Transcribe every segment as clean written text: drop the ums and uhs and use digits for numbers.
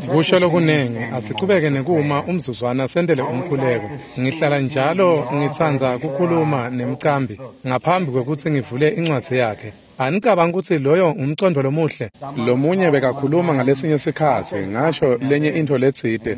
Kusho lokunengi, asichubeke nekuma umzuzwana sentele umkhuleko. Ngihlala njalo ngitsandza kukhuluma nemcambi ngaphambi kwekutsi ngivule incwadzi yakhe. Anicabanga kutsi loyo ngumcondvo lomuhle? Lomunye bekakhuluma ngalesinye sikhatsi, ngasho lenye intfo letsite,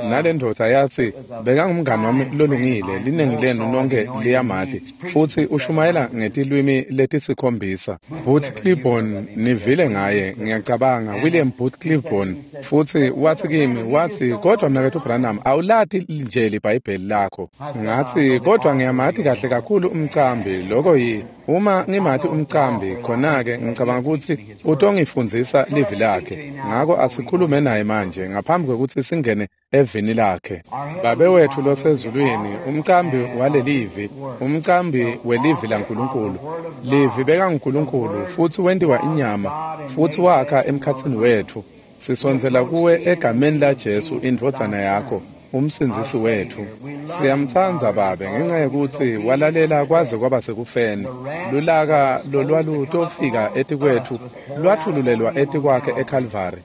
nalendvodza yatsi bekangumngani wami lolungile, linengi lenu nonke liyamati, futsi ushumayela ngetilwimi letisikhombisa. Booth Clibborn, nivile ngaye, ngiyacabanga, William Booth Clibborn, futsi watsi kimi, watsi, kodwa mnaketfu Branham, awulati nje liBhayibheli lakho. Ngatsi, kodwa ngiyamati kahle kakhulu umcambi, lokho yi uma ngimati umcambi, khona-ke ngicabanga kutsi utongifundzisa livi lakhe. Ngako asikhulume naye manje ngaphambi kwekutsi singene evini lakhe. Babe wetfu losezulwini, umcambi walelivi, umcambi welivi laNkulunkulu. Livi bekanguNkulunkulu futsi wentiwa inyama futsi wakha emkhatsini wetfu. Sisondzela kuwe egameni laJesu indvodzana yakho, umsindzisi wetfu. Siyamtsandza Babe ngenxa yekutsi walalela kwaze kwaba sekufeni. Lulaka lolwalutofika etikwetfu lwathululelwa etikwakhe eKhalvari.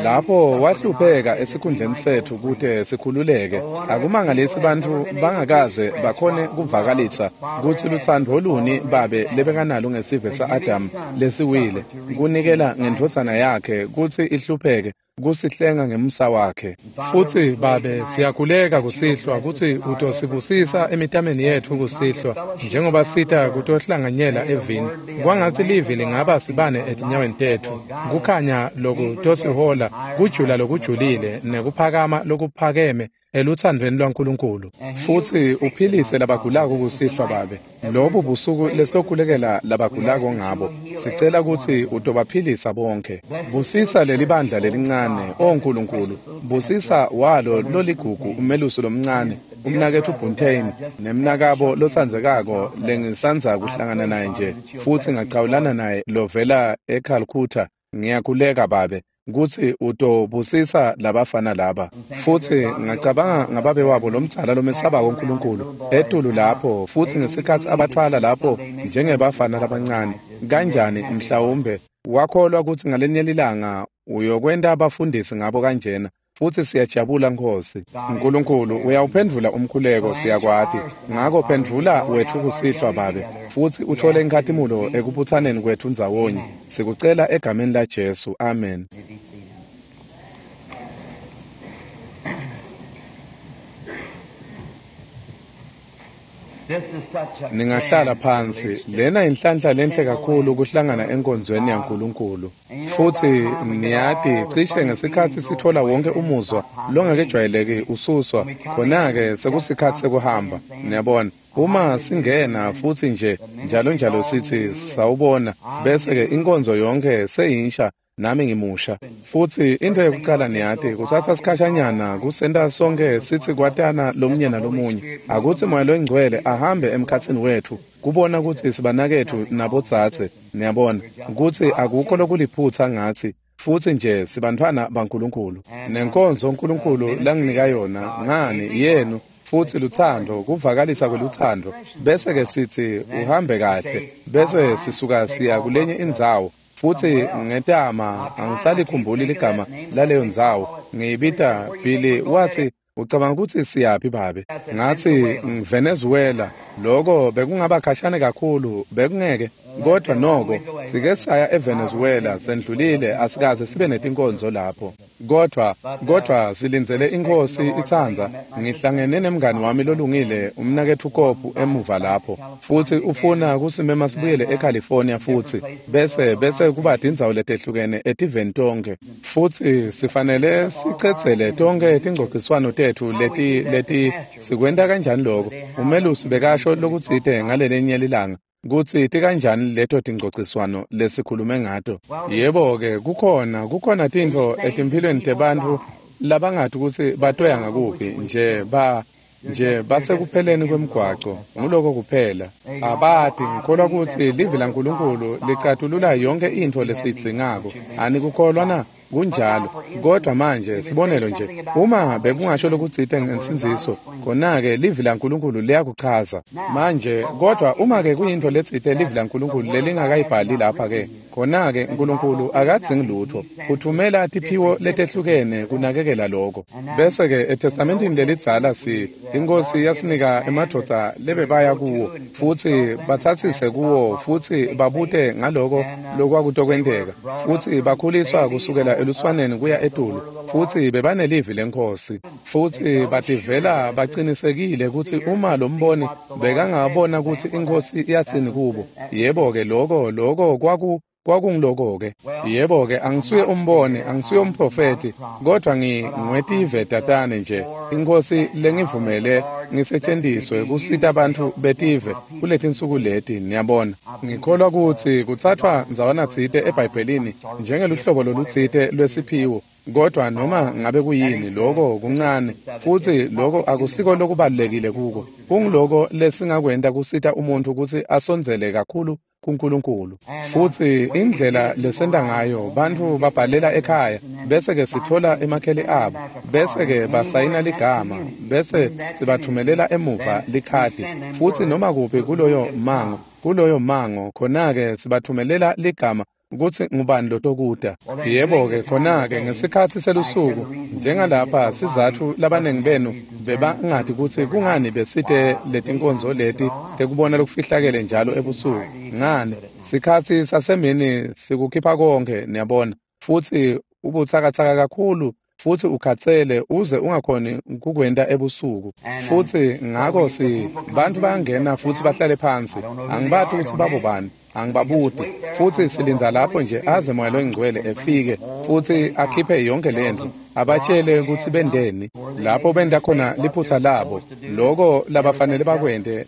Lapho wahlupheka esikhundleni setfu kute sikhululeke. Akumangalisi bantfu bangakaze bakhone kuvakalisa kutsi lutsandvo luni Babe lebekanalo ngesive sa-Adamu lesiwile, kunikela ngendvodzana yakhe kutsi ihlupheke kusihlenga ngemusa wakhe. Futsi Babe, siyakhuleka kusihlwa kutsi utosibusisa emitameni yetfu kusihlwa njengoba sita kutohlanganyela evini. Kwangatsi livi lingaba sibane etinyaweni tetfu, kukhanya lokutosihola, kujula lokujulile nekuphakama lokuphakeme elutsandvweni lwaNkulunkulu. Futsi uphilise labagulako kusihlwa Babe. Lobu busuku lesitokhulekela labagulako ngabo, sicela kutsi utobaphilisa bonke. Busisa lelibandla lelincane, o Nkulunkulu. Busisa walo loligugu umelusi lomncane, umnaketfu Buntain, nemnakabo lotsandzekako lengisandza kuhlangana naye nje, futsi ngacawulana naye lovela eCalcutta. Ngiyakhuleka Babe kutsi utobusisa labafana laba. Futsi ngacabanga ngababe wabo lomdzala lomesabako uNkulunkulu etulu lapho, futsi ngesikhatsi abathwala lapho njengebafana labancane, kanjani mhlawumbe wakholwa kutsi ngalenye lilanga uyokwenta abafundisi ngabo kanjena. Futsi siyajabula Nkhosi. Nkulunkulu uyawuphendvula umkhuleko, siyakwati. Ngako phendvula wetfu kusihlwa Babe, futsi uthole inkhatimulo ekubutsaneni kwetfu ndzawonye. Sikucela egameni laJesu. Amen. Ningahlala phansi. Lena inhlanhla lenhle kakhulu kuhlangana enkonzweni yaNkulunkulu. Futsi niyati cishe ngesikhatsi sithola wonke umuzwa longakejwayeleki ususwa, khona-ke sekusikhatsi sekuhamba. Niyabona, uma singena futsi nje njalo njalo sithi sawubona, bese-ke inkonzo yonke seyinsha, nami ngimusha. Futsi into yekucala niyati kutsatsa sikhashanyana kusenta sonke sitsi kwatana lomunye nalomunye. Akutsi Moya loyiNgcwele ahambe emkhatsini wetfu kubona kutsi sibanaketfu nabodzadze, niyabona, kutsi akukho lokuliphutsa ngatsi, futsi nje sibantfwana baNkulunkulu. Nenkonzo uNkulunkulu langinika yona ngani yenu, futsi lutsandvo, kuvakalisa kwelutsandvo, bese-ke sitsi uhambe kahle, bese sisuka siya kulenye indzawo. Futsi ngetama angisalikhumbuli ligama laleyo ndzawo, ngiyibita Billy, watsi ucabanga kutsi siyaphi Babe? Ngatsi Venezuela. Lokho bekungaba khashane kakhulu, bekungeke, kodwa noko sike saya eVenezuela, sendlulile, asikaze sibe netinkonzo lapho. Kodwa silindzele iNkhosi itsandza. Ngihlangene nemngani wami lolungile, umnaketfu Kopu, emuva lapho, futsi ufuna kusimema sibuyele eCalifornia futsi bese kuba tindzawo letehlukene etiveni tonke. Futsi sifanele sicedzele tonke tingcociswano tetfu leti sikwenta kanjani lokho. Umelusi bekasho lokutsite ngalelinye lilanga kutsi tikanjani leto tingcociswano lesikhulume ngato. Yebo-ke, kukhona tintfo etimphilweni tebantfu labangati kutsi batoya ngakuphi, nje basekupheleni kwemgwaco, nguloko kuphela. Abati, ngikholwa kutsi livi laNkulunkulu licatulula yonke intfo lesiyidzingako. Anikukholwa na? Kunjalo. Kodwa manje sibonelo nje, uma bekungasho lokutsite ngensindziso, khona-ke livi laNkulunkulu liyakuchaza. Manje kodwa uma-ke kuyintfo letsite livi laNkulunkulu lelingakayibhali lapha-ke, khona-ke Nkulunkulu akadzingi lutfo, uthumela tiphiwo letehlukene kunakekela lokho. Bese-ke eTestamentini lelidzala iNkhosi yasinika emadvodza lebebaya kuwo futsi batsatsise kuwo futsi babute ngaloko lokwakutokwenteka, futsi bakhuliswa kusukela eluswaneni kuya etulu, futsi bebanelivi leNkhosi, futsi bativela bacinisekile kutsi uma lo mboni bekangabona kutsi iNkhosi iyatsini kubo, yebo-ke lokho kwakungiloko-ke. Yebo-ke, angisuye umboni, angisuye umprofethi, kodwa ngingwetive tatane nje. INkhosi lengivumele ngisetshenziswe kusita bantfu betive kuletinsuku leti, niyabona. Ngikholwa kutsi kutsathwa ndzawanatsite eBhayibhelini njengeluhlobo lolutsite lwesiphiwo, kodwa noma ngabe kuyini, lokho kuncane, futsi lokho akusiko lokubalulekile kuko. Kungiloko lesingakwenta kusita umuntfu kutsi asondzele kakhulu kuNkulunkulu. Futsi indlela lesenta ngayo, bantfu babhalela ekhaya, bese-ke sitfola emakheli abo, bese-ke basayina ligama, bese sibathumelela emuva likhadi, futsi noma kuphi kuloyo mango, khona-ke sibathumelela ligama kutsi ngubani lotokuta. Yebo-ke, khona-ke ngesikhatsi selusuku, njengalapha sizatfu labanengi benu bebangati kutsi kungani besite letinkonzo leti tekubona lokufihlakele njalo ebusuku. Ngani, sikhatsi sasemini sikukhipha konke, niyabona, futsi ubutsakatsaka kakhulu futsi ukhatsele uze ungakhoni kukwenta ebusuku. Futsi ngako bantfu bayangena futsi bahlale phansi. Angibati kutsi babo bani, angibabuti, futsi silindza lapho nje aze Moya loNgcwele efike futsi akhiphe yonke lentfo, abatshele kutsi bendeni lapho benta khona liphutsa labo, loko labafanele bakwente,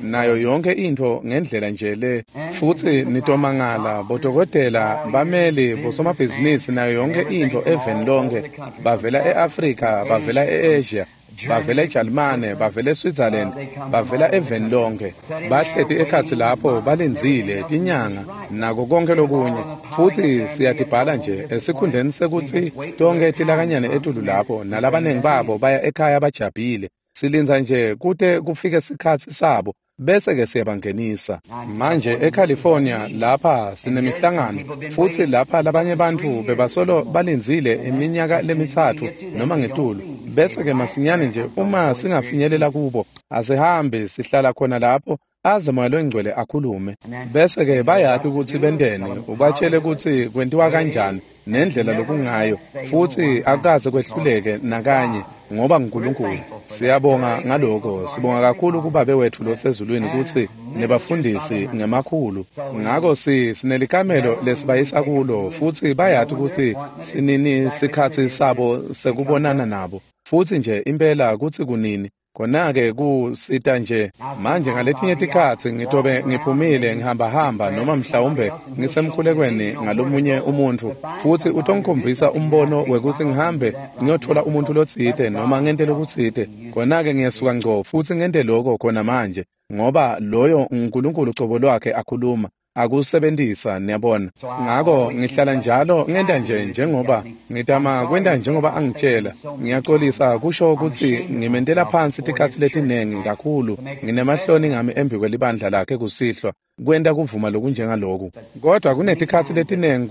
nayo yonke intfo ngendlela nje le. Futsi nitomangala, bodokotela, bameli, bosomabhizinisi, nayo yonke intfo eveni lonke, bavela e-Afrika, bavela e-Asia, bavela eJalimane, bavela eSwitzerland, bavela eveni lonke, bahleti ekhatsi lapho balindzile tinyanga nako konke lokunye. Futsi siyatibhala nje esikhundleni sekutsi tonke tilakanyane etulu lapho, nalabanengi babo baya ekhaya bajabhile. Silindza nje kute kufike sikhatsi sabo, bese-ke siyabangenisa. Manje eCalifornia lapha sinemihlangano, futsi lapha labanye bantfu bebasolo balindzile iminyaka lemithathu noma ngetulu. Bese-ke masinyane nje uma singafinyelela kubo, asihambi sihlala khona lapho aze Moya loNgcwele akhulume. Bese-ke bayati kutsi benteni, ubatshele kutsi kwentiwa kanjani nendlela lokungayo, futsi akukaze kwehluleke nakanye, ngoba nguNkulunkulu. Siyabonga ngaloko, sibonga kakhulu kuBabe wetfu losezulwini kutsi nebafundisi ngemakhulu. Ngako sinelikamelo lesibayisa kulo, futsi bayati kutsi sinini sikhatsi sabo sekubonana nabo, futsi nje impela kutsi kunini. Khona-ke kusita nje. Manje ngaletinye tikhatsi ngitobe ngiphumile ngihambahamba noma mhlawumbe ngisemkhulekweni ngalomunye umuntfu, futsi utongikhombisa umbono wekutsi ngihambe ngiyotfola umuntfu lotsite noma ngente lokutsite. Khona-ke ngiyesuka ngco futsi ngente lokho khona manje, ngoba loyo nguNkulunkulu cobo lwakhe akhuluma, akusebentisa, niyabona. Ngako ngihlala njalo ngenta nje njengoba ngitama kwenta njengoba angitshela. Ngiyaxolisa kusho kutsi ngimentela phansi tikhatsi letinengi kakhulu, nginemahloni ngami embi kwelibandla lakhe kusihlwa kwenta kuvuma lokunjengaloku. Kodwa kunetikhatsi letinengi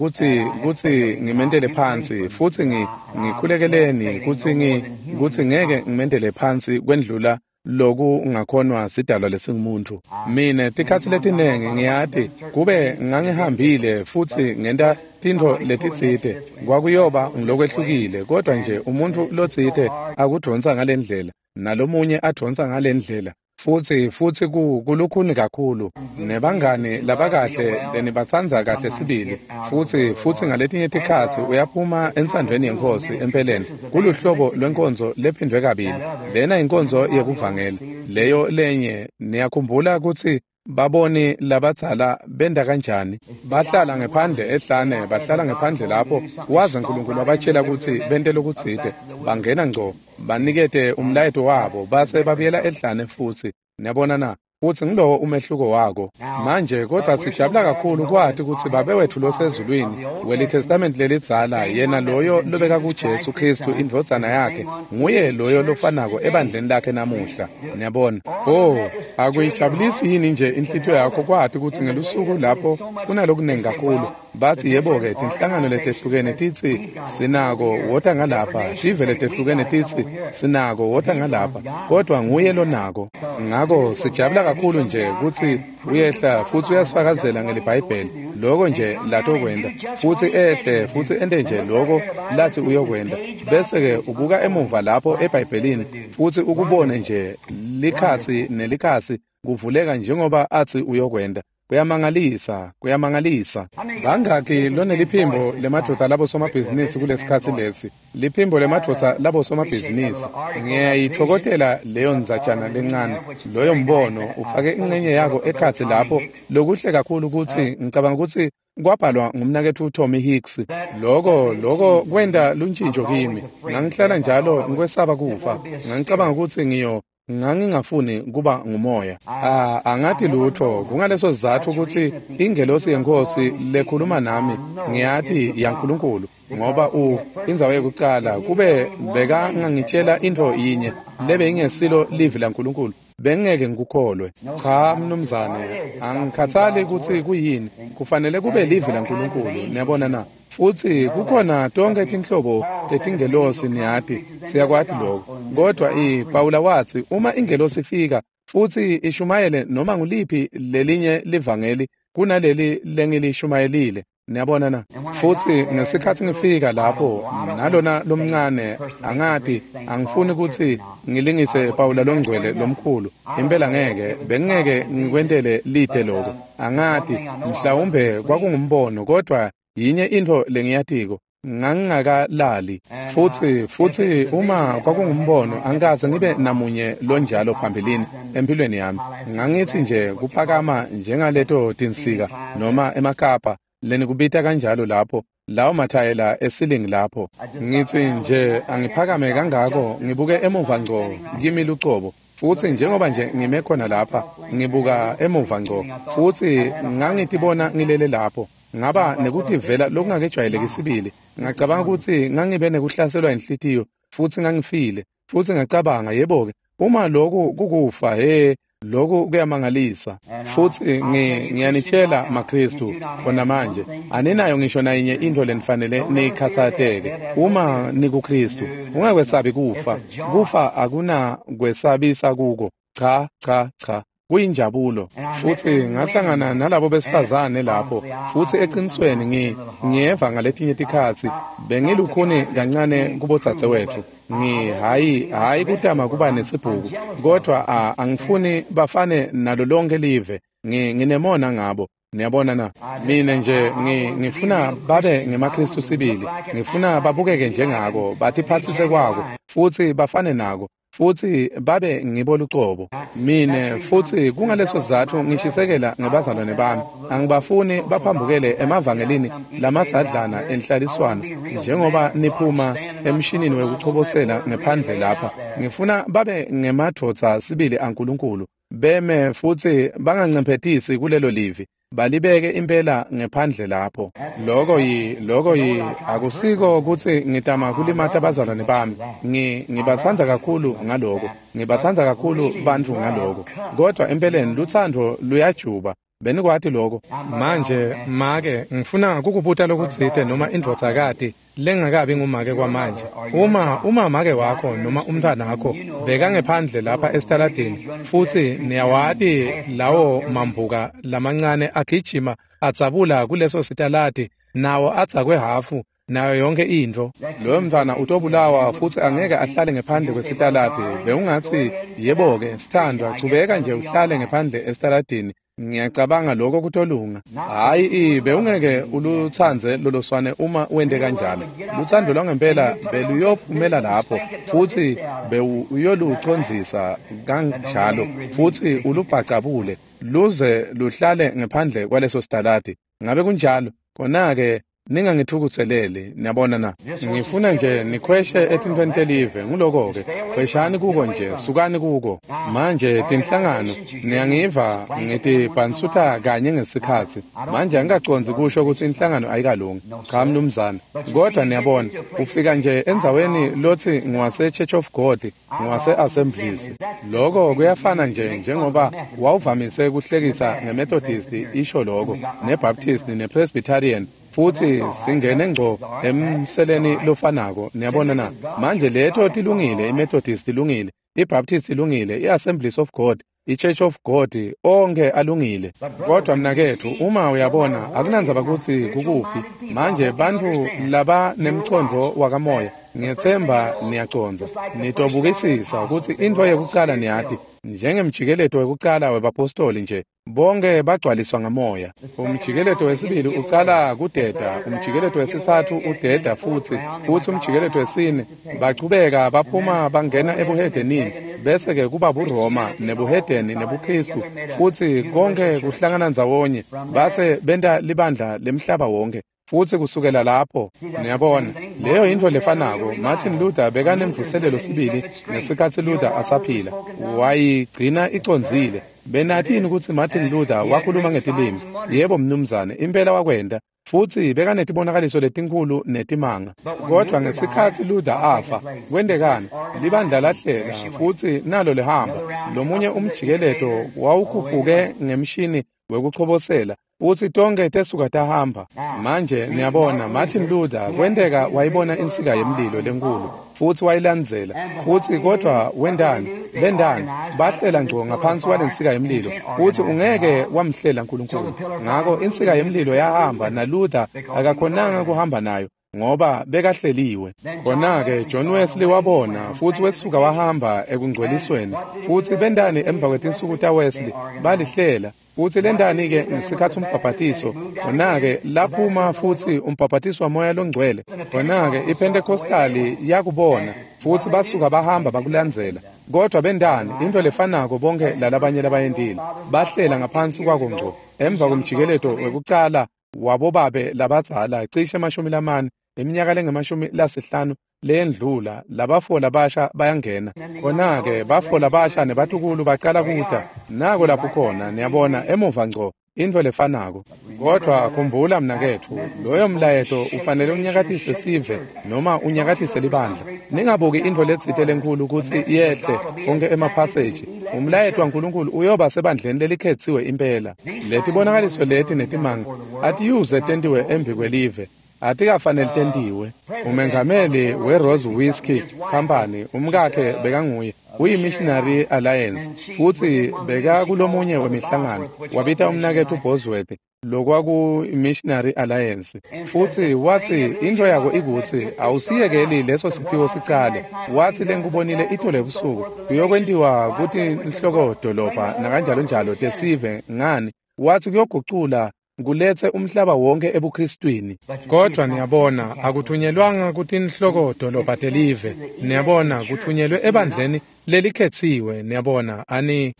kutsi ngimentele phansi, futsi ngikhulekeleni kutsi ngeke ngimentele phansi kwendlula loku ngakhonwa sidalwa lesingumuntu. Mine tikhatsi letinengi ngiyati kube ngangihambile futsi ngenta tintfo letitsite, kwakuyoba ngilokwehlukile, kodwa nje umuntfu lotsite akudvonsa ngalendlela nalomunye advonsa ngalendlela, futsi kulukhuni kakhulu. Nebangani labakahle lenibatsandza kahle sibili, futsi ngaletinye tikhatsi uyaphuma entsandvweni yeNkhosi. Empeleni kuluhlobo lwenkonzo lephindwe kabili. Lena inkonzo yekuvangela, leyo lenye. Niyakhumbula kutsi baboni labadzala benda kanjani? Bahlala ngephandle ehlane, bahlala ngephandle lapho waze Nkulunkulu wabatshela kutsi bente lokutsite. Bangena ngco, banikete umlayeto wabo, base babuyela ehlane futsi. Niyabona na? Futsi ngilowo umehluko wako. Manje kodwa sijabula kakhulu kwati kutsi Babe wetfu losezulwini weliTestament lelidzala, yena loyo lobeka kuJesu Kristu indvodzana yakhe, nguye loyo lofanako ebandleni lakhe namuhla. Niyabona? Oh, akuyijabulisi yini nje inhlitiyo yakho kwati kutsi ngelusuku lapho kunalokunengi kakhulu. Batsi yebo-ke tinhlangano letehlukene titsi sinako wota ngalapha, tive letehlukene titsi sinako wota ngalapha, kodwa nguye lonako. Ngako sijabula kakhulu nje kutsi uyehla futsi uyasifakazela ngeliBhayibheli loko nje latokwenta, futsi ehle futsi ente nje loko latsi uyokwenta, bese-ke ubuka emuva lapho eBhayibhelini futsi ukubone nje likhasi nelikhasi kuvuleka njengoba atsi uyokwenta. Kuyamangalisa, kuyamangalisa. Bangaki loneliphimbo lemadvodza labosomabhizinisi kulesikhatsi lesi? Liphimbo lemadvodza labosomabhizinisi. Ngiyayitfokotela leyo ndzatjana lencane, loyo mbono ufake incenye yako ekhatsi lapho. Lokuhle kakhulu kutsi ngicabanga kutsi kwabhalwa ngumnaketfu Tommy Hicks. Loko kwenta luntjintjo kimi. Ngangihlala njalo ngikwesaba kufa. Ngangicabanga kutsi ngangingafuni kuba ngumoya. Angati lutho. Kungaleso sizatfu kutsi ingelosi yeNkhosi lekhuluma nami ngiyati yaNkulunkulu, ngoba indzawo yekucala kube bekangangitshela intfo yinye lebe ingesilo livi laNkulunkulu, bengeke ngikukholwe. Cha mnumzane, angikhathali kutsi kuyini, kufanele kube livi laNkulunkulu. Niyabona na? Futsi kukhona tonke tinhlobo tetingelosi, niyati, siyakwati lokho. Kodwa Pawula watsi uma ingelosi ifika futsi ishumayele noma nguliphi lelinye livangeli kunaleli lengilishumayelile. Niyabona na? Futsi ngesikhatsi ngifika lapho nalona lomncane, angati, angifuni kutsi ngilingise Pawula longcwele lomkhulu. Impela ngeke, bengeke ngikwentele lide lokho. Angati, mhlawumbe kwakungumbono, kodwa yinye intfo lengiyatiko, ngangingakalali. Futsi uma kwakungumbono, angikaze ngibe namunye lonjalo phambilini empilweni yami. Ngangitsi nje kuphakama njengaleto tinsika noma emakapa lenikubita kanjalo lapho, lawo mathayela esilingi lapho. Ngitsi nje angiphakame kangako ngibuke emuva ngco kimi lucobo. Futsi njengoba nje ngime khona lapha ngibuka emuva ngco, futsi ngangitibona ngilele lapho. Ngaba nekutivela lokungakejwayeleki sibili. Ngacabanga kutsi ngangibe nekuhlaselwa inhlitiyo futsi ngangifile. Futsi ngacabanga, yebo-ke, uma loku kukufa, he, loku kuyamangalisa. Futsi ngiyanitshela maKristu khona manje, aninayo ngisho nayinye intfo lenifanele niyikhatsateke. Uma nikuKristu, ungakwesabi kufa. Kufa akunakwesabisa kuko. Cha, cha, cha. Kuyinjabulo. Futsi ngahlangana nalabo besifazane lapho, futsi eqinisweni ngiyeva ngaletinye tikhatsi bengilukhuni kancane kubodzadzewetfu. Hhayi kutama kuba nesibhuku, kodwa angifuni bafane nalo lonke live. Nginemona ngabo. Niyabona na? Mina nje ngifuna babe ngemaKristu sibili. Ngifuna babukeke njengako, batiphatsise kwako, futsi bafane nako, futsi babe ngibo lucobo. Mine futsi kungaleso sizatfu ngishisekela ngebazalwane bami. Angibafuni baphambukele emavangelini lamadzadlana enhlaliswano njengoba niphuma emshinini wekuchobosela ngephandle lapha. Ngifuna babe ngemadvodza sibili aNkulunkulu, beme futsi bangancemphetisi kulelo livi, balibeke impela ngephandle lapho. Loko akusiko kutsi ngitama kulimata abazalwane bami. Ngibatsandza kakhulu ngaloko. Ngibatsandza kakhulu bantfu ngaloko. Kodwa empeleni lutsandvo luyajuba. Benikwati lokho? Manje make, ngifuna kukubuta lokutsite noma indvodzakati lengakabi ngumake kwamanje. Uma make wakho noma umntwana wakho bekangephandle lapha esitaladini, futsi niyawati lawo mambuka lamancane agijima adzabula kuleso sitaladi, nawo adzakwe hafu nayo yonke intfo, loyo mntwana utobulawa futsi angeke ahlale ngephandle kwesitaladi. Bewungatsi, yebo-ke sithandwa, chubeka nje uhlale ngephandle esitaladini, ngiyacabanga lokho kutolunga. Hhayi, bewungeke ulutsandze loloswane uma wente kanjalo. Lutsandvo lwangempela beluyophumela lapho, futsi bewuyolucondzisa kanjalo, futsi ulubhacabule luze luhlale ngephandle kwaleso sitaladi. Ngabe kunjalo? Khona-ke Ningangithukutheleli, niyabona na? Ngifuna nje nikhweshe etintfweni telive, nguloko-ke. Khweshani kuko nje, sukani kuko. Manje tinhlangano, niyangiva ngitibhansutha kanye ngesikhatsi. Manje angikacondzi kusho kutsi inhlangano ayikalungi. Cha mnumzane. Kodwa niyabona, ufika nje endzaweni lotsi ngiwase Church of God, ngiwase Assemblies. Loko kuyafana nje njengoba wawuvamise kuhlekisa ngeMethodist isho loko, neBaptist nePresbyterian. Futhi singene ngco emseleni lofanako, niyabona na? Manje leto tilungile, iMethodist ilungile, iBaptist ilungile, iAssemblies of God, iChurch of God, onke alungile. Kodwa mnaketfu, uma uyabona, akunandzaba kutsi kukuphi. Manje bantfu laba nemcondvo wakamoya, ngiyetsemba niyacondza. Nitobukisisa kutsi intfo yekucala niyati, njengemjikeleto wekucala webapostoli nje, bonke bagcwaliswa ngamoya. Umjikeleto wesibili ucala kudeda, umjikeleto wesitsatfu udeda futsi umjikeleto wesine bachubeka baphuma bangena ebuhedenini, bese-ke kuba buRoma nebuhedeni nebuKristu, futsi konke kuhlangana ndzawonye base benta libandla lemhlaba wonke. Futsi kusukela lapho, niyabona, leyo yintfo lefanako. Martin Luther bekanemvuselelo sibili ngesikhatsi Luther asaphila, wayigcina icondzile. Benatini kutsi Martin Luther wakhuluma ngetilimi? Yebo mnumzane, impela wakwenta. Futsi bekanetibonakaliso letinkhulu netimanga. Kodwa ngesikhatsi Luther afa, kwentekani? Libandla lahlela futsi nalo lihamba. Lomunye umjikeleto wawukhuphuke ngemshini wekuchobosela, futsi tonke tesuka tahamba. Manje niyabona, Martin Luther kwenteka wayibona insika yemlilo lenkulu futsi wayilandzela. Futsi kodwa wendani? Bendani? Bahlela ngco ngaphansi kwalensika yemlilo, futsi ungeke wamhlela uNkulunkulu. Ngako insika yemlilo yahamba, naLuther akakhonanga kuhamba nayo ngoba bekahleliwe. Khona-ke John Wesley wabona futsi wesuka wahamba ekungcwelisweni. Futsi bendani emva kwetinsuku taWesley? Balihlela. Futsi lendani-ke ngesikhatsi umbhabhatiso? Khona-ke laphuma futsi umbhabhatiso waMoya loNgcwele. Khona-ke iPentecostali yakubona futsi basuka bahamba bakulandzela. Kodwa bendani? Into lefanako bonke lalabanye labayentile. Bahlela ngaphansi kwako ngco. Emva komjikeleto wekucala wabobabe labadzala cishe 40 iminyaka lengama-50 leyendlula, labafo labasha bayangena. Khona-ke bafo labasha nebatukulu bacala kuta. Nako lapho khona, niyabona, emuva ngco, intfo lefanako. Kodwa khumbula mnaketfu, loyo mlayeto ufanele unyakatise sive noma unyakatise libandla. Ningabuki intfo letsite lenkhulu kutsi yehle onke emaphaseji. Umlayeto waNkulunkulu uyoba sebandleni lelikhetsiwe impela. Letibonakaliso leti netimanga atiyuze tentiwe embi kwelive. Atikafanele tentiwe. Umengameli we-Rose Whiskey Company, umkakhe bekanguye, uyi-Missionary Alliance, futsi bekakulomunye wemihlangano. Wabita umnaketfu Bosworth lokwaku-Missionary Alliance, futsi watsi intfo yako ikutsi awusiyekeli leso siphiwo sicale. Watsi lengikubonile itolo ebusuku kuyokwentiwa kutinhlokodolobha nakanjalo njalo tesive ngani. Watsi kuyogucula kulethe umhlaba wonke ebuKristwini. Kodwa niyabona, akuthunyelwanga kutinhlokodolobha telive. Niyabona, kuthunyelwe ebandleni lelikhetsiwe. Niyabona, ani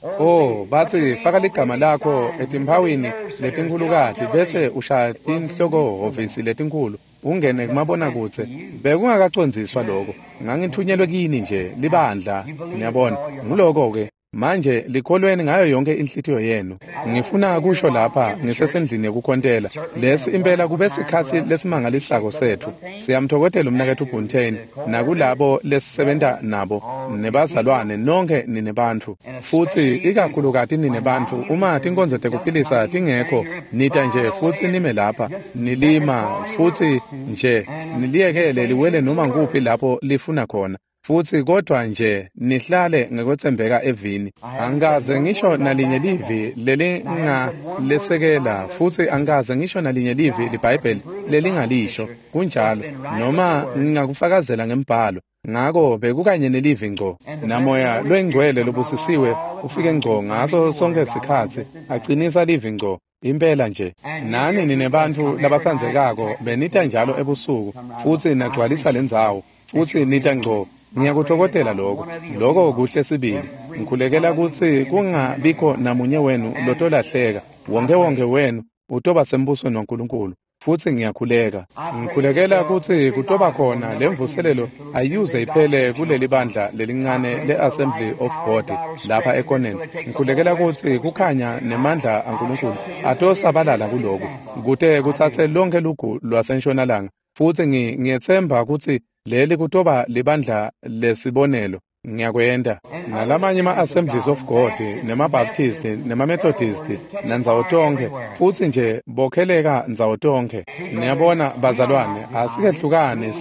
batsi faka ligama lakho etimphawini letinkhulukati bese ushaya tinhlokohhovisi letinkhulu ungene kumabonakudze. Bekungakacondziswa loko. Ngangithunyelwe kini nje libandla. Niyabona, nguloko-ke. Manje likholweni ngayo yonke inhlitiyo yenu. Ngifuna kusho lapha ngisesendlini yekukhontela, lesi impela kube sikhatsi lesimangalisako setfu. Siyamthokothela umnaketfu Buntain nakulabo lesisebenta nabo nebazalwane nonke ninebantfu. Futsi ikakhulukati ninebantfu uma tinkonzo tekuphilisa tingekho, nita nje futsi nime lapha nilima futsi nje niliyekele liwele noma nguphi lapho lifuna khona. Futsi kodwa nje nihlale ngekwetsembeka evini. Angikaze ngisho nalinye livi lelingalesekela, futsi angikaze ngisho nalinye livi liBhayibheli lelingalisho. Kunjalo, noma ngingakufakazela ngembhalo. Ngako bekukanye nelivi ngco. Namoya lwengcwele lobusisiwe ufike ngco ngaso sonke sikhatsi acinisa livi ngco. Impela nje. Nani ninebantfu labatsandzekako benita njalo ebusuku futsi nagcwalisa lendzawo futsi nita ngco. Ngiyakuthokothela lokho. Lokho kuhle sibili. Ngikhulekela kutsi kungabikho namunye wenu lotolahleka. Wonke wonke wenu utoba sembusweni waNkulunkulu. Futsi ngiyakhuleka. Ngikhulekela kutsi kutoba khona lemvuselelo ayuze iphele kuleli bandla lelincane le-Assembly of God lapha ekoneni. Ngikhulekela kutsi kukhanya nemandla aNkulunkulu atosabalala kuloku, kute kutsatse lonke lugu lwasentshonalanga. Futsi ngiyetsemba kutsi leli kutoba libandla lesibonelo. Ngiyakwenta. Nalamanye ama-Assemblies of God, nema-Baptist, nema-Methodist, nandzawo tonkhe, futsi nje bokheleka ndzawo tonkhe. Niyabona bazalwane, asikehlukane,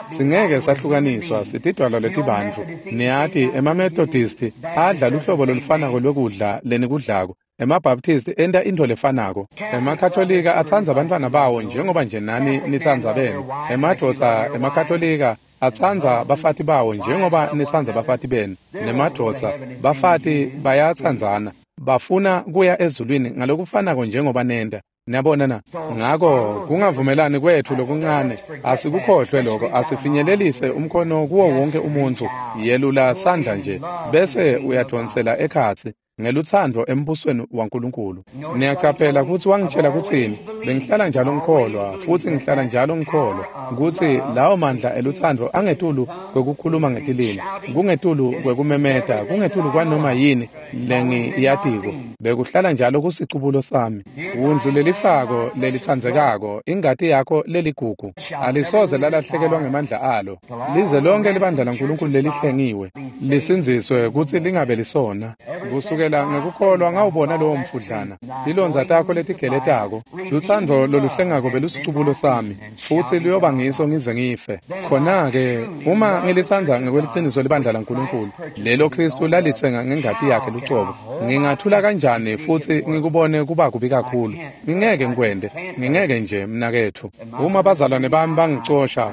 singeke sahlukaniswa, sitidwala letibantfu. Niyati, ema-Methodist adla luhlobo lolufanako lwekudla lenikudlako. EmaBaptist enta intfo lefanako. EmaKatolika atsandza abantwana bawo njengoba nje nani nitsandza benu. Emadvodza emaKatolika atsandza bafati bawo njengoba nitsandza bafati benu. Nemadvodza, bafati bayatsandzana. Bafuna kuya ezulwini ngalokufanako njengoba nenta. Niyabona na? Ngako kungavumelani kwetfu lokuncane, asikukhohlwe lokho, asifinyelelise umkhono kuwo wonke umuntfu, yelula sandla nje, bese uyadonsela ekhatsi ngelutsandvo embusweni waNkulunkulu. Niyacaphela kutsi wangitshela kutsini? Bengihlala njalo ngikholwa, futhi ngihlala njalo ngikholwa kutsi lawo mandla elutsandvo angetulu kwekukhuluma ngetilimi, kungetulu kwekumemeta, kungetulu kwanoma yini lengiyatiko. Bekuhlala njalo kusicubulo sami. Wundlu lelifako lelitsandzekako, ingati yakho leligugu, alisoze lalahlekelwa ngemandla alo. Lize lonke libandla laNkulunkulu lelihlengiwe lisindziswe kutsi lingabe lisona. Kusukela ngekukholwa ngawubona lowo mfudlana, tilondza takho letigeletako, lutsandvo loluhlengako belusicubulo sami, futsi luyoba ngiso ngize ngife. Khona-ke uma ngilitsandza ngekweliciniso libandla laNkulunkulu, lelo Khristu lalitsenga ngengati yakhe lucobo, ngingathula kanjani futsi ngikubone kuba kubi kakhulu? Ngingeke ngikwente, ngingeke nje mnaketfu. Uma bazalwane bami bangicosha,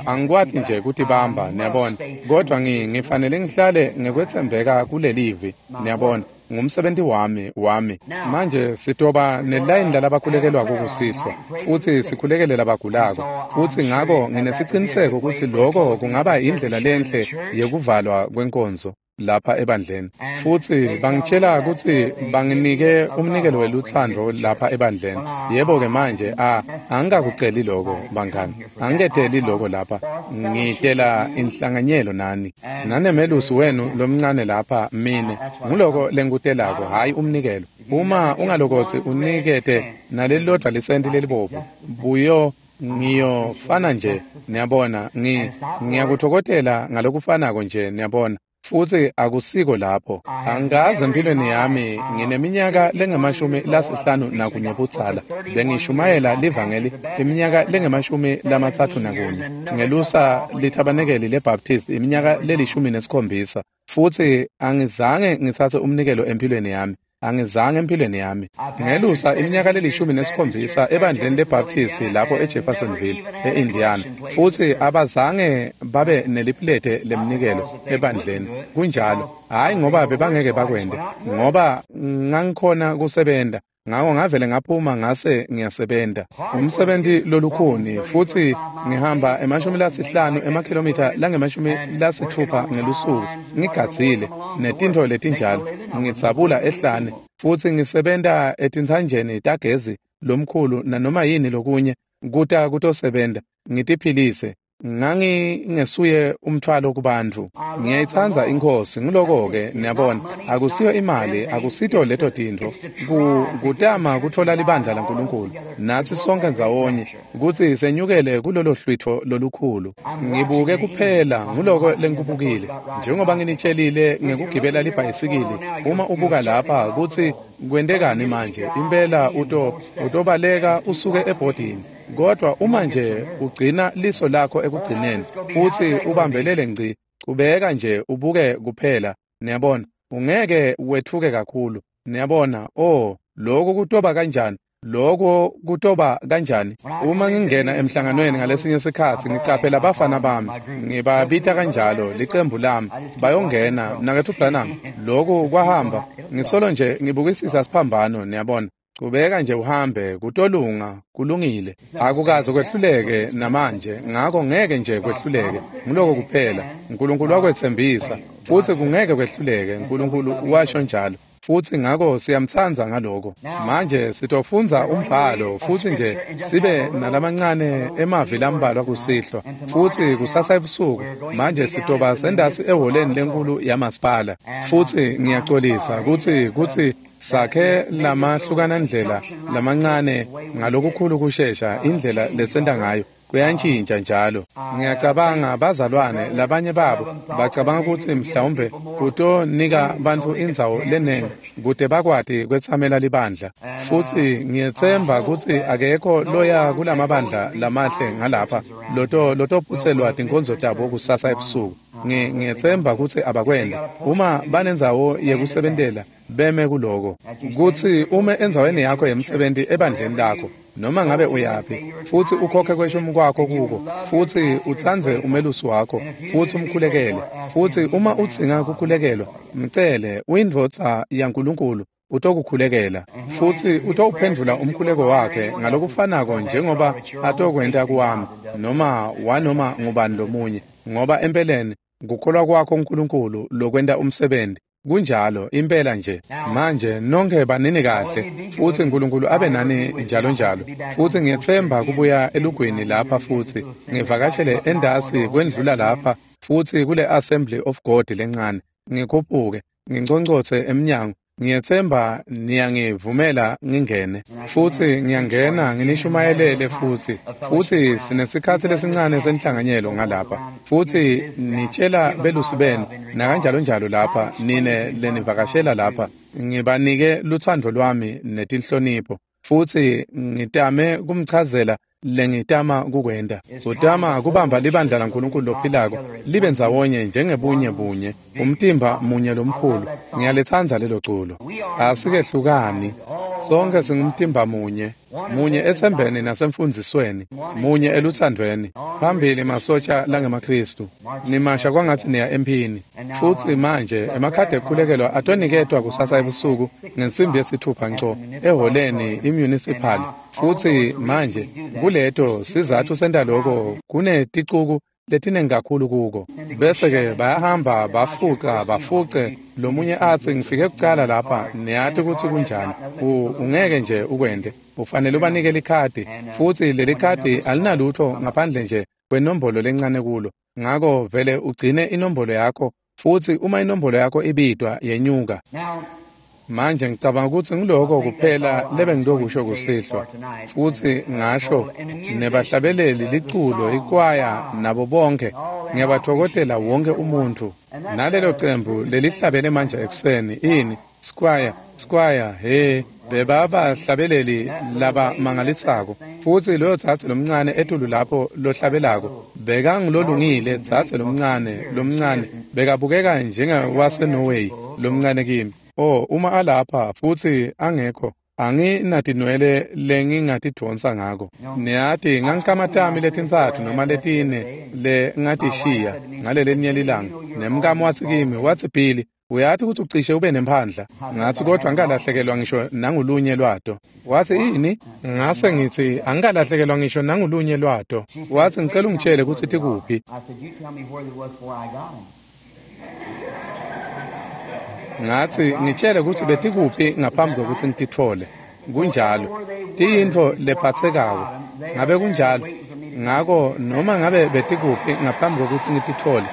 angikwati nje kutibamba, niyabona, kodwa ngifanele ngihlale ngekwetsembeka kulelivi, niyabona. Ngumsebenzi wami. Manje sitoba nelayini lalabakhulekelwako kusiswa, futsi sikhulekele labagulako, futsi ngako nginesiciniseko kutsi loko kungaba indlela lenhle yekuvalwa kwenkonzo lapha ebandleni. Futsi bangitshela kutsi banginike umnikelo welutsandvo lapha ebandleni. Yebo-ke manje, angikakuceli loko bangani, angiketeli loko lapha, ngitela inhlanganyelo nani nanemelusi wenu lomncane lapha. Mine nguloko lengikutelako, hhayi umnikelo. Uma ungalokotsi unikete nalelilodvwa lisenti lelibovu, buyo ngiyofana nje, niyabona, ngiyakutfokotela ngalokufanako nje, niyabona. Futsi akusiko lapho. Angikaze empilweni yami, ngineminyaka lengu-51 budzala, bengishumayela livangeli iminyaka lengu-31, ngelusa lithabanekeli leBaptist iminyaka le-17, futsi angizange ngitsatse umnikelo empilweni yami. Angizange empilweni yami. Ngelusa iminyaka le-17 ebandleni leBaptist lapho eJeffersonville, eIndiana, futsi abazange babe nelipulete lemnikelo ebandleni. Kunjalo, hhayi ngoba bebangeke bakwente, ngoba ngangikhona kusebenta. Ngako ngavele ngaphuma ngase ngiyasebenta. Umsebenzi lolukhuni, futhi ngihamba 50 emakhilomitha langu-60 ngelusuku, ngigadzile netintfo letinjalo, ngidzabula ehlane, futsi ngisebenta etintsanjeni tagezi lomkhulu nanoma yini lokunye kuta kutosebenta, ngitiphilise. Ngangingesuye umthwalo kubantfu. Ngiyayitsandza iNkhosi, nguloko-ke, niyabona, akusiyo imali, akusito leto tintfo. Kutama kutfola libandla laNkulunkulu, natsi sonke ndzawonye, kutsi senyukele kulolo hlwitfo lolukhulu. Ngibuke kuphela, nguloko lengikubukile. Njengoba nginitshelile ngekugibela libhayisikili, uma ubuka lapha kutsi kwentekani manje, impela utobaleka usuke ebhodini. Kodwa uma nje ugcina liso lakho ekugcineni futsi ubambelele ngci, chubeka nje ubuke kuphela, niyabona, ungeke wetfuke kakhulu. Niyabona, oh, lokhu kutoba kanjani? Lokho kutoba kanjani? Uma ngingena emhlanganweni ngalesinye sikhatsi ngicaphela abafana bami, ngibabita kanjalo, licembu lami, bayongena, mnaketfu Branham, lokhu kwahamba, ngisolo nje ngibukisisa siphambano, niyabona. Chubeka nje uhambe, kutolunga, kulungile. Akukaze kwehluleke namanje, ngako ngeke nje kwehluleke. Nguloko kuphela. uNkulunkulu wakwetsembisa, futsi kungeke kwehluleke. uNkulunkulu washo njalo. Futsi ngako siyamtsandza ngaloko. Manje sitofundza umbhalo futsi nje sibe nalamancane emavi lambalwa kusihlwa. Futsi kusasa ebusuku manje sitoba sendasi eholeni lenkulu yamasipala. Futsi ngiyacolisa kutsi sakhe lamahlukana ndlela lamancane ngalokukhulu kushesha indlela lesenta ngayo. Kuyantshintsha njalo. Ngiyacabanga bazalwane labanye babo bacabanga kutsi mhlawumbe kutonika bantfu indzawo lenengi kute bakwati kwetsamela libandla. Futsi ngiyetsemba kutsi akekho loya kulamabandla lamahle ngalapha lotophutselwa tinkonzo tabo kusasa ebusuku. Ngiyetsemba kutsi abakwenti. Uma banendzawo yekusebentela beme kuloko. Kutsi ume endzaweni yakho yemsebenti ebandleni lakho noma ngabe uyaphi futsi ukhokhe kweshumi kwakho kuko futsi utsandze umelusi wakho futsi umkhulekele futsi uma udzinga kukhulekelwa mcele uyindvodza yaNkulunkulu utokukhulekela futsi utowuphendvula umkhuleko wakhe ngalokufanako njengoba atokwenta kuwami noma wanoma ngubani lomunye ngoba empeleni kukholwa kwakho uNkulunkulu lokwenta umsebenzi. Kunjalo impela nje. Manje nonke banini kahle futsi uNkulunkulu abe nani njalo njalo. Futsi ngiyetsemba kubuya elugwini lapha futsi ngivakashele endasi kwendlula lapha futsi kule Assembly of God lencane ngikhuphuke nginconcotse emnyango. Ngiyetsemba niyangivumela ngingene futsi ngiyangena nginishumayelele futsi sinesikhatsi lesincane senhlanganyelo ngalapha futsi nitshela belusi benu nakanjalo njalo lapha nine lenivakashela lapha ngibanike lutsandvo lwami netinhlonipho futsi ngitame kumchazela lengitama kukwenta. Utama kubamba libandla laNkulunkulu lophilako libe ndzawonye njengebunye bunye umtimba munye lomkhulu. Ngiyalitsandza lelo culo. Asikehlukani, sonke singumtimba munye, munye ethembeni nasemfundzisweni, munye elutsandvweni. Phambili masotsha langemaKristu, nimasha kwangatsi niya emphini. Futsi manje emakhadi ekukhulekelwa atoniketwa kusasa ebusuku ngensimbi yesithupha nco eholeni imunicipal. Futsi manje kuleto sizathu senta loko kuneticuku letinengi kakhulu kuko. Bese-ke bayahamba bafuca bafuce lomunye atsi ngifike kucala lapha niyati kutsi kunjani. Ungeke nje ukwente, ufanele ubanike likhadi futsi leli khadi alinalutho ngaphandle nje kwenombolo lencane kulo. Ngako vele ugcine inombolo yakho futsi uma inombolo yakho ibidwa yenyuka. Manje ngicabanga kutsi ngiloko kuphela lebengitokusho kusihlwa. Futsi ngasho nebahlabeleli liculo ikwaya nabo bonke ngiyabathokotela wonke umuntfu. Nalelo cembu lelihlabele manje ekuseni ini squire squire he bebabahlabeleli labamangalisako. Futsi loyo dzadze lomncane etulu lapho lohlabelako bekangilolungile dzadze lomncane bekabukeka njengawaseNorway lomncane kimi. Oh, uma alapha futsi angekho anginatinwele lengingatidvonsa ngako. Niyati ngangikamatami letintsatfu noma letine lengatishiya ngalelelinye lilanga. Nemkami watsi kimi, watsi Billy, uyati kutsi ucishe ube nemphandla. Ngatsi kodwa angikalahlekelwa ngisho nangulunye lwato. Watsi ini? Ngase ngitsi angikalahlekelwa ngisho nangulunye lwato. Watsi ngicela ungitshele kutsi tikuphi. Ngatsi ngitshele kutsi betikuphi ngaphambi kwekutsi ngititfole. Kunjalo, tiyintfo lephatsekako. Ngabe kunjalo? Ngako noma ngabe betikuphi ngaphambi kwekutsi ngititfole,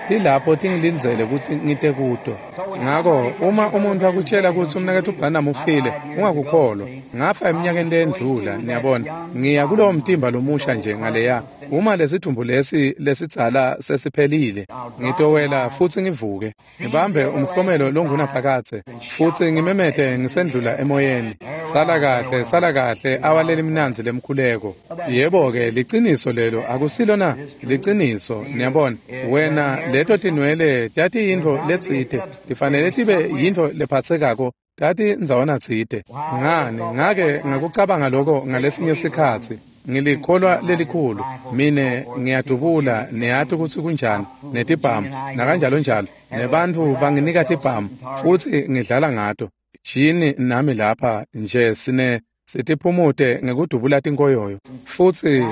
tilapho tingilindzele kutsi ngite kuto. Ngako uma umuntfu akutshela kutsi umnaketfu Branham ufile, ungakukholwa. Ngafa eminyakeni leyendlula, niyabona. Ngiya kulowo mtimba lomusha nje ngaleya. Uma lesidvumbu lesi lesidzala sesiphelile, ngitowela futsi ngivuke. Ngibambe umhlomelo longunaphakadze futsi ngimemete ngisendlula emoyeni. Sala kahle, sala kahle, awaleli mnandzi lemkhuleko. Yebo-ke, liciniso lelo, akusilo na? Liciniso, niyabona. Wena leto tinwele tatiyintfo letsite, tifanele tibe yintfo lephatsekako, tati ndzawana tsite. Ngani, ngake ngakucabanga loko ngalesinye sikhatsi. Ngilikholwa lelikhulu, mine ngiyadubula, niyati kutsi kunjani, netibhamu, nakanjalo njalo, nebantfu banginika tibhamu, futsi ngidlala ngato. Jini nami lapha nje sine sitiphumute ngekudubula tinkoyoyo.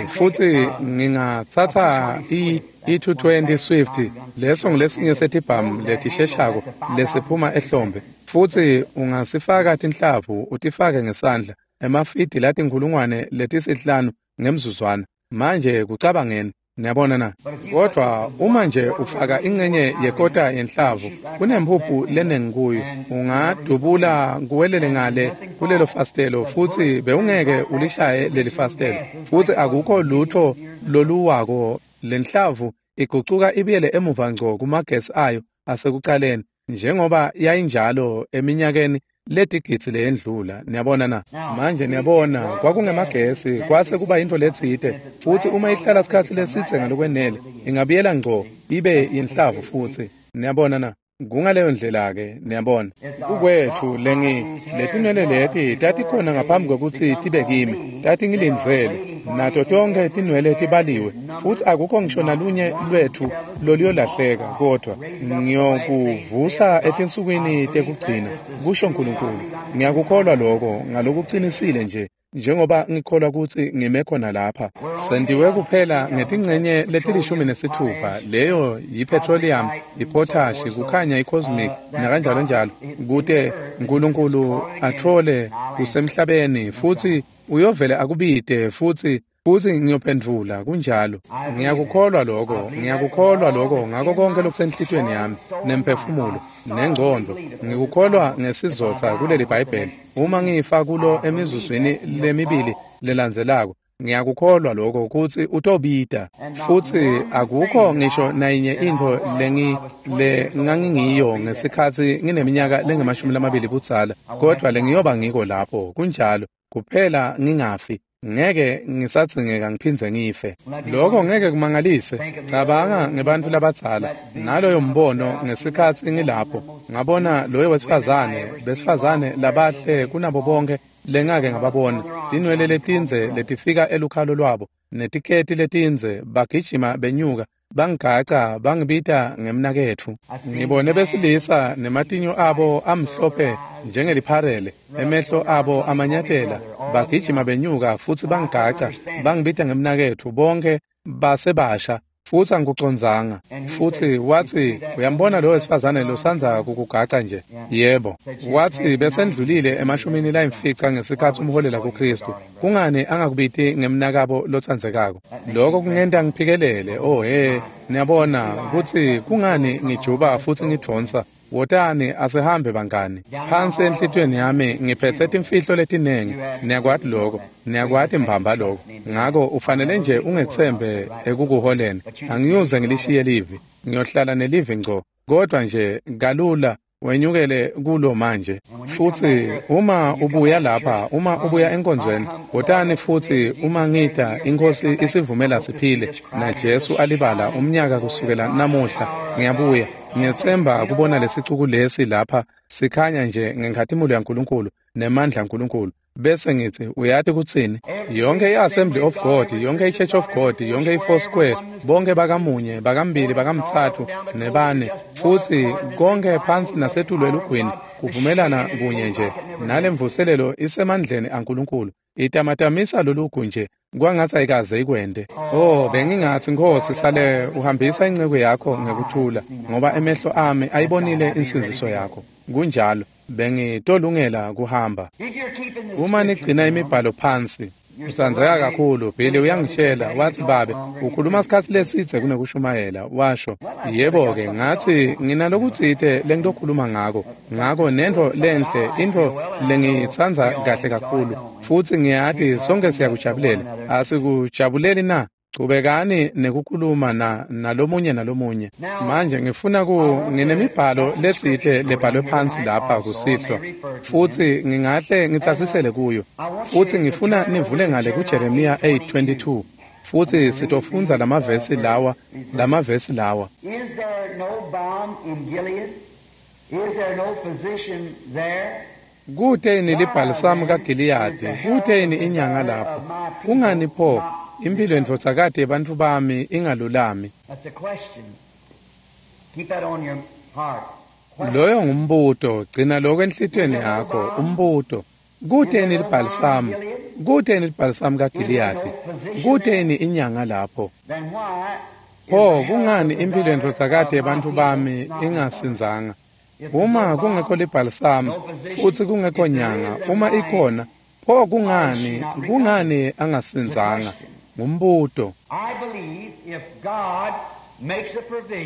Futsi ngingatsatsa i-220 Swift Leso ngulesinye setibhamu letisheshako lesiphuma ehlombe, futsi ungasifaka tinhlavu utifake ngesandla emafidi lati 5,000 ngemzuzwana. Manje kucabangeni, niyabona na? Kodvwa uma nje ufaka incenye yekota yenhlavu, kunemphuphu lenengi kuyo, ungadubula kuwelele ngale kulelo fastelo, futsi bewungeke ulishaye leli fastelo, futsi akukho lutho loluwako. Lenhlavu igucuka ibuyele emuva ngco kumagesi ayo asekucaleni, njengoba yayinjalo eminyakeni letigidzi leyendlula. Niyabona na? Manje niyabona, kwakungemagesi, kwase kuba yintfo letsite, futsi uma ihlala sikhatsi lesidze ngalokwenele, ingabuyela ngco ibe yinhlavu futsi. Niyabona na? Kungaleyo ndlela-ke, niyabona. Kukwetfu letinwele leti tatikhona ngaphambi kwekutsi tibe kimi, tatingilindzele, nato tonkhe tinwele tibaliwe, futsi akukho ngisho nalunye lwetfu loluyolahleka, kodvwa ngiyokuvusa etinsukwini tekugcina, kusho Nkulunkulu. Ngiyakukholwa lokho ngalokucinisile nje njengoba ngikholwa kutsi ngime khona lapha. Sentiwe kuphela ngetincenye leti-16, leyo yi-petroleum, i-potash, kukhanya, i-cosmic, nakanjalonjalo, kute Nkulunkulu atfole kusemhlabeni, futsi uyovele akubite, futsi ngiyophendvula. Kunjalo. Ngiyakukholwa lokho, ngiyakukholwa lokho ngako konke lokusenhlitiyweni yami, nemphefumulo, nengcondvo. Ngikukholwa ngesizotha kuleli Bhayibheli. Uma ngifa kulo emizuzwini lemibili lelandzelako, ngiyakukholwa lokho kutsi utobita. Futsi akukho ngisho nayinye intfo lengangingiyo ngesikhatsi ngineminyaka lengama-20 budzala, kodvwa lengiyoba ngiko lapho. Kunjalo. Kuphela ngingafi, ngeke ngisadzingeka ngiphindze ngife. Lokho ngeke kumangalise. Cabanga ngebantfu labadzala naloyo mbono ngesikhatsi ngilapho, ngabona loyo wesifazane, besifazane labahle kunabo bonke lengake ngababona, tinwele letindze letifika elukhalo lwabo, netiketi letindze, bagijima benyuka, bangigaca, bangibita ngemnaketfu. Ngibone besilisa nematinyo abo amhlophe njengelipharele, emehlo abo amanyatela, bagijima benyuka futsi bangigaca, bangibita ngemnaketfu, bonke basebasha, futsi angikucondzanga. Futsi watsi, uyambona lo wesifazane losandza kukugaca nje? Yebo. Watsi besendlulile 50 ngesikhatsi umholela kuKhristu. Kungani angakubiti ngemnakabo lotsandzekako? Lokho kungenta ngiphikelele. Oh he, niyabona kutsi kungani ngijuba futsi ngidvonsa. Wotani asihambe bangani. Phansi enhlitiyweni yami ngiphetse timfihlo letinengi. Niyakwati lokho, niyakwati mbamba lokho. Ngako ufanele nje ungetsembe ekukuholeni. Angiyuze ngilishiye livi, ngiyohlala nelivi ngco, kodvwa nje kalula wenyukele kulo manje. Futsi uma ubuya lapha, uma ubuya enkonzweni, wotani futsi uma ngita, iNkhosi isivumela siphile, naJesu alibala umnyaka kusukela namuhla, ngiyabuya. Ngiyetsemba kubona lesicuku lesi lapha sikhanya nje ngenkhatimulo yaNkulunkulu nemandla aNkulunkulu. Bese ngithi, uyati kutsini? Yonke i-Assembly of God, yonke i-Church of God, yonke i-Four Square, bonke bakamunye, bakambili, bakamtsatfu, nebane, futsi konke phansi nasetulu elugwini kuvumelana kunye nje. Nalemvuselelo isemandleni aNkulunkulu, itamatamisa lolugu nje kwangatsi ayikaze ikwente. Oh, bengingatsi, Nkhosi, sale uhambisa inceku yakho ngekuthula, ngoba emehlo ami ayibonile insindziso yakho. Kunjalo, bengitolungela kuhamba. Uma nigcina imibhalo phansi, utsandzeka kakhulu. Billy uyangitshela, watsi, babe, ukhuluma sikhatsi lesidze kunekushumayela, washo. Yebo-ke, ngatsi nginalokutsite lengitokhuluma ngako, ngako nentfo lenhle, intfo lengiyitsandza kahle kakhulu, futsi ngiyati sonke siyakujabulela. Asikujabuleli na? Chubekani nekukhuluma nalomunye nalomunye. Manje ngifuna nginemibhalo letsite lebhalwe phansi lapha kusihlwa, futsi ngingahle ngitsatsisele kuyo. Futsi ngifuna nivule ngale kuJeremiya 8:22, futsi sitofundza lamavesi lawa. Is there no balm in Gilead? Is there no physician there? Kute yini libhalisamu kaGiliyadi? Kute yini inyanga lapho? Kungani pho impilo yendvodzakati yebantfu bami ingalulami? That's a question. Keep that on your heart. Loyo ngumbuto, gcina lokho enhlitiyweni yakho, umbuto. Kute yini libhalisamu? Kute yini libhalisamu kaGiliyadi? Kute yini inyanga lapho? Then why Pho kungani impilo yendvodzakati yebantfu bami ingasindzanga? Uma kungekho libhalisamu futsi kungekho nyanga, uma ikhona, pho kungani angasindzanga? Ngumbuto.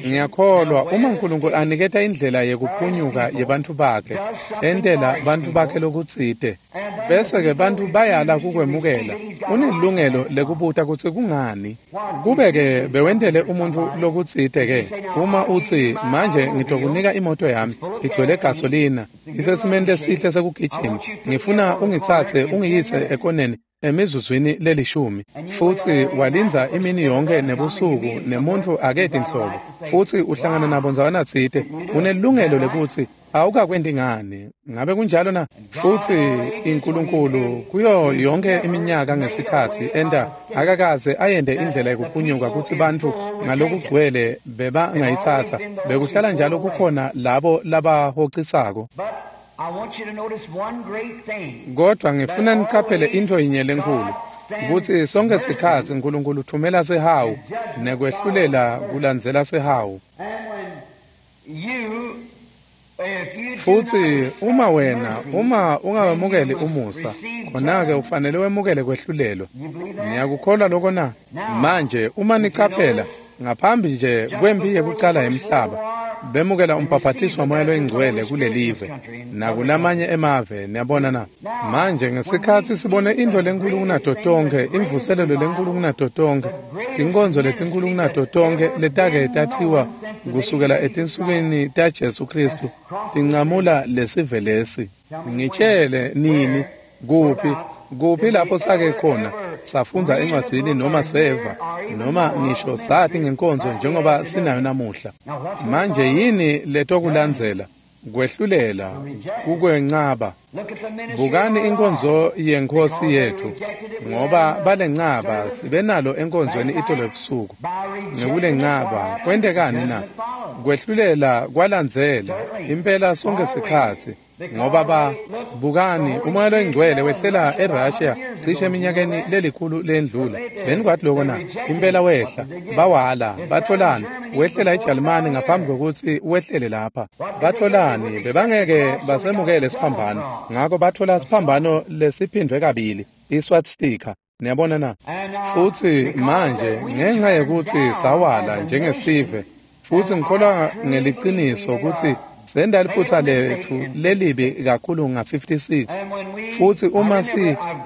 Ngiyakholwa uma uNkulunkulu aniketa indlela yekuphunyuka yebantfu bakhe, entela bantfu bakhe lokutsite, bese-ke bantfu bayala kukwemukela, unelilungelo lekubuta kutsi kungani. Kube-ke bewentele umuntfu lokutsite-ke, uma utsi, manje ngitokunika imoto yami, igcwele gasolina, isesimeni lesihle sekugijima, ngifuna ungitsatse ungiyise ekoneni emizuzwini lelishumi, futsi walindza imini yonke nebusuku nemuntfu aketi nhlobo, futsi uhlangana nabo ndzawanatsite, unelilungelo lekutsi awukakwenti ngani. Ngabe kunjalo na? Futsi iNkulunkulu kuyo yonke iminyaka ngesikhatsi enta akakaze ayente indlela yekuphunyuka kutsi bantfu ngalokugcwele bebangayitsatsa, bekuhlala njalo kukhona labo labahocisako. Kodwa ngifuna nicaphele intfo yinye lenkhulu, kutsi sonke sikhatsi uNkulunkulu uthumela sihawu nekwehlulela kulandzela sihawu. Futsi uma wena, uma ungawemukeli umusa, khona-ke ufanele wemukele kwehlulelwa. Niyakukholwa lokho na? Manje uma nicaphela, ngaphambi nje kwempi yekucala yemhlaba, bemukela umbhaphathiso waMoya loyiNgcwele kulelive nakulamanye emave, niyabona na? Manje ngesikhatsi sibone intfo lenkhulu kunato tonkhe, imvuselelo lenkhulu kunato tonkhe, tinkonzo letinkhulu kunato tonkhe letake tatiwa kusukela etinsukwini taJesu Khristu, tincamula lesive lesi. Ngitshele nini, kuphi lapho sake khona safundza encwadzini noma seva noma ngisho sati ngenkonzo njengoba sinayo namuhla? Manje yini letokulandzela? Kwehlulela, kukwencaba. Bukani inkonzo yeNkhosi yetfu, ngoba balencaba sibenalo enkonzweni itolo ebusuku. Ngekulencaba kwentekani na? Kwehlulela kwalandzela impela sonke sikhatsi. Ngoba bukani uMoya loyiNgcwele wehlela eRussia cishe eminyakeni lelikhulu lendlula. Benikwati lokho na? Impela wehla, bawala, batholani, wehlela eJalimane ngaphambi kwekutsi wehlele lapha. Batholani, bebangeke basemukele siphambano, ngako bathola siphambano lesiphindwe kabili, iswastika. Niyabona na? Futsi manje ngenxa yekutsi sawala njengesive, futsi ngikholwa ngeliciniso kutsi senda liphutsa letfu lelibi kakhulu nga-56. Futsi uma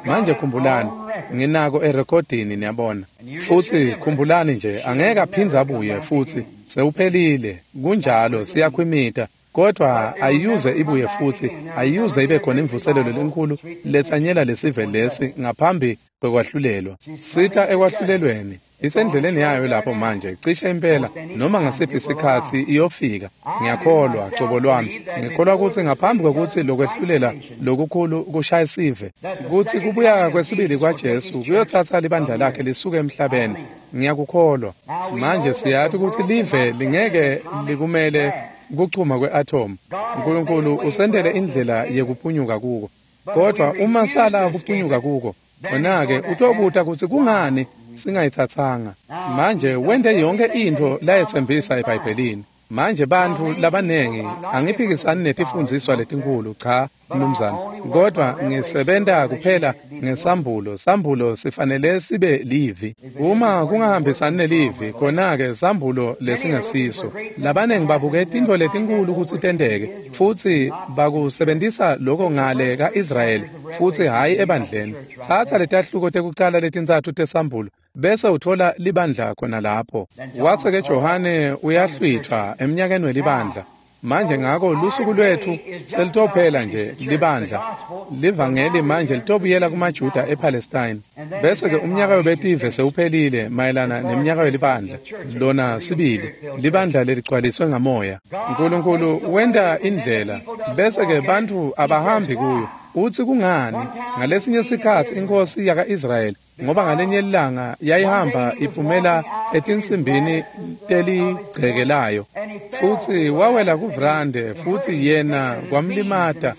manje khumbulani, nginako erekhodini, niyabona. Futsi khumbulani nje, angeke aphindze abuye futsi, sewuphelile, kunjalo, siyakhwimita. Kodwa ayuze ibuye futsi, ayuze ibe khona imvuselelo lenkulu letsanyela lesive lesi ngaphambi kwekwahlulelwa. Sita ekwahlulelweni. Isendleleni yayo lapho manje, cishe impela noma ngasiphi isikhatsi iyofika. Ngiyakholwa cobo lwami, ngikholwa kutsi ngaphambi kwekutsi lokwehlulela lokukhulu kushaye sive, kutsi kubuya kwesibili kwaJesu kuyotsatsa libandla lakhe lisuke emhlabeni. Ngiyakukholwa. Manje siyati kutsi live lingeke likumele kuchuma kwe-atom. uNkulunkulu usendele indlela yekuphunyuka kuko. Kodwa uma sala kuphunyuka kuko, wena-ke utobuta kutsi kungani singayitsatsanga. Manje wente yonke intfo layetsembisa eBhayibhelini. Manje bantfu labanengi angiphikisani netifundziswa letinkhulu, cha mnumzane, kodwa ngisebenta kuphela ngesambulo. Sambulo sifanele sibe livi. Uma kungahambisani nelivi, khona-ke sambulo lesingesiso. Labanengi babuke tintfo letinkhulu kutsi tenteke, futsi bakusebentisa lokho ngale ka-Israyeli, futsi hhayi ebandleni. Tsatsa letahluko tekucala letintsatfu tesambulo, bese uthola libandla khona lapho. Watsi-ke Johane uyahlwitfwa emnyakeni welibandla. Manje ngako lusuku lwetfu selitophela nje libandla. Livangeli manje litobuyela kumaJuda ePalestine. Bese-ke umnyaka webetive sewuphelile mayelana neminyaka welibandla. Lona sibili, libandla leligcwaliswe ngamoya. uNkulunkulu wenta indlela, bese-ke bantfu abahambi kuyo. Utsi kungani? Ngalesinye sikhatsi inkhosi yaka-Israyeli, ngoba ngalenye ilanga yayihamba iphumela etinsimbini teligcekelayo, futsi wawela kuvrande, futsi yena kwamlimata,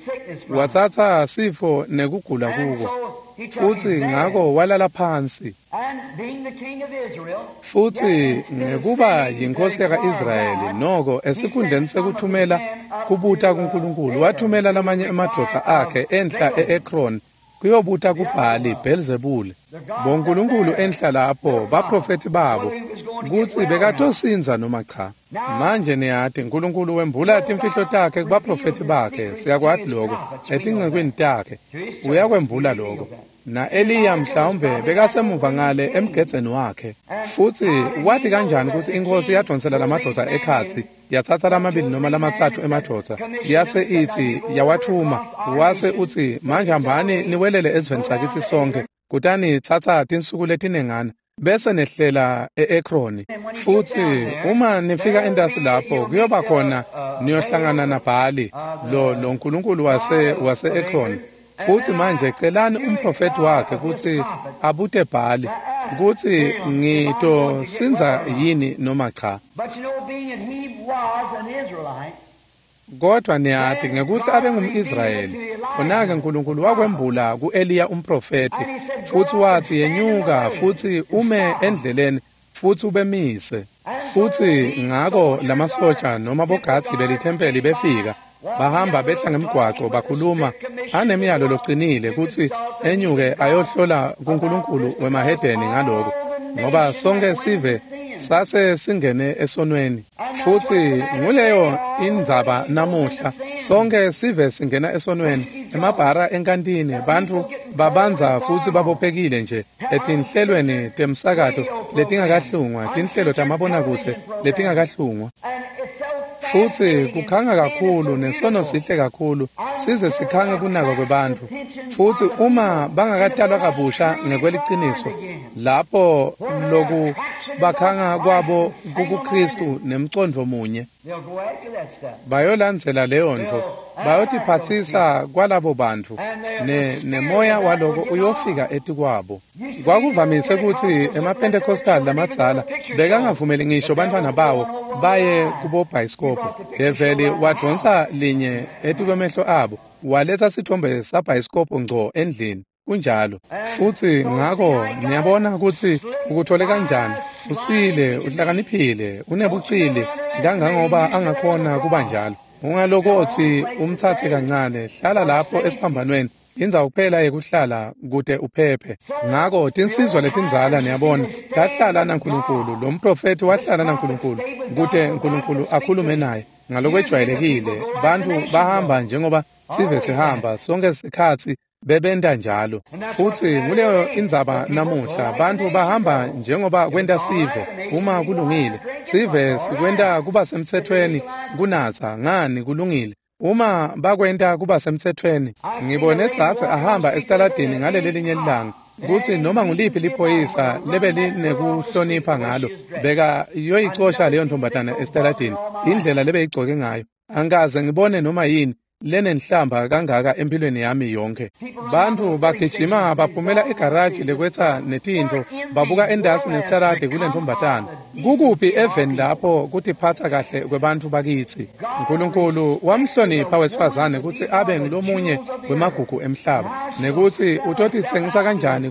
watsatsa sifo nekugula kuko. Futsi ngako walala phansi. Futsi ngekuba yinkosi yaka-Israyeli, noko esikhundleni sekuthumela kubuta kuNkulunkulu, wathumela lamanye emadvodza akhe enhla e-Ekron kuyobuta kuBhali Bhelzebule, bonkulunkulu enhla lapho, baprofethi babo, kutsi bekatosindza noma cha. Manje niyati uNkulunkulu wembula timfihlo takhe kubaprofethi bakhe, siyakwati lokho, etincekwini takhe uyakwembula lokho. Na-Eliya mhlawumbe bekasemuva ngale emgedzeni wakhe. Futsi wati kanjani kutsi inkosi yadonsela lamadvodza ekhatsi, yatsatsa lamabili noma lamatsatfu emadvodza, yase itsi yawathuma, wase utsi manje hambani niwelele esiveni sakitsi sonke, kutani tsatsa tinsuku letinengana bese nehlela e-Ekroni. Futsi uma nifika entasi lapho kuyoba khona niyohlangana naBhali, lo nkulunkulu wase-Ekroni. Futsi manje celani umprofethi wakhe kutsi abute Bhali kutsi ngitosindza yini noma cha. Kodwa niyati ngekuthi abe ngumIsrayeli, khona-ke uNkulunkulu wakwembula ku-Eliya umprofethi, futsi watsi yenyuka futsi ume endleleni futsi ubemise. Futsi ngako lamasotja noma bogadzi belithempeli befika, bahamba behla ngemgwaco bakhuluma anemiyalo locinile kutsi enyuke ayohlola kuNkulunkulu wemahedeni ngaloko, ngoba sonke sive sase singene esonweni. Futsi nguleyo indzaba namuhla, sonke sive singena esonweni, emabhara enkantini, bantfu babanza futsi babophekile nje etinhlelweni temsakato letingakahlungwa, tinhlelo tamabonakudze letingakahlungwa. Futsi kukhanga kakhulu nesono sihle kakhulu size sikhange kunakwa kwebantfu. Futsi uma bangakatalwa kabusha ngekweliciniso, lapho loku bakhanga kwabo kukuKristu nemcondvo munye, bayolandzela leyo ntfo, bayotiphatsisa kwalabo bantfu, nemoya waloko uyofika etikwabo. Kwakuvamise kutsi emaPentecostal lamadzala bekangavumeli ngisho bantfwana bawo baye kubobhayisikobho. Develi wadvonsa linye etikwemehlo abo, waletsa sithombe sabhayisikobho ngco endlini. Kunjalo. Futsi ngako niyabona kutsi ukuthole kanjani. Usile, uhlakaniphile, unebucili kangangoba angakhona kuba njalo. Ungalokotsi umtsatse kancane, hlala lapho esiphambanweni, indzawo kuphela yekuhlala kute uphephe. Ngako tinsizwa letindzala niyabona tahlala naNkulunkulu, lo mprofethi wahlala naNkulunkulu kute uNkulunkulu akhulume naye. Ngalokwejwayelekile bantfu bahamba njengoba sive sihamba sonke sikhatsi bebenta njalo. Futsi nguleyo indzaba namuhla, bantfu bahamba njengoba kwenta sive. Uma kulungile, sive sikwenta kuba semtsetfweni kunatsa, ngani kulungile. Uma bakwenta kuba semtsetfweni, ngibone dzadze ahamba esitaladini ngaleli linye lilanga, kutsi noma nguliphi liphoyisa lebelinekuhlonipha ngalo, beka yoyicosha leyo ntombazana esitaladini, indlela lebeyigcoke ngayo. Angikaze ngibone noma yini lenenhlamba kangaka empilweni yami yonke. Bantfu bagijima baphumela egaraji lekwetsa netintfo, babuka endasi nesitaladi kule ntombazana. Kukuphi eveni lapho kutiphatsa kahle kwebantfu bakitsi? uNkulunkulu wamhlonipha wesifazane kutsi abe ngulomunye wemagugu emhlaba, nekutsi utotitsengisa kanjani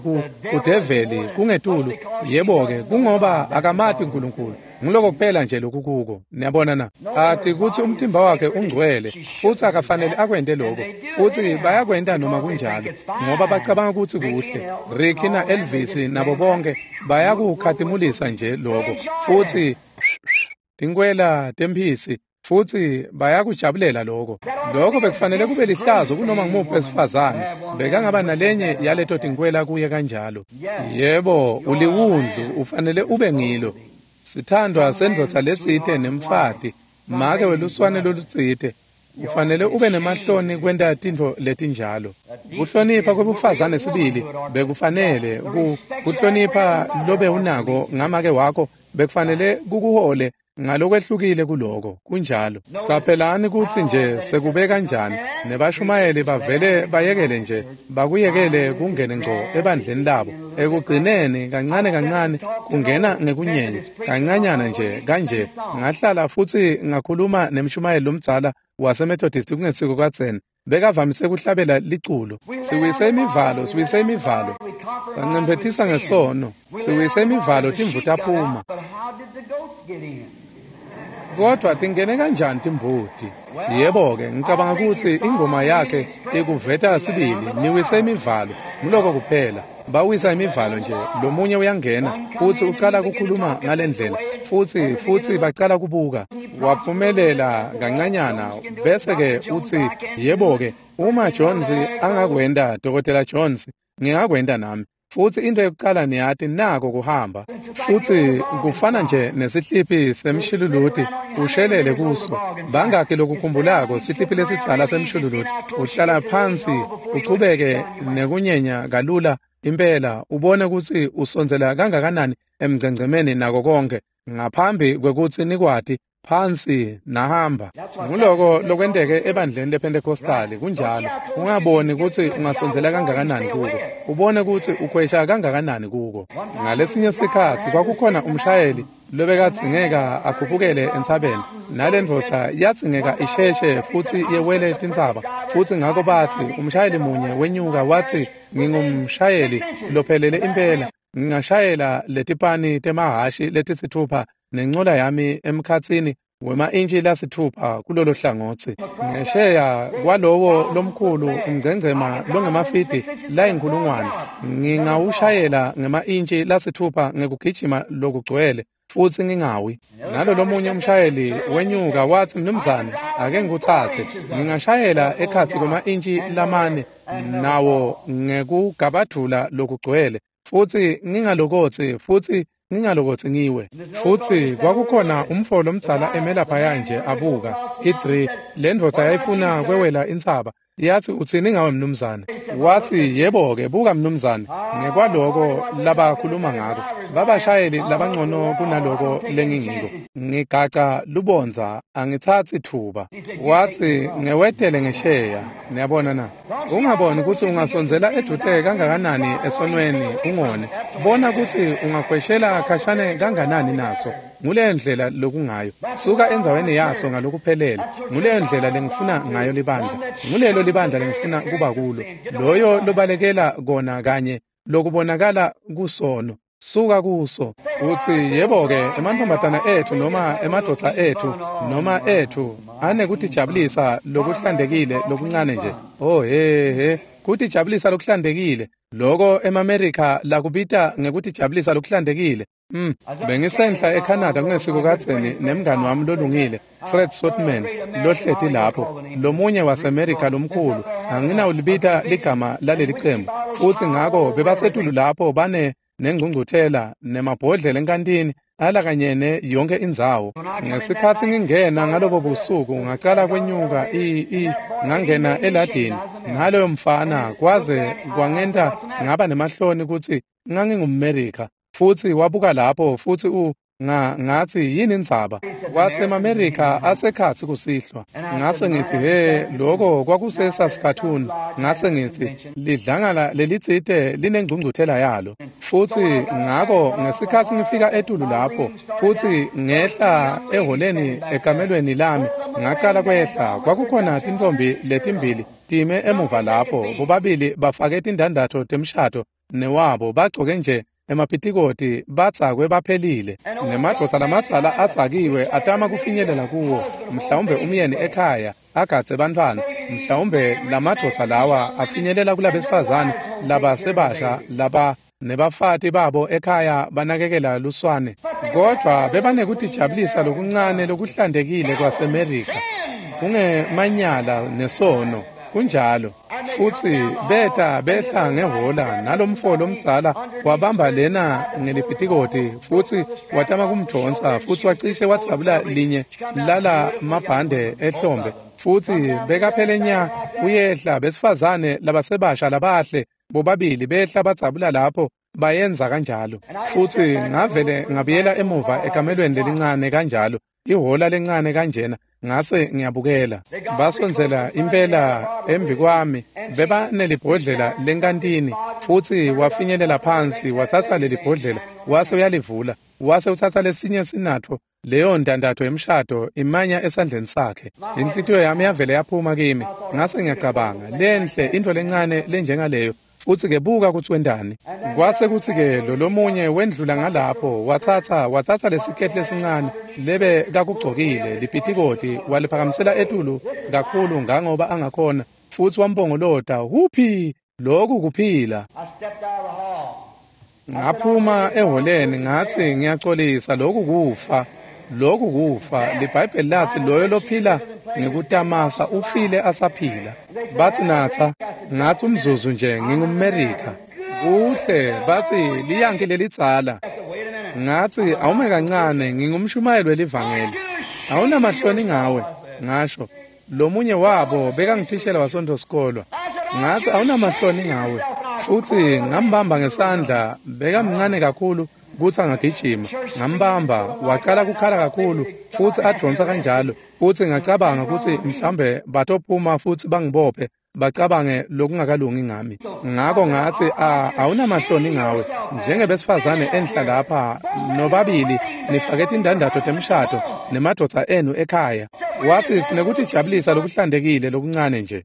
kudeveli kungetulu. Yebo-ke, kungoba akamati uNkulunkulu. Nguloko kuphela nje lokukuko. Niyabona na? Ati kutsi umtimba wakhe ungcwele futsi akafanele akwente lokho, futsi bayakwenta noma kunjalo ngoba bacabanga kutsi kuhle. Ricky na Elvis nabo bonke bayakukhatimulisa nje lokho, futsi tinkwela temphisi, futsi bayakujabulela lokho. Lokho bekufanele kube lihlazo kunoma ngumuphi wesifazane bekangaba nalenye yaleto tinkwela kuye kanjalo. Yebo, uliwundlu, ufanele ube ngilo. Sithandwa sendvodza letsite nemfati, make weluswane lolutsite, ufanele ube nemahloni kwenta tintfo letinjalo. Kuhlonipha kwebufazane sibili bekufanele kuhlonipha lobe unako ngamake wakho bekufanele kukuhole ngalokwehlukile kuloko. Kunjalo. Caphelani kutsi nje sekube kanjani nebashumayeli bavele bayekele nje, bakuyekele kungene ngco ebandleni labo. Ekugcineni kancane kancane kungena ngekunyenya kancanyana nje kanje. Ngahlala futsi ngakhuluma nemshumayeli lomdzala waseMethodist kungesiko kadzeni. Bekavamise kuhlabela liculo. Siwise imivalo, siwise imivalo. Bancemphetisa ngesono. Siwise imivalo timvu taphuma. Kodwa tingene kanjani timbuti? Yebo-ke, ngicabanga ukuthi ingoma yakhe ikuveta sibili, niwise imivalo, nguloko kuphela. Bawisa imivalo nje, lomunye uyangena, futhi ucala kukhuluma ngalendlela, futhi bacala kubuka. Waphumelela kancanyana, bese-ke uthi, yebo-ke, uma Jones angakwenda, Dr. Jones, ngingakwenda nami. Futhi into yokuqala niyati nako kuhamba. Futhi kufana nje nesihliphi semshiluluti ushelele kuso. Bangaki lokukhumbulako sihliphi lesitsala semshiluluti. Uhlala phansi uchubeke nekunyenya kalula impela ubone ukuthi usondzela kangakanani emgcengcemeni nako konke ngaphambi kwekutsi nikwati phansi nahamba. Nguloko lokwenteke ebandleni lePentecostali kunjalo. Ungaboni kutsi ungasondzela kangakanani kuko, ubone kutsi ukhwesha kangakanani kuko. Ngalesinye sikhatsi kwakukhona umshayeli lobekadzingeka akhuphukele entsabeni, nalendvodza yadzingeka isheshe futsi yewele tintsaba. Futsi ngako batsi umshayeli munye wenyuka watsi, ngingumshayeli lophelele impela, ngingashayela letipani temahhashi letisitfupha nencola yami emkhatsini wema-intshi lasitfupha kulolo hlangotsi. Ngesheya kwalowo lomkhulu umgcengcema longemafidi layinkhulungwane, ngingawushayela ngema-intshi lasitfupha ngekugijima lokugcwele futsi ngingawi. Nalo lomunye umshayeli wenyuka watsi, mnumzane, ake ngikutsatse, ngingashayela ekhatsi kwema-intshi lamane nawo ngekugabadvula lokugcwele futsi ngingalokotsi futsi ngingalokotsi ngiwe. Futsi kwakukhona umfo lomdzala emelaphaya nje abuka i-3. Le ndvodza yayifuna kwewela intsaba. Yathi, utsini ngawe mnumzane? Wathi, yebo-ke, buka mnumzane, ngekwaloko labakhuluma ngako, babashayeli labangcono kunaloko lengingiko. Ngigaca lubondza, angitsatsi thuba. Wathi, ngewetele ngesheya. Niyabona na? Ungaboni kutsi ungasondzela edvute kangakanani esonweni ungone. Bona kutsi ungakhweshela khashane kanganani naso. Nguleyo ndlela lokungayo. Suka endzaweni yaso ngalokuphelele. Nguleyo ndlela lengifuna ngayo libandla. Ngulelo libandla lengifuna kuba kulo. Loyo lobalekela kona kanye lokubonakala kusono. Suka kuso. Utsi, yebo-ke, emantfombatana etfu noma emadvodza etfu noma etfu anekutijabulisa lokuhlantekile lokuncane nje. Oh he he, kutijabulisa lokuhlantekile. Loko emaMerika lakubita ngekutijabulisa lokuhlantekile. Bengisenhla eCanada kungesiko kadzeni nemngani wami lolungile, Fred Sotman, lohleti lapho, lomunye waseMerika lomkhulu. Anginawulibita ligama laleli cembu. Futsi ngako bebasetulu lapho bane nengcungcuthela nemabhodlela enkantini alakanyene yonke indzawo. Ngesikhatsi ngingena ngalobo busuku ngacala kwenyuka ngangena eladini naloyo mfana kwaze kwangenta ngaba nemahloni kutsi ngangingumMerika. Futsi wabuka lapho futsi ngathi yini indzaba? Wathi emaMerika asekhatsi kusihlwa. Ngase ngithi he, lokho kwakuseSaskatoon. Ngase ngithi lidlangala lelitsite linengcungcuthela yalo. Futsi ngako ngesikhatsi ngifika etulu lapho futsi ngehla eholeni ekamelweni lami ngacala kwehla, kwakukhona tintfombi letimbili time emuva lapho, bobabili bafake tindandatho temshado newabo bagcoke nje emapitikoti batsakwe baphelile. Nemadvodza lamadzala atsakiwe atama kufinyelela kuwo, mhlawumbe umyeni ekhaya agadze bantfwana, mhlawumbe lamadvodza lawa afinyelela kulabesifazane labasebasha laba nebafati babo ekhaya banakekela luswane. Kodvwa bebanekutijabulisa lokuncane lokuhlantekile kwaseMerika, kungemanyala nesono. Kunjalo. Futsi beta behla ngehola nalomfo lomdzala wabamba lena ngelipitikoti futsi watama kumdvonsa futsi wacishe wadzabula linye lala mabhande ehlombe futsi bekaphele nya uyehla. Besifazane labasebasha labahle bobabili behla badzabula lapho bayenza kanjalo. Futsi ngavele ngabuyela emuva ekamelweni lelincane kanjalo, ihola lencane kanjena, ngase ngiyabukela. Basondzela impela embikwami, bebanelibhodlela lenkantini futsi wafinyelela phansi watsatsa lelibhodlela wase uyalivula, wase utsatsa lesinye sinatfo Leyo ndandatho yemshado imanya esandleni sakhe. Inhlitiyo yami yavele yaphuma kimi. Ngase ngiyacabanga, lenhle into lencane lenjengaleyo. Futsi ke buka kutsi wendani. Kwase kutsi ke lo lomunye wendlula ngalapho watsatsa lesiketi lesincane lebe kakugcokile lipitikoti waliphakamisela etulu kakhulu ngangoba angakhona futsi wampongolota huphi lokhu kuphila. Ngaphuma eholeni ngathi ngiyaxolisa lokhu kufa. Lokhu kufa. LiBhayibheli lathi loyo lophila ngekutamasa ufile asaphila. Bathi natha ngathi umzuzu nje ngingumMerika. Kuhle bathi liyanki lelitsala. Ngathi awume kancane ngingumshumayeli welivangeli. Awunamahloni ngawe ngasho. Lomunye wabo bekangithishela wasonto sikolwa. Ngathi awunamahloni ngawe. Futhi ngambamba ngesandla bekamncane kakhulu kutsi angagijima. Ngambamba wacala kukhala kakhulu futsi adonsa kanjalo. Futsi ngacabanga kutsi mhlambe batophuma futsi bangibophe bacabange lokungakalungi ngami. Ngako ngathi awunamahloni ngawe njengebesifazane enhla lapha nobabili nifake tindandatho temshado nemadvodza enu ekhaya. Wathi sinekutijabulisa lokuhlantekile lokuncane nje.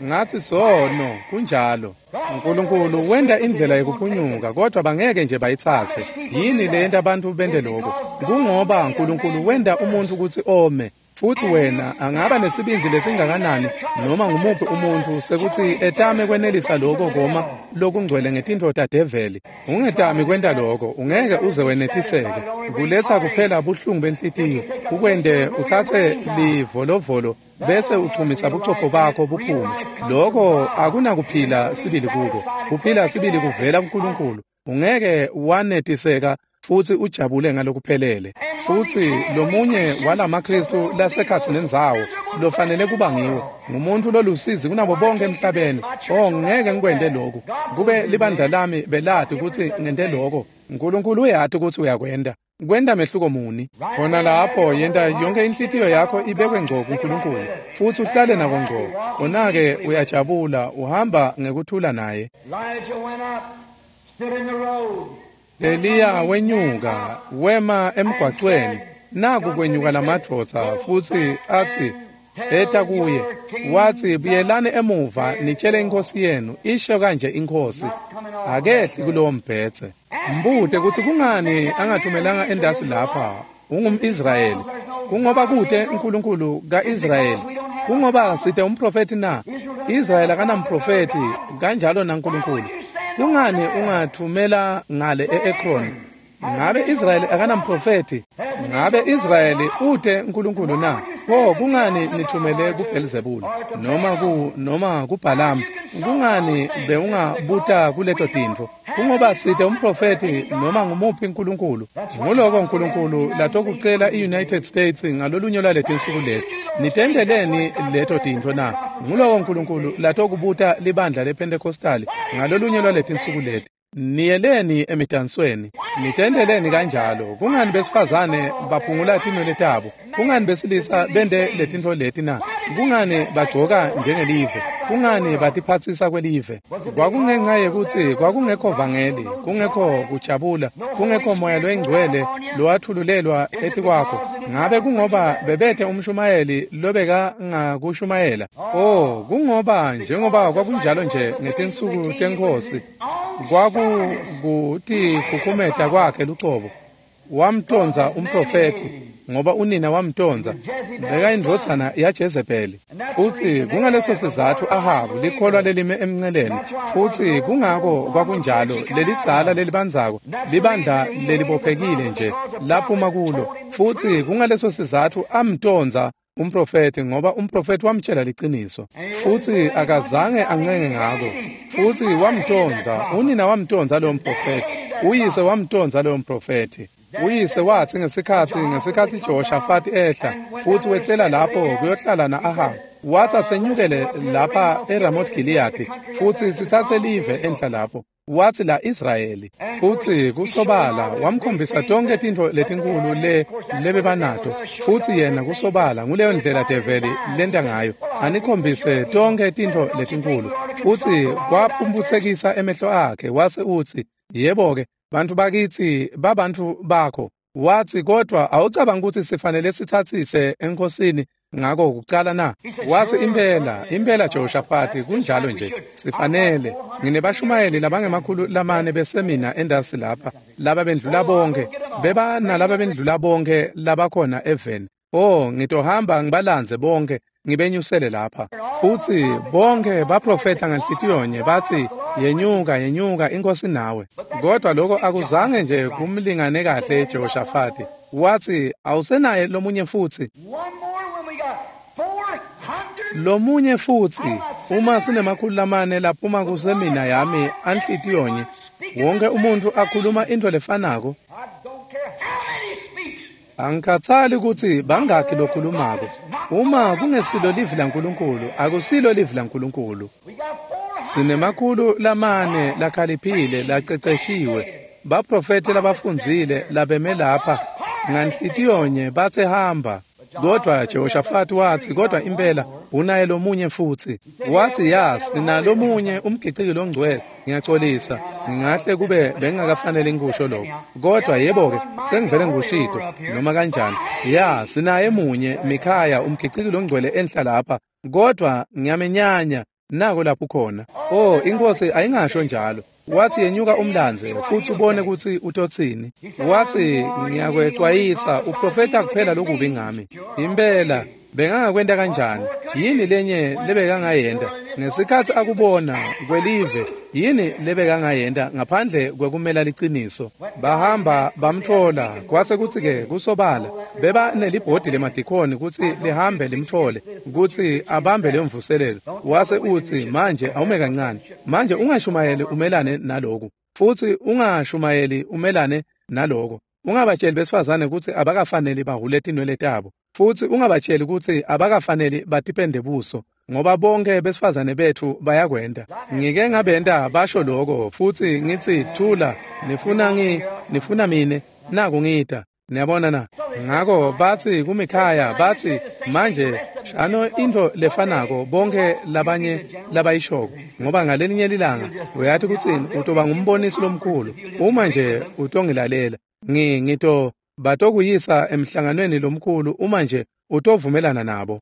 Ngathi sono kunjalo. uNkulunkulu wenda indlela yekuphunyuka kodwa bangeke nje bayitsatse. Yini leyenta abantu bende lokho? Kungoba uNkulunkulu wenda umuntu kutsi ome. Futhi wena angaba nesibindi lesingakanani noma ngumuphi umuntu sekuthi etame kwenelisa lokho koma lokungcwele ngetintfo tadeveli. Ungetami kwenta lokho, ungeke uze wenetiseke. Kuletha kuphela buhlungu benhlitiyo, kukwente utsatse livolovolo bese uchumisa buchopho bakho buphume. Lokho akunakuphila sibili kuko. Kuphila sibili kuvela kuNkulunkulu. Ungeke wanetiseka futsi ujabule ngalokuphelele. Futsi lomunye walamaKristu lasekhatsi nendzawo lofanele kuba ngiwo ngumuntu lolusizi kunabo bonke emhlabeni. Oh, ngeke ngikwente lokhu. Kube libandla lami belati kutsi ngente lokho. uNkulunkulu uyati kutsi uyakwenta. Kwenta mehluko muni? Khona lapho yenta yonke inhlitiyo yakho ibekwe ngco kuNkulunkulu futsi uhlale nako ngco. Kona-ke uyajabula uhamba ngekuthula naye. Eliya wenyuka wema emgwacweni. Naku kwenyuka lamadvodza futsi atsi eta kuye wathi buyelani emuva nitshele inkosi yenu isho kanje inkosi akehli kulowo mbhedze. Mbute kutsi kungani angathumelanga endasi lapha ungumIsrayeli. Kungoba kute uNkulunkulu kaIsrayeli. Kungoba site umprofeti na? Israyeli akanamprofeti kanjalo naNkulunkulu. Kungani ungathumela ngale e-Ekron? Ngabe Israyeli akanamprofeti? Ngabe Israyeli ute uNkulunkulu na? Pho kungani nithumele kuBelzebul noma kuBalaam? Kungani bewungabuta kuleto tintfo? Kungoba site umprofeti noma ngumuphi uNkulunkulu. Nguloko uNkulunkulu latokucela i-United States ngalolunye lwaletinsuku leti. Nitenteleni leto tintfo na? Nguloko uNkulunkulu latokubuta libandla lePentecostal ngalolunye lwaletinsuku leti. Niyeleni emidansweni, nitenteleni kanjalo. Kungani besifazane baphungula tinwele tabo? Kungani besilisa bente letintfo leti na? Kungani bagcoka njengelive? Kungani batiphatsisa kwelive? Kwakungenxa yekutsi kwakungekho vangeli, kungekho kujabula, kungekho moya loyingcwele lowathululelwa etikwakho. Ngabe kungoba bebethe umshumayeli lobekangakushumayela? Oh, kungoba njengoba kwakunjalo nje ngetinsuku tenkosi kwakukutikhukhumeta kwakhe lucobo. Wamtonza umprofeti ngoba unina wamtonza bekayindvodzana yaJezebeli. Futsi kungaleso sizatfu Ahabu likholwa lelime emnceleni. Futsi kungako kwakunjalo lelidzala lelibandzako libandla lelibophekile nje laphuma kulo. Futsi kungaleso sizatfu amtonza umprofeti ngoba umprofeti wamtshela liciniso. Futsi akazange ancenge ngako. Futsi wamtonza, unina wamtonza loyo mprofeti, uyise wamtonza loyo mprofeti. Uyise wathi ngesikhatsi Jehoshafati ehla futsi wehlela lapho kuyohlala na-Ahabu, wathi asenyukele lapha eRamoth Gilead futsi sitsatse live enhla lapho. Wathi la Israyeli. Futsi kusobala wamkhombisa tonke tintfo letinkulu lebebanato. Futsi yena kusobala nguleyo ndlela develi lenta ngayo, anikhombise tonke tintfo letinkulu. Futsi kwaphumputsekisa emehlo akhe wase utsi yebo-ke Bantfu bakitsi babantfu bakho. Wathi, kodwa awucabanga ukuthi sifanele sithathise enkosini ngako kucala na? Wathi, impela, impela Jehoshafati, kunjalo nje, sifanele. Nginebashumayeli labangemakhulu 4 besemina endasi lapha, laba bendlula bonke, beba nalaba bendlula bonke labakhona eveni. Oh, ngitohamba ngibalandze bonke, ngibenyusele lapha. Futhi bonke baprofeta ngenhlitiyonye bathi, yenyuka, yenyuka, inkosi nawe. Kodwa lokho akuzange nje kumlingane kahle Jehoshafati. Wathi, awusenaye lomunye futhi. Lomunye futhi, uma sinemakhulu 4 laphuma kusemina yami anhlitiyonye, wonke umuntu akhuluma into lefanako. Angikhathali ukuthi bangakhi lokhulumako. Uma kungesilo livi laNkulunkulu, akusilo livi laNkulunkulu. Sinemakhulu 4 lakhaliphile laqeqeshiwe, baprofeti labafundzile labeme lapha nganhlitiyonye bathe hamba. Kodwa Jehoshafati wathi, kodwa impela unaye lomunye futhi. Wathi, ya, sinalomunye umgiciki longcwele. Ngiyaxolisa, ngingahle kube bengingakafanele ngikusho lokho, kodwa yebo-ke sengivele ngikushito noma kanjani. Ya, sinaye munye Mikhaya umgiciki longcwele enhla lapha, kodwa ngiyamenyanya, nako lapho khona. Oh, inkosi ayingasho njalo. Wathi, yenyuka umlandze futhi ubone ukuthi utotsini. Wathi, ngiyakwexwayisa, uprofeta kuphela lokubi ngami. Impela bengangakwenta kanjani? Yini lenye lebekangayenta ngesikhathi akubona kwelive? Yini lebekangayenta ngaphandle kwekumela liciniso? Bahamba bamthola, kwase kuthi-ke kusobala beba nelibhodi lemadikhoni kutsi lihambe limthole kutsi abambe leyo mvuselelo. Wase utsi, manje awume kancane, manje ungashumayeli umelane naloku, futhi ungashumayeli umelane naloko. Ungabatsheli besifazane kutsi abakafaneli bahule tinwele tabo, futhi ungabatsheli kutsi abakafaneli batipende buso, ngoba bonke besifazane bethu bayakwenta. Ngike ngabenta basho lokho, futhi ngithi, thula, nifuna mine, naku ngita. Niyabona na? Ngako bathi kuMikhaya, bathi, manje shano into lefanako bonke labanye labayishoko, ngoba ngalelinye lilanga uyathi kutsini, utoba ngumbonisi lomkhulu uma nje utongilalela. Ngito batokuyisa emhlanganweni lomkhulu uma nje utovumelana nabo.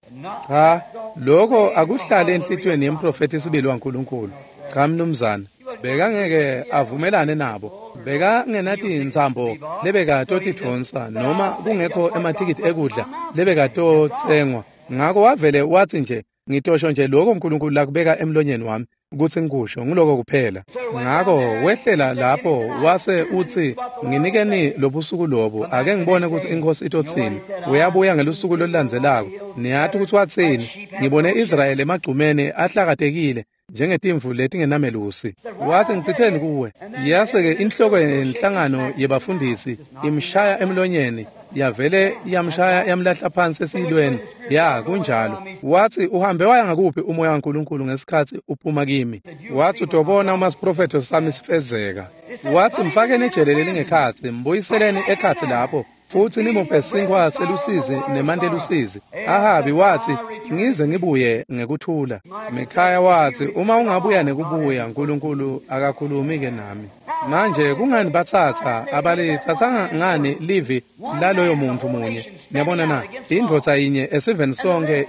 Cha, lokho akuhlale enhlitiyweni yemprofeti sibili waNkulunkulu. Cha mnumzane, bekangeke avumelane nabo. Bekangenatintsambo lebekatotidvonsa noma kungekho ematikiti ekudla lebekatotsengwa. Ngako wavele wathi nje, ngitosho nje lokho uNkulunkulu lakubeka emlonyeni wami kutsi ngikusho, nguloko kuphela. Ngako wehlela lapho wase utsi, nginikeni lobusuku lobu, ake ngibone kutsi inkosi itotsini. Uyabuya ngelusuku lolulandzelako. Niyati kutsi watsini? Ngibone Israyeli emagcumeni ahlakatekile njengetimvu letingenamelusi. Wathi, ngitsitheni kuwe? Yase-ke inhloko yenhlangano yebafundisi imshaya emlonyeni, yavele yamshaya yamlahla phansi esiyilweni. Ya, kunjalo. Wathi, uhambe waya ngakuphi umoya waNkulunkulu ngesikhathi uphuma kimi? Wathi, utobona uma siprofetho sami sifezeka. Wathi, mfakeni ejele lelingekhatsi, mbuyiseleni ekhatsi lapho, futhi nimuphe sinkhwa selusizi nemanti elusizi. Ahabi wathi, ngize ngibuye ngekuthula. Mikhaya wathi, uma ungabuya nekubuya, uNkulunkulu akakhulumi-ke nami. Manje kungani bathatha abalithathanga ngani livi laloyo muntu munye? Niyabona na? Indvodza yinye esiveni sonke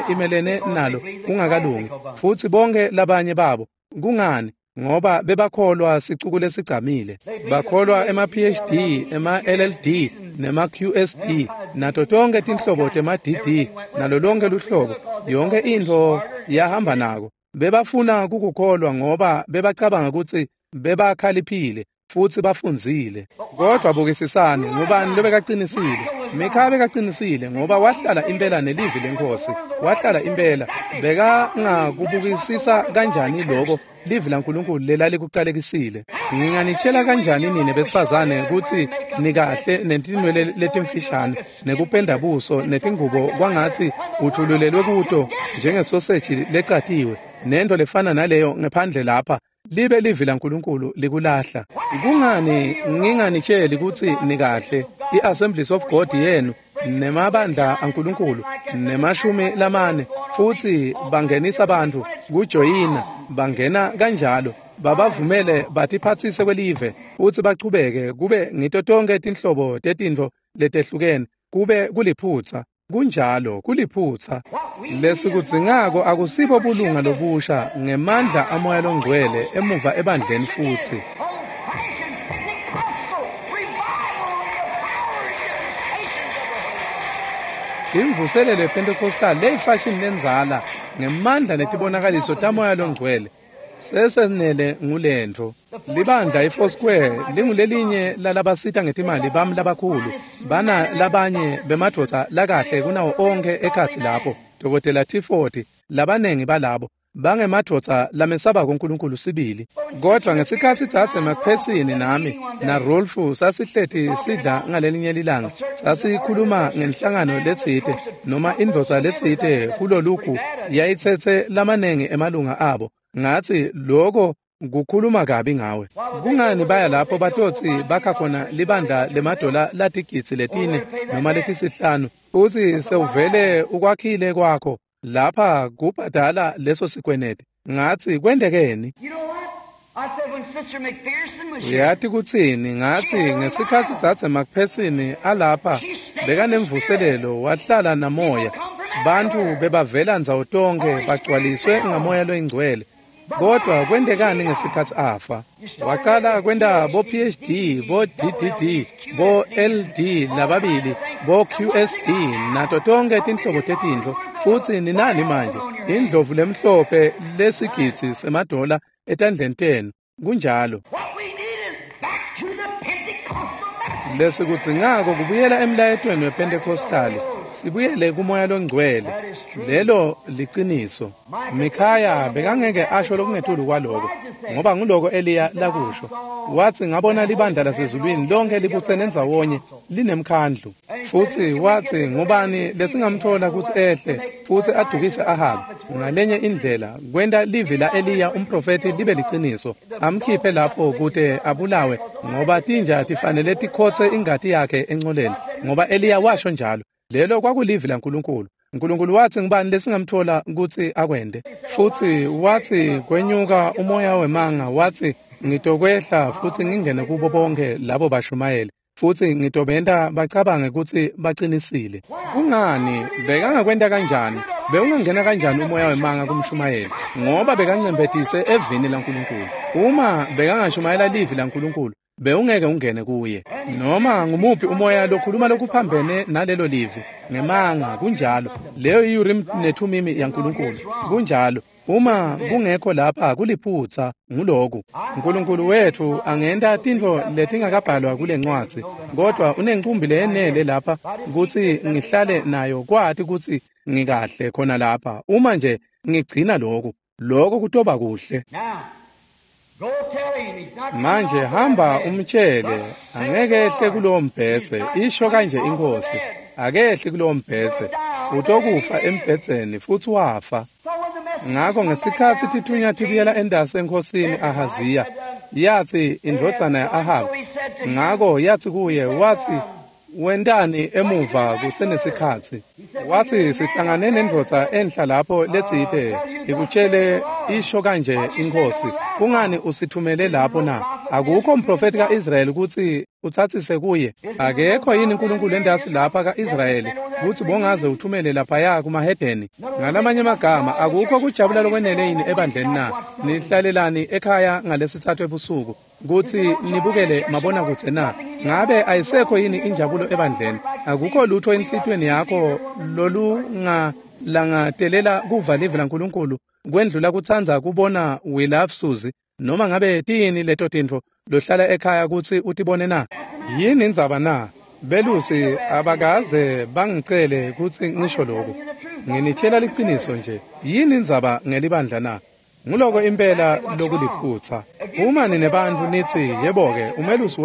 imelene nalo kungakalungi, futhi bonke labanye babo. Kungani? Ngoba bebakholwa sicuku lesigcamile. Bakholwa ema-PhD, ema-LLD, nema-QSD, nato tonke tinhlobo tema-DD, nalo lonke luhlobo. Yonke intfo yahamba nako. Bebafuna kukukholwa ngoba bebacabanga kutsi bebakhaliphile futhi bafundzile. Kodwa bukisisani, ngubani lobekaqinisile? Mikhaya bekaqinisile ngoba wahlala impela nelivi lenkosi. Wahlala impela. Bekangakubukisisa kanjani lokho livi laNkulunkulu lelalikuqalekisile? Nginganitshela kanjani nine besifazane kutsi nikahle netinwele letimfishane nekupenda buso netingubo kwangatsi uthululelwe kuto njengesoseji lecatiwe nento lefana naleyo ngephandle lapha, libe livi laNkulunkulu likulahla? Kungani nginganitsheli kutsi nikahle? I-Assemblies of God yenu nemabandla aNkulunkulu nemashumi lamane, futhi bangenisa abantu kujoyina, bangena kanjalo. Babavumele batiphatsise kwelive futsi bachubeke kube ngito tonkhe tinhlobo tetintfo letehlukene kube kuliphutsa. Kunjalo, kuliphutsa. Lesikudzingako akusibo bulunga lobusha ngemandla amoya longcwele emuva ebandleni futsi. Imvuselelo yePentecostal leyifashini lendzala ngemandla netibonakaliso tamoya longcwele sesenele ngulentfo. Libandla iFoursquare lingulelinye lalabasita ngetimali bami labakhulu, bana labanye bemadvodza lakahle kunawo onkhe ekhatsi lapho, Dr. T40, labanengi balabo bangemadvodza lamesabako uNkulunkulu sibili. Kodwa ngesikhatsi dzadze McPherson nami naRolf sasihleti sidla ngalelinye lilanga, sasikhuluma ngenhlangano letsite noma indvodza letsite kulolugu yayitsetse lamanengi emalunga abo. Ngatsi lokho kukhuluma kabi ngawe. Kungani baya lapho batotsi bakha khona libandla lemadola latigidzi 4 noma 5 futsi sewuvele ukwakhile kwakho lapha kubhadala leso sikweneti? Ngatsi kwentekeni? Uyati kutsini? Ngatsi ngesikhatsi dzadze McPherson alapha bekanemvuselelo, wahlala namoya, bantfu bebavela ndzawo tonkhe bagcwaliswe ngamoya loyingcwele. Kodwa kwentekani ngesikhatsi afa? Waqala kwenta bo PhD, bo DDD, bo LD lababili, bo QSD nato tonkhe tinhlobo tetintfo. Futsi ninani manje? Indlovu lemhlophe lesigidzi semadola etandleni tenu. Kunjalo. Lesikudzingako kubuyela emlayetweni wePentecostali, sibuyele kumoya longcwele. Lelo liciniso. Mikhaya bekangeke asho lokungetulu kwaloko, ngoba nguloko Eliya lakusho. Watsi ngabona libandla lasezulwini lonke libutsene ndzawonye linemkhandlu. Futsi watsi ngubani lesingamthola kutsi ehle futsi adukise Ahabi ngalenye indlela kwenta livi la Eliya umprofethi libe liciniso, amkhiphe lapho kute abulawe, ngoba tinja tifanele tikhotse ingati yakhe encoleni, ngoba Eliya washo njalo. Lelo kwakulivi laNkulunkulu. uNkulunkulu watsi ngubani lesingamthola kutsi akwente? Futsi watsi kwenyuka umoya wemanga, watsi ngitokwehla futsi ngingene kubo bonke labo bashumayeli, futsi ngitobenta bacabange kutsi bacinisile. Kungani? Bekangakwenta kanjani? Bewungangena kanjani umoya wemanga kumshumayeli? Ngoba bekancembetise evini laNkulunkulu. Uma bekangashumayela livi laNkulunkulu, bewungeke ungene kuye. Noma ngumuphi umoya lokhuluma lokuphambene nalelo livi ngemanga. Kunjalo. Leyo i-Urim neThumimi yaNkulunkulu. Kunjalo. Uma kungekho lapha kuliphutsa nguloku. uNkulunkulu wethu angenta tintfo letingakabhalwa kule ncwadzi, kodwa unencumbi leyenele lapha kutsi ngihlale nayo kwati kutsi ngikahle khona lapha. Uma nje ngigcina lokhu, lokho kutoba kuhle. Manje hamba umtshele, angeke ehle kulowo mbhedze, isho kanje inkosi. Akehli kulowo mbhedze, utokufa embhedzeni. Futsi wafa. Ngakho ngesikhatsi tithunywa tibuyela endasi enkhosini Ahaziya, yatsi indvodzana ya-Ahabi, ngako yatsi kuye, watsi wentani emuva kusenesikhatsi? Watsi sihlangane nendvodza enhla lapho letsite ikutshele isho kanje inkosi, kungani usithumele lapho na? Akukho umprofeti ka-Israyeli kutsi utsatsise kuye. Akekho yini uNkulunkulu endasi lapha ka-Israyeli kutsi bongaze uthumele laphaya kumahedeni? Ngalamanye amagama, akukho kujabula lokwenele yini ebandleni na? Nihlalelani ekhaya ngalesithathu ebusuku kutsi nibukele mabonakudze na? Ngabe ayisekho yini injabulo ebandleni? Akukho lutho enhlitiyweni yakho lolungalangatelela kuva livi laNkulunkulu kwendlula kutsandza kubona We Love Susie, noma ngabe tiyini leto tintfo lohlala ekhaya kutsi utibone na? Yini indzaba na? Belusi abakaze bangicele kutsi ngisho lokhu. Nginitshela liciniso nje. Yini indzaba ngelibandla na? Nguloko impela lokuliphutsa. Uma ninebantfu nitsi yebo-ke umelusi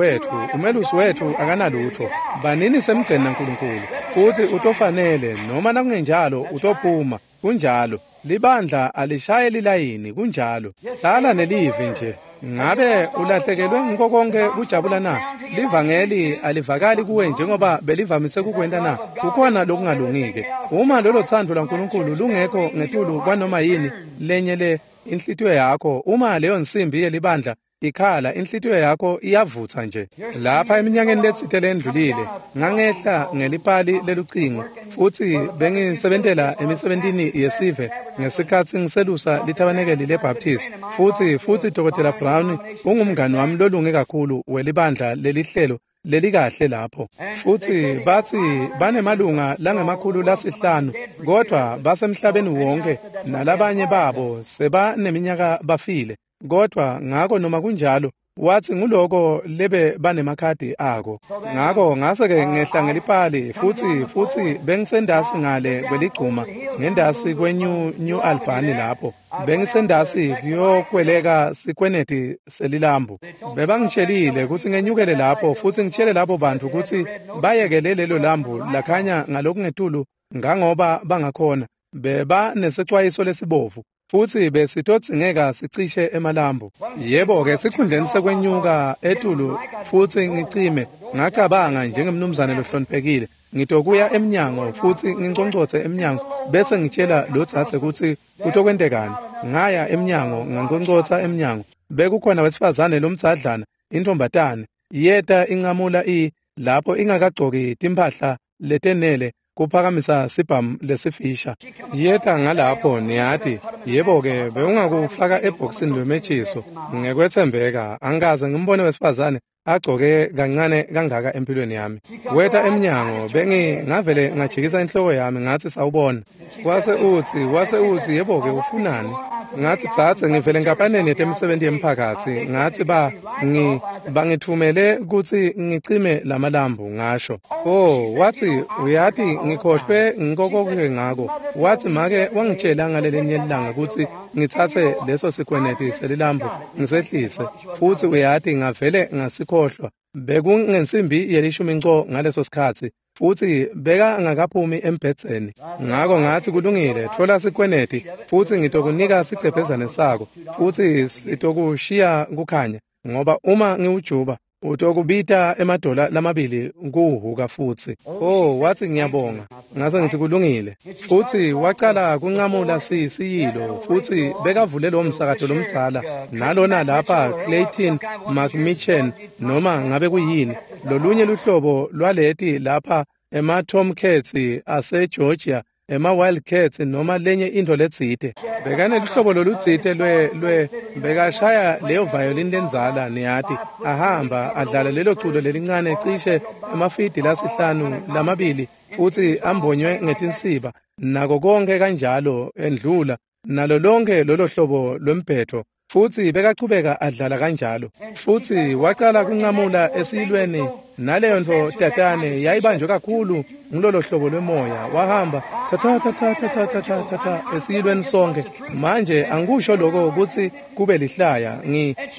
wethu akanalutho, banini semgceni naNkulunkulu, futsi utofanele, noma nakungenjalo utophuma. Kunjalo. Libandla alishaye lilayini. Kunjalo. Hlala nelivi nje. Ngabe ulahlekelwe ngiko konke kujabula na? Livangeli alivakali kuwe njengoba belivamise kukwenta na? Kukhona lokungalungike. Uma lolo thando laNkulunkulu lungekho ngetulu kwanoma yini lenye le Inhlitiyo yakho, uma leyo nsimbi yelibandla ikhala, inhlitiyo yakho iyavutsa nje. Lapha eminyakeni letsite lendlulile, ngangehla ngelipali lelucingo, futsi bengisebentela emisebentini yesive ngesikhatsi ngiselusa lithabanekeli leBaptist. Futsi Dr. Brown ungumngani wami lolunge kakhulu welibandla lelihlelo lelikahle lapho. Futsi batsi banemalunga langemakhulu lasihlanu, kodvwa basemhlabeni wonke, nalabanye babo sebaneminyaka bafile. Kodvwa ngako noma kunjalo, wathi nguloko lebe banemakhadi ako. Ngako ngase-ke ngehla ngelipali, futsi bengisendasi ngale kweligcuma, ngendasi kweNew Albany lapho. Bengisendasi kuyokweleka sikweneti selilambu. Bebangitshelile kutsi ngenyukele lapho, futsi ngitshele labo bantu kutsi bayekele lelo lambu lakhanya ngalokungetulu ngangoba bangakhona. Beba nesecwayiso lesibovu, futsi besitodzingeka sicishe emalambu. Yebo-ke, sikhundleni sekwenyuka etulu futsi ngicime, ngacabanga njengemnumzane lohloniphekile, ngitokuya emnyango futsi nginconcotse emnyango bese ngitshela lo dzadze kutsi kutokwentekani. Ngaya emnyango, nganconcotsa emnyango. Bekukhona wesifazane lomdzadlana, intombatane, yeta incamula lapho ingakagcoki timphahla letenele kuphakamisa sibhamu lesifisha. Yeta ngalapho, niyati. Yebo-ke, bewungakufaka ebhokisini lwemetshiso. Ngekwetsembeka, angikaze ngimbone wesifazane agcoke kancane kangaka empilweni yami. Weta emnyango, bengingavele ngajikisa inhloko yami ngathi sawubona. Wase utsi yebo-ke, ufunani? Ngathi tsatse, ngivele enkampaneni yetemisebenti yemphakatsi. Ngathi bangitfumele kutsi ngicime lamalambu, ngasho. Oh, wathi uyati ngikhohlwe ngikokoke ngako. Wathi make wangitshela ngalelinye ilanga kutsi ngitsatse leso sikweneti selilambu ngisehlise, futsi uyati ngavele ngasikhohlwa. Bekungensimbi yelishumi nco ngaleso sikhatsi, futsi beka ngakaphumi embhedzeni. Ngako ngathi kulungile, tfola sikweneti futsi ngitokunika sicephezane sako, futsi sitokushiya kukhanya, ngoba uma ngiwujuba utokubita $2 kuwuhuka futsi. Oh, wathi ngiyabonga. Ngase ngithi kulungile. Futsi wacala kunqamula siyilo, futsi bekavule lo msakato lomdzala nalona lapha Clayton McMichen, noma ngabe kuyini lolunye luhlobo lwaleti lapha ema-Tomcats ase-Georgia, ema-Wildcats noma lenye into letsite. Bekanelihlobo lolutsite lwe bekashaya leyo violin lenzala, niyati, ahamba adlala lelo culo lelincane cishe emafidi lasihlanu lamabili, futsi ambonywe ngetinsiba nako konke kanjalo, endlula nalo lonke lolo hlobo lwembhetho, futsi bekachubeka adlala kanjalo. Futsi wacala kunqamula esiyilweni, naleyo nto tatane yayibanjwe kakhulu ngulolo hlobo lwemoya. Wahamba ta ta ta ta ta ta ta ta ta esiyilweni sonke. Manje angikusho lokho kutsi kube lihlaya,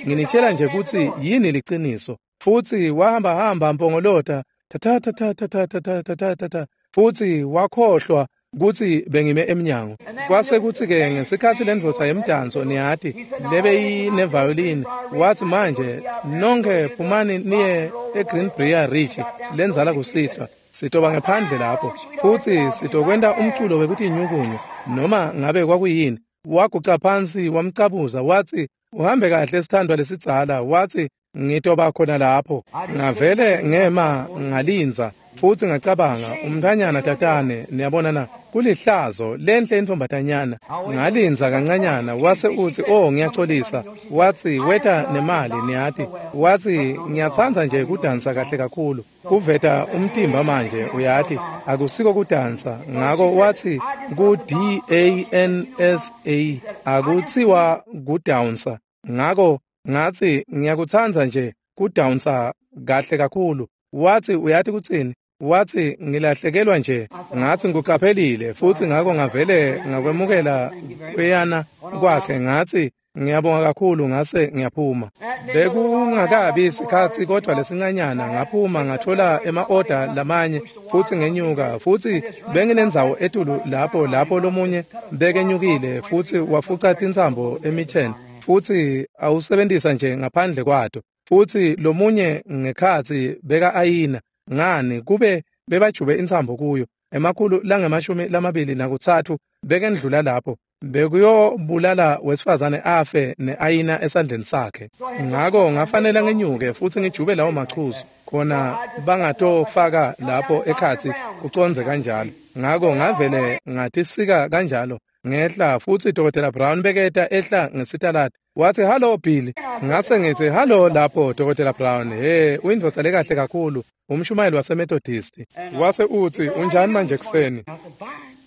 nginitshela nje kutsi yini liciniso. Futsi wahamba hamba mpongolota ta ta ta ta ta ta ta ta ta ta, futsi wakhohlwa kutsi bengime emnyango. Kwase kutsi-ke ngesikhatsi lendvodza yemdanso, niyati, lebeyineviolin, wathi manje nonke phumani niye eGreenbrier Ridge lenzala kusihlwa, sitoba ngephandle lapho futsi sitokwenta umculo wekutinyukunya noma ngabe kwakuyini. Waguca phansi wamcabuza, wathi uhambe kahle sithandwa lesidzala, wathi ngitoba khona lapho. Ngavele ngema ngalinza, futsi ngacabanga, umntanyana tatane, niyabona na, kulihlazo lenhle intombatanyana. Ngalinza kancanyana, wase uthi oh ngiyaxolisa, wathi weta nemali, niyati, wathi ngiyatsandza nje kudansa kahle kakhulu, kuveta umtimba manje, uyati akusiko kudansa. Ngako wathi ku D-A-N-S-A akutsiwa kudansa. Ngako ngathi ngiyakutsandza nje kudansa kahle kakhulu. Wathi uyati kutsini? Wathi ngilahlekelwa nje. Ngathi ngikuqaphelile, futhi ngako ngavele ngakwemukela kweyana kwakhe. Ngathi ngiyabonga kakhulu, ngase ngiyaphuma. Bekungakabi isikhatsi kodwa lesincanyana, ngaphuma ngathola ema-order lamanye futhi ngenyuka, futhi benginendzawo etulu lapho lomunye bekenyukile futhi wafuca tintsambo emitheni, futhi awusebentisa nje ngaphandle kwato, futhi lomunye ngekhatsi beka ayina. Ngani kube bebajube intsambo kuyo, 123 bekendlula lapho. Bekuyobulala wesifazane afe ne-ayina esandleni sakhe. Ngako ngafanele ngenyuke futsi ngijube lawo machuzu khona bangatofaka lapho ekhatsi kucondze kanjalo. Ngako ngavele ngatisika kanjalo ngehla futsi Dr. Brown beketa ehla ngesitaladi. Wathi, "Hallo Billy." Ngase ngithi, "Hallo lapho Dr. Brown. Hey, uyindvodza lekahle kakhulu, umshumayeli waseMethodist." Wase uthi, "Unjani manje kuseni?"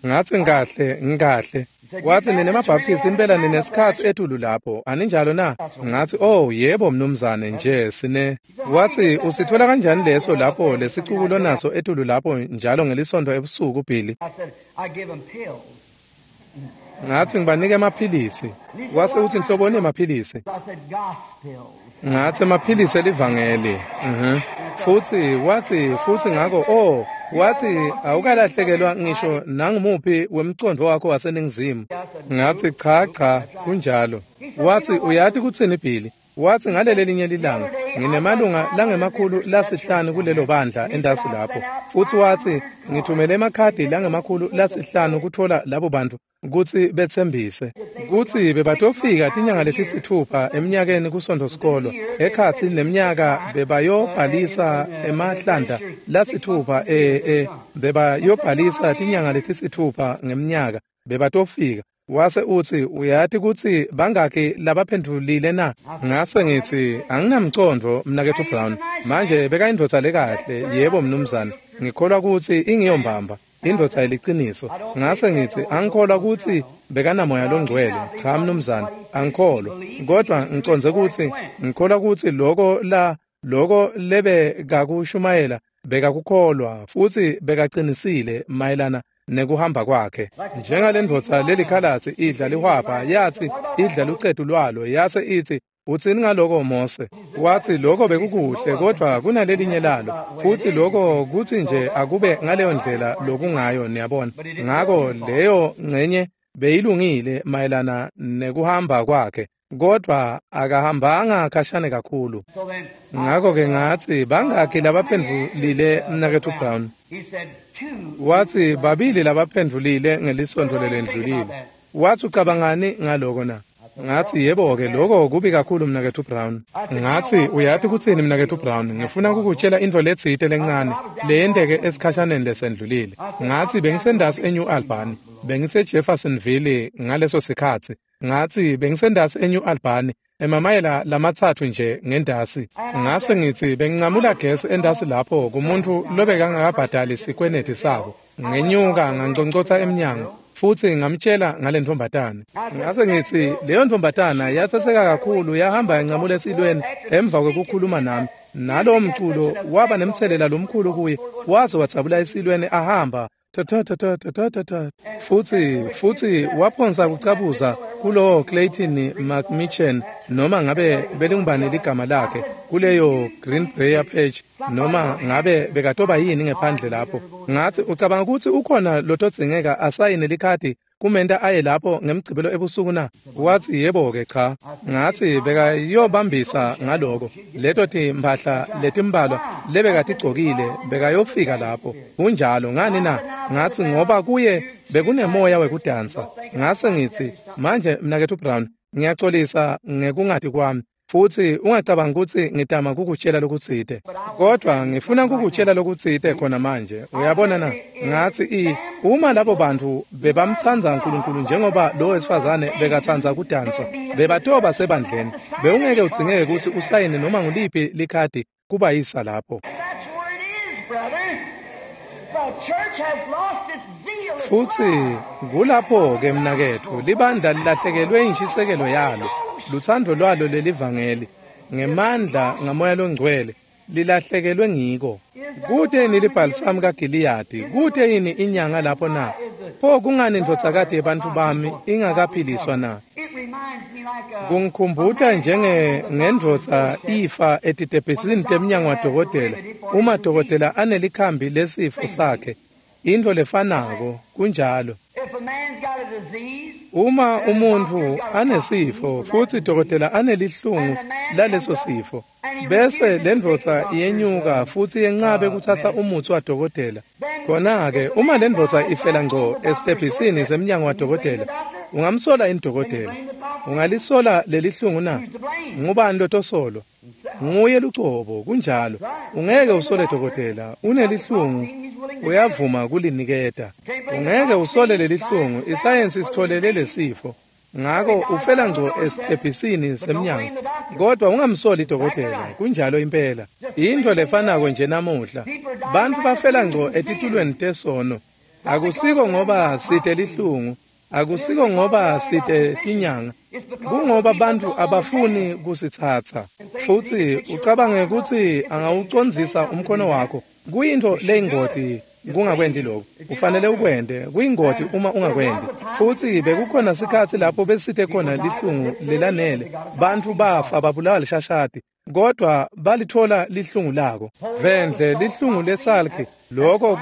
Ngathi, "Ngikahle, ngikahle." Wathi, "Nine maBaptist impela ninesikhatsi etulu lapho, aninjalo na?" Ngathi, "Oh, yebo mnumzane, nje sine." Wathi, "Usithola kanjani leso lapho lesicuku lonaso etulu lapho njalo ngelisonto ebusuku, Billy?" Ngathi, "Ngibanike emaphilisi." Wase uthi, "Nhloboni emaphilisi?" Ngathi, "Emaphilisi elivangeli." Futhi wathi, futhi ngako, oh, wathi, "Awukalahlekelwa ngisho nangumuphi wemcondvo wakho waseNingizimu." Ngathi, "Cha, cha, kunjalo." Wathi, "Uyati kutsini Billy?" Wathi, "Ngaleli linye lilanga nginemalunga langama-500 kulelo bandla entasi lapho." Futhi wathi, "Ngithumele emakhadi langama-500 kuthola labo bantu kutsi betsembise kutsi bebatofika tinyanga letisithupha eminyakeni kusonto sikolo ekhatsi neminyaka bebayobhalisa emahlandla lasithupha bebayobhalisa tinyanga letisithupha ngemnyaka bebatofika." Wase uthi, "Uyati kutsi bangaki labaphendvulile na?" Ngase ngithi, "Anginamcondvo mnaketfu Brown. Manje bekayindvodza lekahle, yebo mnumzane. Ngikholwa kutsi ingiyombamba indvodza yeliciniso." Ngase ngithi, "Angikholwa kutsi bekanamoya longcwele. Cha mnumzane, angikholwa. Kodwa ngicondze kutsi ngikholwa kutsi lokho lebekakushumayela bekakukholwa futsi bekaqinisile mayelana nekuhamba kwakhe. Njengalendvodza lelikhalatsi idla lihwabha, yathi idla lucetu lwalo, yase ithi, 'Utsini ngaloko Mose?' Wathi, 'Lokho bekukuhle, kodwa kunalelinye lalo, futhi lokho kuthi nje akube ngaleyo ndlela lokungayo, niyabona.' Ngako leyo ngcenye beyilungile mayelana nekuhamba kwakhe, kodwa akahambanga khashane kakhulu. Ngako-ke ngathi, 'Bangaki labaphendvulile mnaketfu Brown?' Wathi, 2 labaphendvulile ngelisonto lelendlulile." Wathi, "Ucabangani ngaloko na?" Ngathi, "Yebo-ke, lokho kubi kakhulu mnaketfu Brown." Ngathi, "Uyati kutsini mnaketfu Brown, ngifuna kukutshela intfo letsite lencane leyenteke esikhashaneni lesendlulile. Ngathi, bengisendasi eNew Albany, bengise-Jeffersonville ngaleso sikhatsi. Ngathi, bengisendasi eNew Albany, emamayela lamatsatfu nje ngendasi. Ngase ngithi, bengincamula gesi endasi lapho kumuntu lobekangakabhadali sikweneti sabo. Ngenyuka nganconcotsa emnyango futhi ngamtshela ngale ntombazana. Ngase ngithi, leyo ntombazana yatsaseka kakhulu, yahamba yancamula esilweni emva kwekukhuluma nami. Nalowo mculo waba nemtselela lomkhulu kuye, waze wadzabula esilweni ahamba futhi waphonsa kucabuza kulowo Clayton McMichen, noma ngabe belingubani ligama lakhe, kuleyo Greenbrier Page, noma ngabe bekatoba yini ngephandle lapho. Ngathi, ucabanga ukuthi ukhona lotodzingeka asayine likhadi kumenta aye lapho ngemgcibelo ebusuku na? Wathi, yebo-ke, cha. Ngathi, bekayobambisa ngaloko. Leto timphahla letimbalwa lebekatigcokile bekayofika lapho. Kunjalo, ngani na? Ngathi, ngoba kuye bekunemoya wekudansa. Ngase ngithi, manje mnaketfu Brown, ngiyaxolisa ngekungati kwami, futhi ungacabanga ukuthi ngitama kukutshela lokutsite, kodwa ngifuna kukutshela lokutsite khona manje. Uyabona na? Ngathi, uma labo bantu bebamtsandza uNkulunkulu njengoba lo wesifazane bekatsandza kudansa, bebatoba sebandleni. Bewungeke udzingeke ukuthi usayine noma nguliphi likhadi kubayisa lapho. Futhi kulapho-ke mnaketfu, libandla lilahlekelwe inshisekelo yalo, lutsandvo lwalo lelivangeli, ngemandla ngamoya longcwele, lilahlekelwe ngiko. Kute yini libhalisamu kaGiliyadi? Kute yini inyanga lapho na? Pho kungani indvodzakati yebantfu bami ingakaphiliswa na? Kungikhumbuta njengendvodza ifa etitebhisini temnyango wadokotela, uma dokotela anelikhambi lesifo sakhe, intfo lefanako, kunjalo. Uma umuntfu anesifo futhi dokotela anelihlungu laleso sifo, bese lendvodza iyenyuka futhi yencabe kuthatha umutsi wadokotela. Khona-ke uma lendvodza ifela ngco esitebhisini semnyango wadokotela, Ungamsola yini dokotela? Ungalisola lelihlungu na? Ngubani lotosolwa? Nguye lucobo, kunjalo. Ungeke usole dokotela, unelihlungu, uyavuma kuliniketa. Ungeke usole lelihlungu, isayensi isitholele lesifo. Ngako ufela ngco esitebhisini semnyango. Kodwa ungamsoli dokotela, kunjalo impela. Into lefanako nje namuhla. Bantfu bafela ngco etitulweni tesono. Akusiko ngoba site lihlungu, akusiko ngoba site tinyanga. Kungoba bantfu abafuni kusitsatsa. Futsi ucabange kutsi angawucondzisa umkhono wakho. Kuyintfo leyingoti kungakwendi lokho. Ufanele ukwente, kuyingoti uma ungakwendi. Futsi bekukhona sikhatsi lapho besite khona lihlungu lelanele. Bantfu bafa babulawa lishashati, kodwa balithola lihlungu lako. Vendle lihlungu lesalkhi, lokho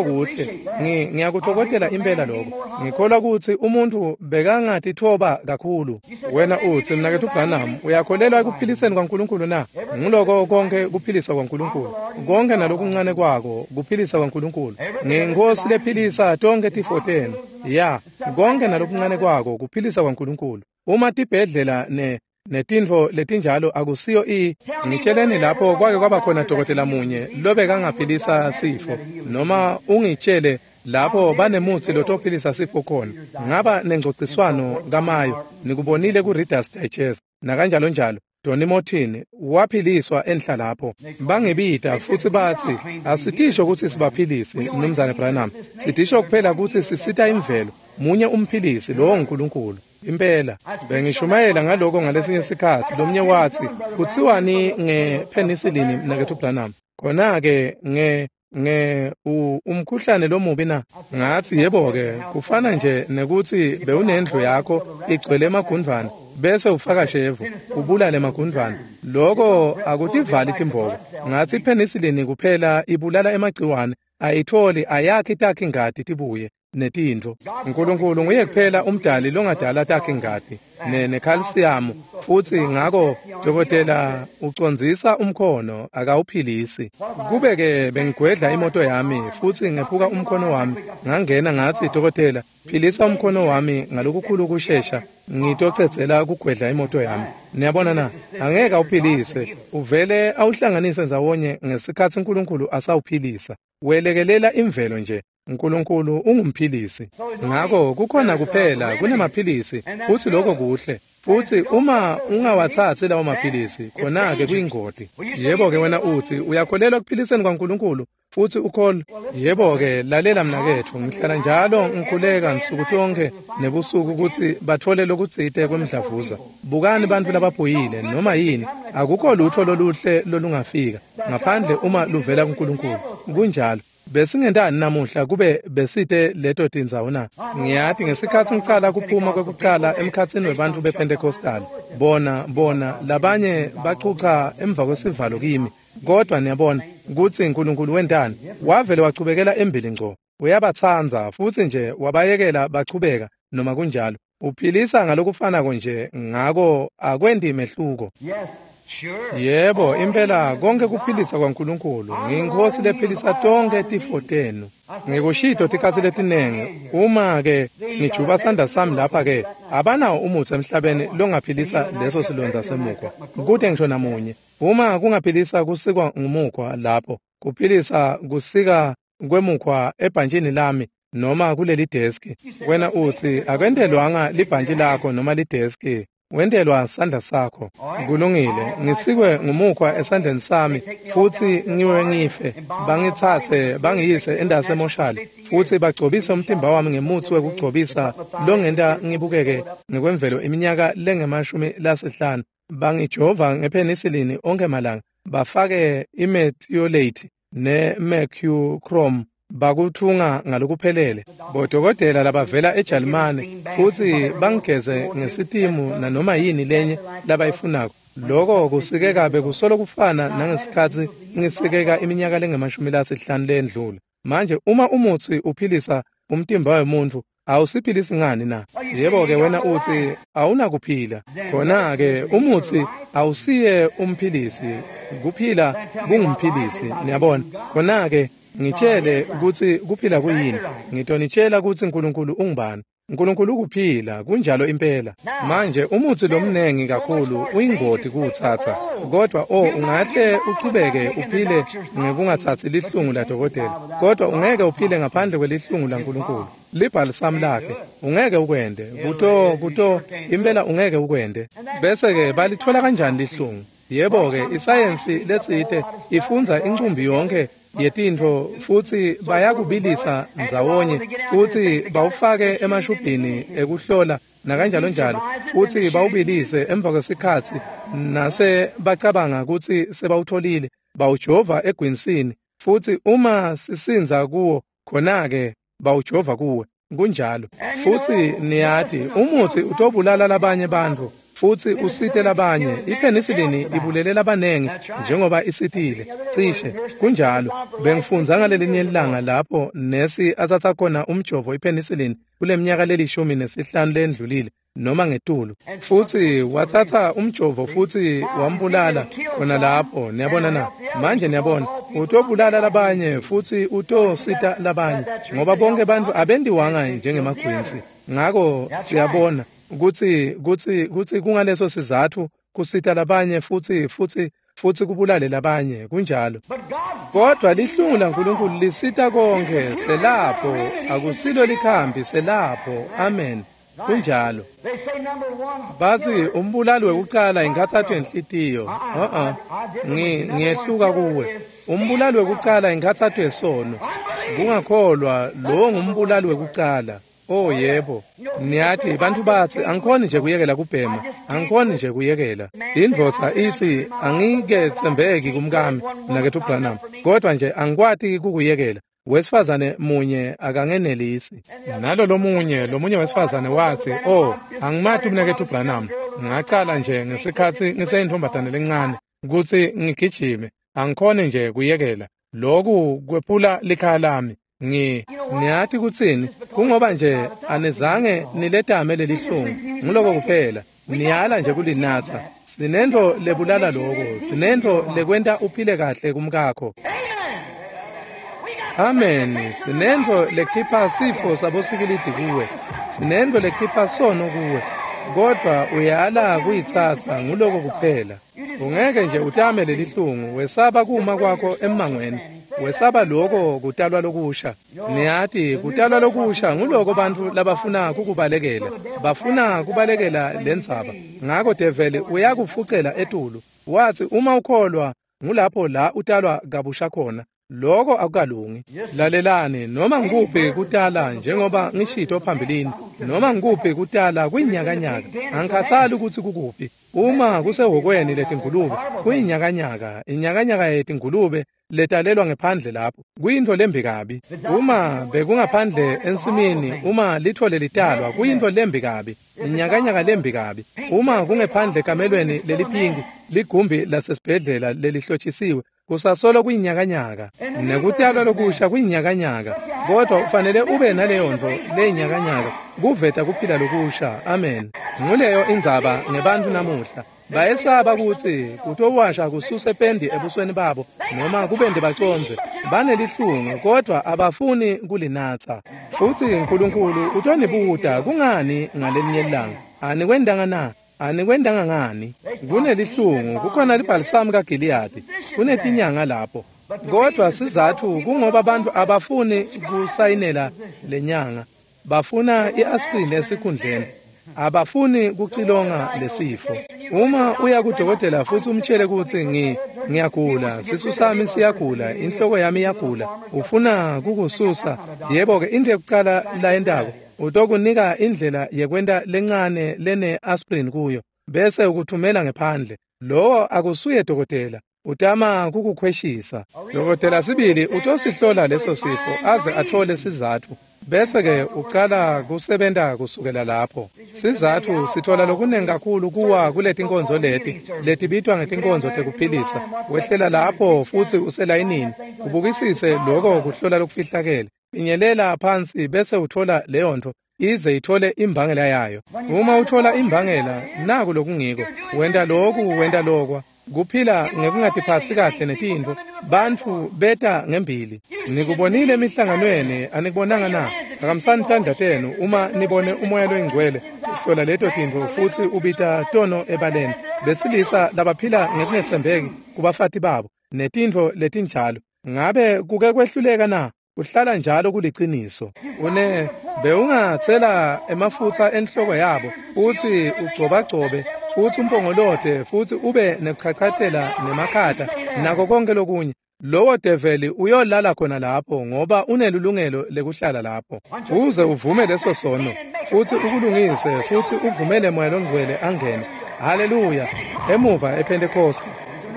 kuhle. Ngiyakuthokozela impela lokho. Ngikholwa kutsi umuntu bekangatithoba kakhulu. Wena utsi, mnaketfu Branham, uyakholelwa ekuphiliseni kwaNkulunkulu na? Nguloko konke kuphilisa kwaNkulunkulu. Konke nalokuncane kwako kuphilisa kwaNkulunkulu. Nginkosi lephilisa tonke tifo tenu. Ya, konke nalokuncane kwako kuphilisa kwaNkulunkulu. Uma tibhedlela netintfo letinjalo akusiyo ngitsheleni lapho kwake kwaba khona dokotela munye lobekangaphilisa sifo, noma ungitshele lapho banemutsi lotophilisa sifo khona. Ngaba nengcociswano kaMayo, nikubonile ku-Reader's Digest nakanjalo njalo. Donny Morton waphiliswa enhla lapho. Bangibita futsi batsi, asitisho kutsi sibaphilisi, Mnumzane Branham. Sitisho kuphela kutsi sisita imvelo. Munye umphilisi, lowo nguNkulunkulu. Impela bengishumayela ngaloko ngalesinye sikhatsi. Lomnye watsi, kutsiwani ngepenicillin, mnaketfu Branham? Khona-ke umkhuhlane lomubi na? Ngatsi, yebo-ke, kufana nje nekutsi bewunendlu yakho igcwele emagundvwane, bese ufaka shevu ubulale emagundvwane. Loko akutivali timbobo. Ngatsi ipenicillin kuphela ibulala emagciwane, ayitholi ayakhi takhi ngati tibuye netintfo. Nkulunkulu nguye kuphela umdali longadala takhe ngati nekhalsiyamu, futsi ngako dokotela ucondzisa umkhono akawuphilisi. Kube-ke bengigwedla imoto yami futsi ngephuka umkhono wami, ngangena ngatsi, dokotela, philisa umkhono wami ngalokukhulu kushesha, ngitocedzela kugwedla imoto yami. Niyabona na? Angeke awuphilise, uvele awuhlanganise ndzawonye ngesikhatsi uNkulunkulu asawuphilisa. Welekelela imvelo nje. uNkulunkulu ungumphilisi. Ngako kukhona kuphela kunemaphilisi, futsi lokho kuhle. Futsi uma ungawatsatsi lawo maphilisi, khona-ke kuyingoti. Yebo-ke wena utsi, uyakholelwa ekuphiliseni kwaNkulunkulu, futsi ukholwa. Yebo-ke, lalela mnaketfu, ngihlala njalo ngikhuleka nsuku tonke nebusuku kutsi batfole lokutsite kwemdlavuza. Bukani bantfu labaphuyile, noma yini, akukho lutho loluhle lolungafika, ngaphandle uma luvela kuNkulunkulu. Kunjalo. Besingentani namuhla kube besite leto tindzawo na? Ngiyati ngesikhatsi ngicala kuphuma kwekucala emkhatsini webantfu bePentecostal, bona labanye bachucha emva kwesivalo kimi. Kodwa niyabona kutsi uNkulunkulu wentani? Wavele wachubekela embili ngco. Uyabatsandza futsi nje wabayekela bachubeka noma kunjalo. Uphilisa ngalokufanako nje, ngako akwenti mehluko. Yebo, impela konke kuphilisa kwaNkulunkulu. Ngiyinkosi lephilisa tonke tifo tenu. Ngikushito tikhatsi letinengi, uma-ke ngijuba sandla sami lapha-ke, abanawo umutsi emhlabeni longaphilisa leso silondza semukhwa. Kute ngisho namunye. Uma kungaphilisa kusikwa ngumukhwa lapho, kuphilisa kusika kwemukhwa ebhantshini lami noma kuleli deski. Wena utsi, akwentelwanga libhantshi lakho noma lideski. Wentelwa sandla sakho. Kulungile, ngisikwe ngumukhwa esandleni sami futsi ngiwe ngife. Bangitsatse bangiyise endase emoshali futsi bagcobise umtimba wami ngemutsi wekugcobisa longenta ngibukeke ngekwemvelo iminyaka lengama-50. Bangijova ngepenicillin onke malanga, bafake imethiolate ne-mercurochrome, bakuthunga ngalokuphelele. Bodokotela labavela eJalimane futsi bangigeze ngesitimu nanoma yini lenye labayifunako. Loko kusikeka bekusolo kufana nangesikhatsi ngisikeka iminyaka lengama-50 lendlula. Manje uma umutsi uphilisa umtimba wemuntfu, awusiphilisi ngani na? Yebo-ke wena utsi awunakuphila. Khona-ke umutsi awusiye umphilisi, kuphila kungumphilisi. Niyabona? Khona-ke ngitshele kutsi kuphila kuyini. Ngitonitshela kutsi uNkulunkulu ungubani. Nkulunkulu ukuphila, kunjalo impela. Manje umutsi lomnengi kakhulu uyingoti kuwutsatsa, kodwa ungahle uchubeke uphile ngekungatsatsi lihlungu ladokotela, kodwa ungeke uphile ngaphandle kwelihlungu laNkulunkulu. Libhalisamu lakhe, ungeke ukwente, kuto impela ungeke ukwente. Bese-ke balithola kanjani lihlungu? Yebo-ke, isayensi letsite ifundza incumbi yonke yetintfo futsi bayakubilisa ndzawonye futsi bawufake emashubhini ekuhlola nakanjalo njalo, futsi bawubilise emva kwesikhatsi nase bacabanga kutsi sebawutholile, bawujova egwinsini, futsi uma sisindza kuwo khona-ke bawujova kuwe. Kunjalo. Futsi niyati umutsi utobulala labanye bantfu futsi usite labanye. Ipenicillin ibulele labanengi njengoba isitile cishe. Kunjalo. Bengifundza ngalelinye ilanga lapho nesi atsatsa khona umjovo ipenicillin kuleminyaka le-15 lendlulile noma ngetulu, futsi watsatsa umjovo futsi wambulala khona lapho. Niyabona na? Manje niyabona, utobulala labanye futsi utosita labanye, ngoba bonke bantfu abentiwanga njengemagwinsi. Ngako siyabona kutsi kungaleso sizatfu kusita labanye futsi kubulale labanye. Kunjalo. Kodwa lihlungu laNkulunkulu lisita konke, selapho, akusilo likhambi, selapho. Amen. Kunjalo. Batsi umbulali wekucala inkhatsato yenhlitiyo. Ngiyehluka kuwe. Umbulali wekucala inkhatsato yesono. Kungakholwa, lowo ngumbulali wekucala. Oh yebo. Niyati bantfu batsi angikhoni nje kuyekela kubhema, angikhoni nje kuyekela. Indvodza itsi angiketsembeki kumkami mnaketfu Branham, kodwa nje angikwati kukuyekela. Wesifazane munye akangenelisi. Nalo lomunye wesifazane watsi, "Oh, angimati mnaketfu Branham. Ngacala nje ngesikhatsi ngiseyintombazane lencane kutsi ngigijime, angikhoni nje kuyekela. Lokhu kwephula likhaya lami." Niyati kutsini? Kungoba nje anizange niletame lelihlungu, nguloko kuphela. Niyala nje kulinatsa. Sinento lebulala loko, sinento lekwenta uphile kahle kumkakho. Amen. Sinento lekhipha sifo sabosikilidi kuwe, sinento lekhipha sono kuwe, kodwa uyala kuyitsatsa, nguloko kuphela. Ungeke nje utame lelihlungu, wesaba kuma kwakho emmangweni, wesaba loko kutalwa lokusha. Niyati kutalwa lokusha nguloko bantfu labafuna kukubalekela, bafuna kubalekela lendzaba. Ngako develi uyakufucela etulu, watsi uma ukholwa ngulapho la utalwa kabusha khona. Loko akukalungi. Lalelani, noma ngikuphi kutala, njengoba ngishito phambilini, noma ngikuphi kutala kuyinyakanyaka. Angikhathali ukuthi kukuphi. Uma kusehhokweni letingulube, kuyinyakanyaka, inyakanyaka yetingulube letalelwa ngephandle lapho, kuyintfo lembi kabi. Uma bekungaphandle ensimini, uma lithole litalwa, kuyintfo lembi kabi, inyakanyaka lembi kabi. Uma kungephandle ekamelweni leliphinki, ligumbi lasesibhedlela lelihlotshisiwe, kusasolo kuyinyakanyaka. Nekutalwa lokusha kuyinyakanyaka, kodwa ufanele ube naleyo ntfo leyinyakanyaka kuveta kuphila lokusha. Amen. Nguleyo indzaba ngebantfu namuhla. Bayesaba kutsi kutowasha kususe pendi ebusweni babo noma kubende bacondze. Banelihlungu kodwa abafuni kulinatsa. Futsi Nkulunkulu utonibuta kungani ngalelinye ilanga. Anikwentanga na? Anikwentanga ngani? Kunelihlungu, kukhona libhalisamu kaGiliyadi, kunetinyanga lapho. Kodwa sizatfu kungoba bantfu abafuni kusayinela lenyanga. Bafuna i-aspirin esikhundleni. Abafuni kucilonga lesifo. Uma uya kudokotela futsi umtshele kutsi ngiyagula, sisu sami siyagula, inhloko yami iyagula, ufuna kukususa, yebo-ke into yekucala layentako utokunika indlela yekwenta lencane lene-aspirin kuyo, bese ukuthumela ngephandle. Lowo akusuye dokotela, utama kukukhweshisa. Dokotela sibili utosihlola leso sifo aze athole sizatfu, bese-ke ucala kusebenta kusukela lapho. Sizatfu sithola lokunengi kakhulu kuwa kuletinkonzo leti letibitwa ngetinkonzo tekuphilisa. Wehlela lapho futsi uselayinini, ubukisise loko kuhlola lokufihlakele. Finyelela phansi bese uthola leyo ntfo ize ithole imbangela yayo. Uma uthola imbangela, naku lokungiko, wenta loku, wenta lokwa. Kuphila ngekungatiphatsi kahle netintfo, bantfu beta ngembili. Nikubonile emihlanganweni, anikubonanga na? Phakamisani tandla tenu uma nibone uMoya loyiNgcwele uhlola leto tintfo futsi ubita tono ebaleni. Besilisa labaphila ngekungetsembeki kubafati babo netintfo letinjalo. Ngabe kuke kwehluleka na? Uhlala njalo kuliciniso. Bewungatsela emafutsa enhloko yabo futsi ugcobagcobe futsi umpongolote futsi ube nekuchachatela nemakhata nako konke lokunye. Lowo develi uyolala khona lapho ngoba unelulungelo lekuhlala lapho. Uze uvume leso sono futsi ukulungise futsi uvumele Moya loNgcwele angene. Haleluya! Emuva ePhentekoste.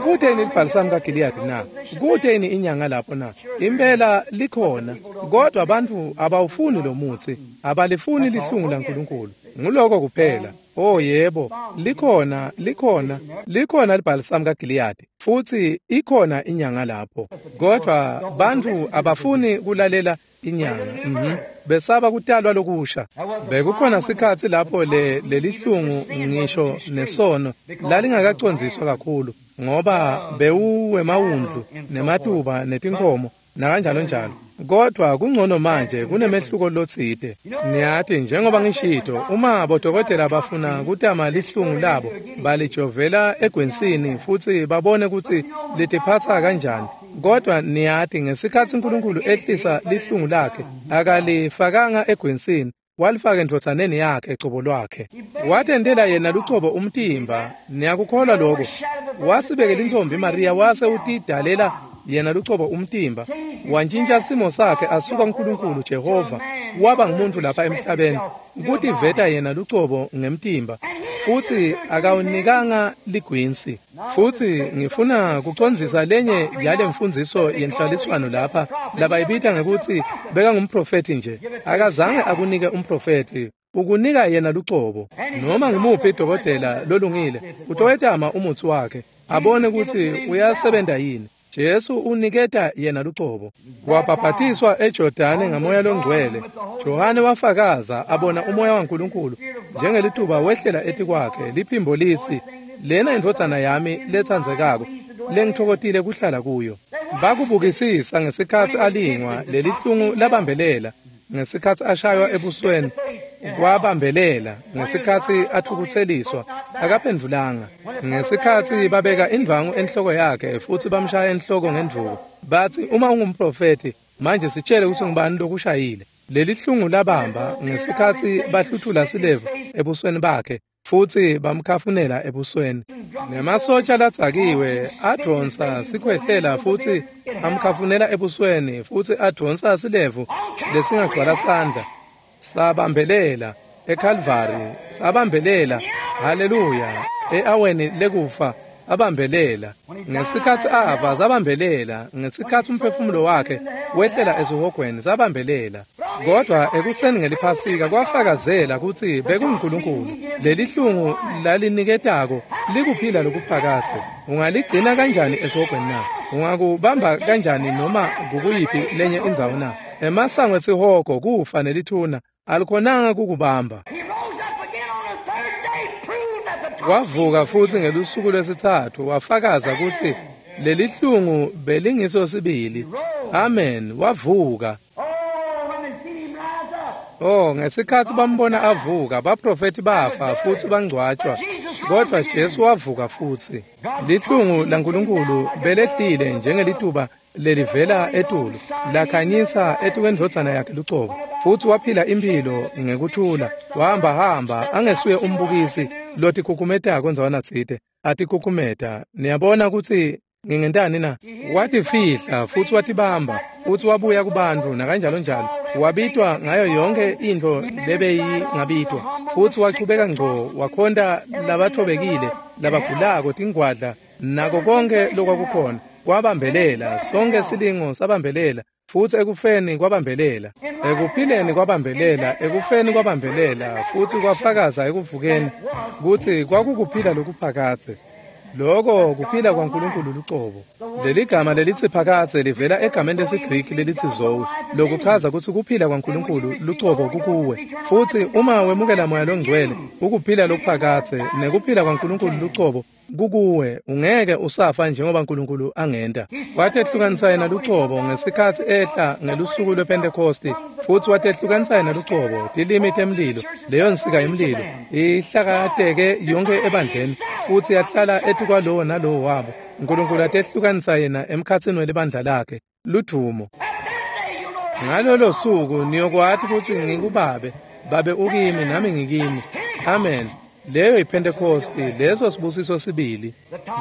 Kute yini libhalisamu kaGiliyadi na? Kute yini inyanga lapho na? Impela likhona, kodwa bantfu abawufuni lo mutsi, abalifuni lihlungu laNkulunkulu. Nguloko kuphela. Oh yebo, likhona, likhona, likhona libhalisamu kaGiliyadi, futsi ikhona inyanga lapho. Kodwa bantfu abafuni kulalela inyanga. Besaba kutalwa lokusha. Bekukhona sikhatsi lapho lelihlungu ngisho nesono lalingakacondziswa kakhulu, ngoba bewuwemawundlu nematuba netinkhomo nakanjalo njalo. Kodwa kungcono manje, kunemehluko lotsite. Niyati, njengoba ngishito, uma bodokotela bafuna kutama lihlungu labo, balijovela egwensini futsi babone kutsi litiphatsa kanjani. Kodwa niyati, ngesikhatsi uNkulunkulu ehlisa lihlungu lakhe, akalifakanga egwensini, walifaka endvodzaneni yakhe cobo lwakhe. Watentela yena lucobo umtimba. Niyakukholwa lokho? Wasibekela intfombi Maria wase utidalela yena lucobo umtimba, wantjintja simo sakhe asuka kuNkulunkulu Jehova waba ngumuntu lapha emhlabeni, kutiveta yena lucobo ngemtimba, futsi akawunikanga ligwinsi. Futsi ngifuna kucondzisa lenye yale mfundziso yenhlaliswano lapha labayibita ngekutsi bekangumprofethi nje. Akazange akunike umprofethi, ukunika yena lucobo. Noma ngumuphi dokotela lolungile utowetama umutsi wakhe abone kutsi uyasebenta yini. Jesu uniketa yena lucobo. Wabhabhatiswa eJordani ngaMoya loNgcwele. Johane wafakaza abona uMoya waNkulunkulu njengelituba wehlela etikwakhe, liphimbo litsi, "Lena indvodzana yami letsandzekako, lengitfokotile kuhlala kuyo." Bakubukisisa ngesikhatsi alingwa, lelihlungu labambelela. Ngesikhatsi ashaywa ebusweni, kwabambelela. Ngesikhatsi athukutseliswa, akaphendvulanga. Ngesikhatsi babeka indvwangu enhloko yakhe futsi bamshaya enhloko ngendvuku, batsi, "Uma ungumprofethi, manje sitshele kutsi ngubani lokushayile." Lelihlungu labamba ngesikhatsi bahluthula silevu ebusweni bakhe futsi bamkhafunela ebusweni. Nemasotsha ladzakiwe advonsa sikhwehlela futsi amkhafunela ebusweni futsi advonsa silevu lesingagcwala sandla. Sabambelela eKalvari, sabambelela, haleluya, e-aweni lekufa abambelela. Ngesikhatsi ava sabambelela, ngesikhatsi umphefumulo wakhe wehlela esihogweni sabambelela. Kodwa ekuseni ngeliphasika kwafakazela kutsi bekunguNkulunkulu. Lelihlungu laliniketako likuphila lokuphakadze. Ungaligcina kanjani esihogweni na? Ungakubamba kanjani noma kukuyiphi lenye indzawo na? Emasango esihogo kufa nelithuna alikhonanga kukubamba. Wavuka futsi ngelusuku lwesitsatfu wafakaza kutsi lelihlungu belingiso sibili. Amen, wavuka. Oh, ngesikhatsi bambona avuka, baprofethi bafa futsi bangcwatjwa, kodwa Jesu wavuka futsi. Lihlungu laNkulunkulu belehlile njengelituba lelivela etulu, lakhanyisa etukwendvodzana yakhe lucobo, futsi waphila imphilo ngekuthula, wahambahamba angesuye umbukisi lotikhukhumetako ndzawana tsite, atikhukhumeta. Niyabona kutsi ngingentani na? Watifihla futsi watibamba, futsi wabuya kubantfu nakanjalo njalo. Wabitwa ngayo yonke intfo lebeyingabitwa, futsi wachubeka ngco wakhonta labathobekile, labagulako, tingwadla, nako konke lokwakukhona. Kwabambelela, sonke silingo sabambelela, futsi ekufeni kwabambelela, ekuphileni kwabambelela, ekufeni kwabambelela, futsi kwafakaza ekuvukeni kutsi kwakukuphila lokuphakadze. Loko kuphila kwaNkulunkulu lucobo. Leligama lelitsi phakadze livela egameni lesiGriki lelitsi zoe, lokuchaza kutsi kuphila kwaNkulunkulu lucobo kukuwe. Futsi uma wemukela Moya loNgcwele, ukuphila lokuphakadze nekuphila kwaNkulunkulu lucobo Kukuwe, ungeke usafa njengoba uNkulunkulu angenta. Watehlukanisa yena lucobo ngesikhatsi ehla ngelusuku lwePhentekhosti, futsi watehlukanisa yena lucobo, tilimi temlilo, leyo nsika yemlilo, ihlakateke yonke ebandleni, futsi yahlala etikwalowo nalowo wabo. uNkulunkulu atehlukanisa yena emkhatsini welibandla lakhe, ludvumo. Ngalolo suku niyokwati kutsi ngikuBabe, Babe ukimi nami ngikini. Amen. Leyo yiPhentekhosti, leso sibusiso sibili.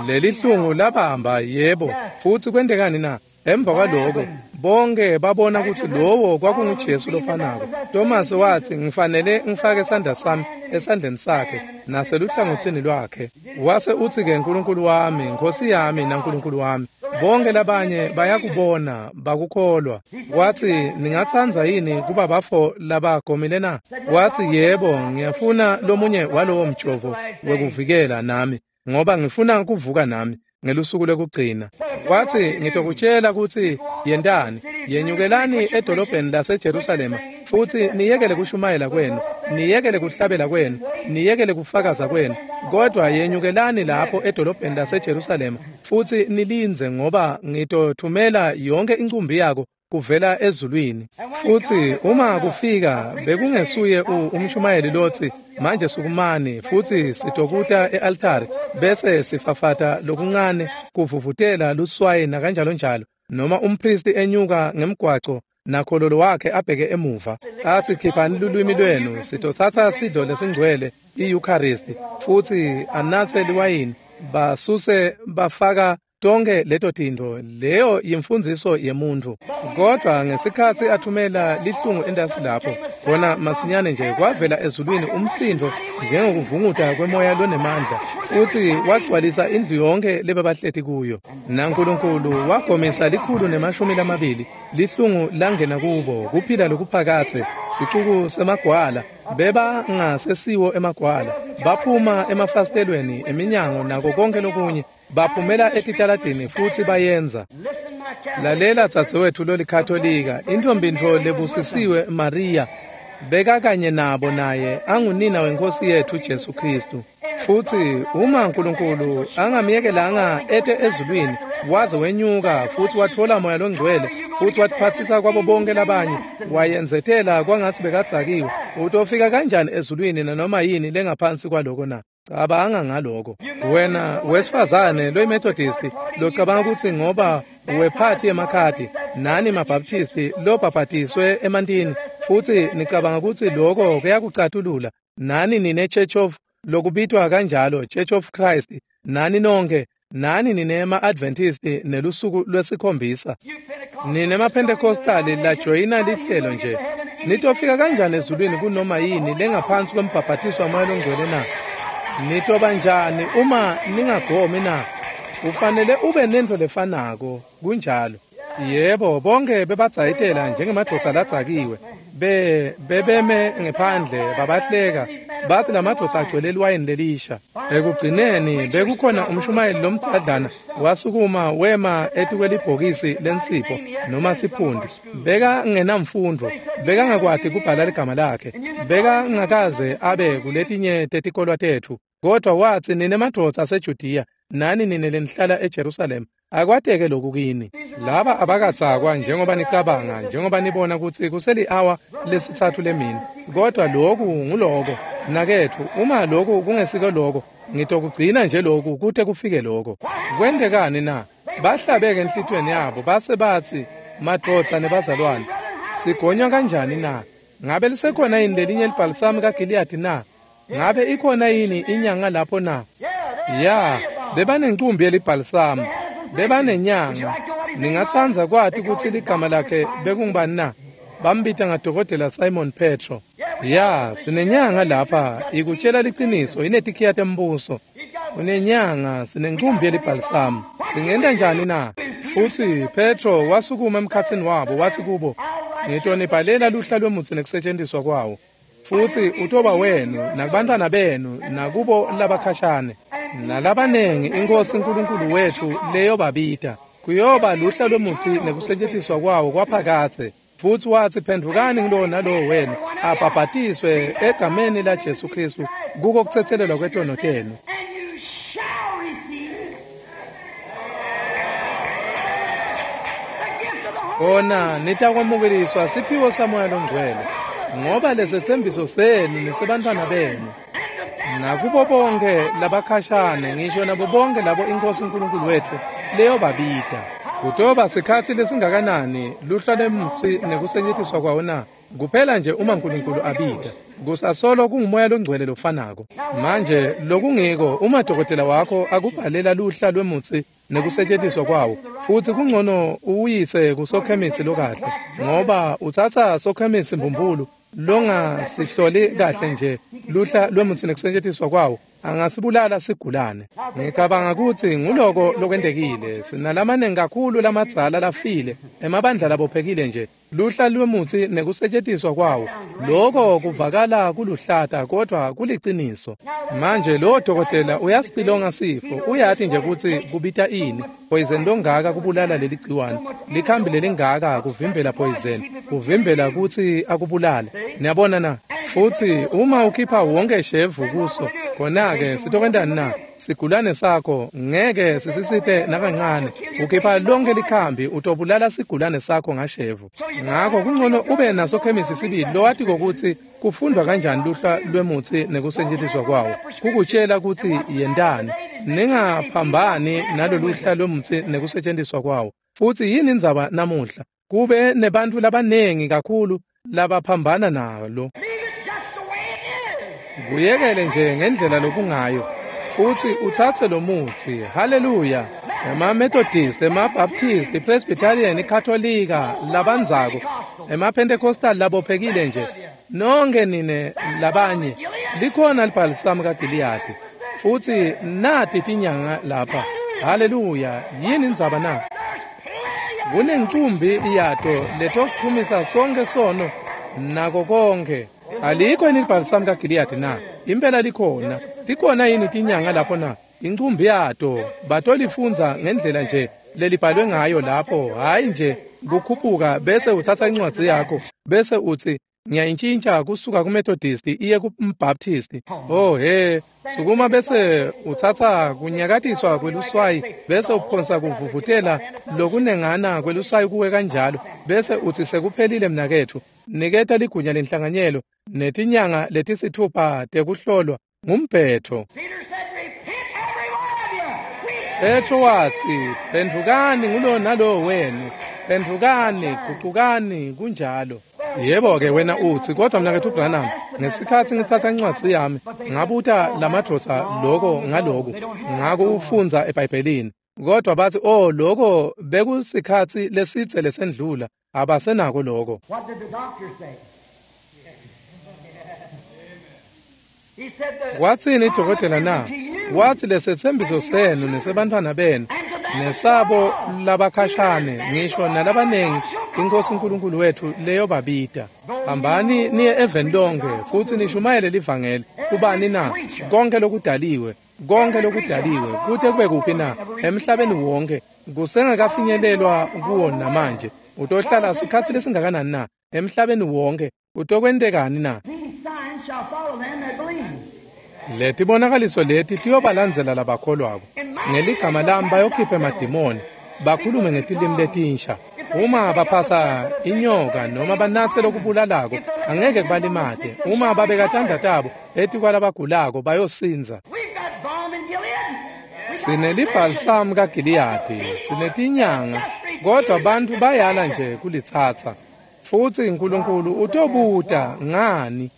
Leli hlungu labamba, yebo. Futsi kwentekani na? Emva kwaloko bonke babona kutsi lowo kwakunguJesu lofanako. Tomase watsi, ngifanele ngifake sandla sami esandleni sakhe naseluhlangotsini lwakhe. Wase utsi-ke, Nkulunkulu wami, Nkosi yami naNkulunkulu wami. Bonke labanye bayakubona, bakukholwa. Watsi, ningatsandza yini kuba bafo labagomile na? Watsi, yebo, ngiyafuna lomunye walowo mjovo wekuvikela nami, ngoba ngifuna kuvuka nami ngelusuku lokugcina. Watsi, ngitokutshela kutsi yentani, yenyukelani edolobheni laseJerusalema, futsi niyekele kushumayela kwenu, niyekele kuhlabela kwenu, niyekele kufakaza kwenu, kodwa yenyukelani lapho edolobheni laseJerusalema, futsi nilindze, ngoba ngitothumela yonke incumbi yako kuvela ezulwini. Futsi uma kufika, bekungesuye umshumayeli lotsi, manje sukumani futsi sitokuta e-altari bese sifafata lokuncane kuvuvutela luswayi nakanjalo njalo, noma umpristi enyuka ngemgwaco nakhololo wakhe abheke emuva athi, khiphani lulwimi lwenu, sitotsatsa sidlo lesingcwele i-Eucharist, futsi anatse liwayini, basuse bafaka tonke leto tintfo. Leyo yimfundziso yemuntfu. Kodwa ngesikhatsi athumela lihlungu entasi lapho, khona masinyane nje kwavela ezulwini umsindvo njengokuvunguta kwemoya lonemandla, futsi wagcwalisa indlu yonke lebebahleti kuyo. NaNkulunkulu wagomisa 120 lihlungu langena kubo, kuphila lokuphakatse, sicuku semagwala, bebangasesiwo emagwala, baphuma emafasitelweni eminyango nako konke lokunye, baphumela etitaladini futsi bayenza. Lalela dzadzewethu lolikatolika, intombintfo lebusisiwe Maria, bekakanye nabo naye angunina wenkosi yethu Jesu Kristu. Futsi uma uNkulunkulu angamyekelanga ete ezulwini, waze wenyuka futsi watfola moya longcwele, futsi watiphatsisa kwabo bonke labanye, wayenzetela kwangatsi bekadzakiwe, utofika kanjani ezulwini nanoma yini lengaphansi kwaloko na? Cabanga ngaloko. Wena wesifazane loyiMethodist locabanga kutsi ngoba wephathi yemakhadi nani maBaptisti lobhabhatiswe emantini, futsi nicabanga kutsi loko kuyakucatulula, nani nine Church of lokubitwa kanjalo Church of Christ, nani nonke, nani nine ma-Adventist nelusuku lwesikhombisa, nine maPentecostali lajoyina lihlelo nje, nitofika kanjani ezulwini kunoma yini lengaphansi kwembhabhatiso wamoya longcwele na? Nitoba njani uma ningagomi na? Ufanele ube nentfo lefanako, kunjalo. Yebo, bonke bebadzayitela njengemadvodza ladzakiwe, bebeme ngephandle babahleka, bathi lamadvodza agcwele liwayini lelisha. Ekugcineni bekukhona umshumayeli lomdzadlana wasukuma wema etikwelibhokisi lensipho noma siphundi. Bekangenamfundvo, bekangakwati kubhala ligama lakhe, bekangakaze abe kuletinye tetikolwa tetfu. Kodwa watsi, nine madvodza aseJudiya, nani nine lenihlala eJerusalema, akwateke lokhu kini. Laba abakadzakwa njengoba nicabanga, njengoba nibona kutsi kuseli-awa lesitsatfu lemini. Kodwa lokhu nguloko, mnaketfu, uma lokhu kungesiko loko, ngitokugcina nje lokhu kute kufike loko. Kwentekani na? Bahlabeke enhlitiyweni yabo base batsi, madvodza nebazalwane, sigonywa kanjani na? Ngabe lisekhona yini lelinye libhalisamu kaGiliyadi na? Ngabe ikhona yini inyanga lapho na? Ya, bebanencumbi yelibhalisamu, bebanenyanga. Ningatsandza kwati kutsi ligama lakhe bekungubani na? Bambita ngadokotela Simon Petro. Ya, sinenyanga lapha, ikutshela liciniso, inetikhiya tembuso. Unenyanga, sinencumbi yelibhalisamu. Singenta njani na? Futsi Petro wasukuma emkhatsini wabo wathi kubo, ngitonibhalela luhla lwemutsi nekusetjentiswa kwawo. Futsi utoba wenu nakubantwana benu nakubo labakhashane nalabanengi iNkosi uNkulunkulu wethu leyobabita. Kuyoba luhla lwemutsi nekusetjentiswa kwawo kwaphakatse. Futsi watsi, phendvukani ngulowo nalowo wenu abhabhatiswe egameni la Jesu Kristu kuko kutsetselelwa kwetono tenu. Kona nitakwamukeliswa siphiwo saMoya loNgcwele, ngoba lesetsembiso senu nesebantfwana benu nakubo bonke labakhashane, ngisho nabo bonke labo iNkosi uNkulunkulu wethu leyobabita. Kutoba sikhatsi lesingakanani luhla lwemutsi nekusetjentiswa kwawo na? Kuphela nje uma uNkulunkulu abita. Kusasolo kunguMoya loNgcwele lofanako. Manje lokungiko, uma dokotela wakho akubhalela luhla lwemutsi nekusetjentiswa kwawo, futsi kungcono uwuyise kusokhemisi lokahle, ngoba utsatsa sokhemisi mbumbulu longasihloli kahle nje luhla lwemutsi nekusetjentiswa kwawo, angasibulala sigulane. Ngicabanga kutsi nguloko lokwentekile. Sinalamanengi kakhulu lamadzala lafile emabandla labophekile nje luhla lwemutsi nekusetjentiswa kwawo. Loko kuvakala kuluhlata kodwa kuliciniso. Manje lowo dokotela uyasipilonga sifo, uyati nje kutsi kubita ini, poison longaka kubulala leli gciwane, likhambi lelingaka kuvimbela poison, kuvimbela kutsi akubulale. Niyabona na? Futsi uma ukhipha wonke shevu kuso, khona-ke sitokwentani na? Sigulane sakho ngeke sisisite nakancane. Ukhipha lonke likhambi, utobulala sigulane sakho ngashevu. Ngakho kungcono ube nasokhemisi sibili lowati kokuthi kufundwa kanjani luhla lwemutsi nekusetjentiswa kwawo, kukutshela kutsi yentani. Ningaphambani naloluhla lwemutsi nekusetjentiswa kwawo. Futsi yini indzaba namuhla? Kube nebantfu labanengi kakhulu labaphambana nalo. Kuyekele nje ngendlela lokungayo, futsi utsatse lo mutsi. Haleluya! Ema-Methodist, ema-Baptist, i-Presbyterian, iKatolika labandzako, ema-Pentecostal labophekile nje, nonke nine labanye, likhona libhalisamu kaGiliyadi, futsi nati tinyanga lapha. Haleluya! Yini indzaba na? Kunencumbi yato letokuchumisa sonke sono nako konke. Alikho yini libhalisamu kaGiliyadi na? Impela likhona. Tikhona yini tinyanga lapho na? Incumbi yato batolifundza ngendlela nje lelibhalwe ngayo lapho, hhayi nje kukhuphuka bese utsatsa incwadzi yakho bese utsi ngiyayintshintsha kusuka kuMethodist iye kuMbaptist. Oh he, sukuma bese utsatsa kunyakatiswa kweluswayi bese uphonsa kuvuvutela lokunengana kweluswayi kuwe kanjalo, bese utsi sekuphelile mnaketfu. Niketa ligunya lenhlanganyelo netinyanga letisithupha tekuhlolwa ngumbhetho. Petro watsi, phendvukani ngulo nalowo wenu, phendvukani, gucukani, kunjalo. Yebo-ke wena utsi, kodwa mnaketfu Branham, ngesikhatsi ngitsatsa incwadzi yami, ngabuta lamadvodza loko ngaloku, ngakufundza eBhayibhelini. Kodwa batsi, oh, loko bekusikhatsi lesidze lesendlula, abasenako loko. Watsini dokotela na? Watsi lesetsembiso senu nesebantfwana benu nesabo labakhashane, ngisho nalabanengi iNkosi uNkulunkulu wethu leyobabita. Hambani niye eveni lonke futsi nishumayele livangeli. Kubani na? Konke lokudaliwe, konke lokudaliwe, kute kube kuphi na? Emhlabeni wonke. Kusengakafinyelelwa kuwo namanje. Utohlala sikhatsi lesingakanani na? Emhlabeni wonke. Utokwentekani na? Letibonakaliso leti tiyobalandzela labakholwako. Ngeligama lami bayokhipha emadimoni, bakhulume ngetilimi letinsha. Uma baphatsa inyoka noma banatse lokubulalako, angeke kubalimate. Uma babeka tandla tabo etikwalabagulako bayosindza. Sinelibhalisamu kaGiliyadi, sinetinyanga, kodwa bantfu bayala nje kulitsatsa. Futsi uNkulunkulu utobuta ngani?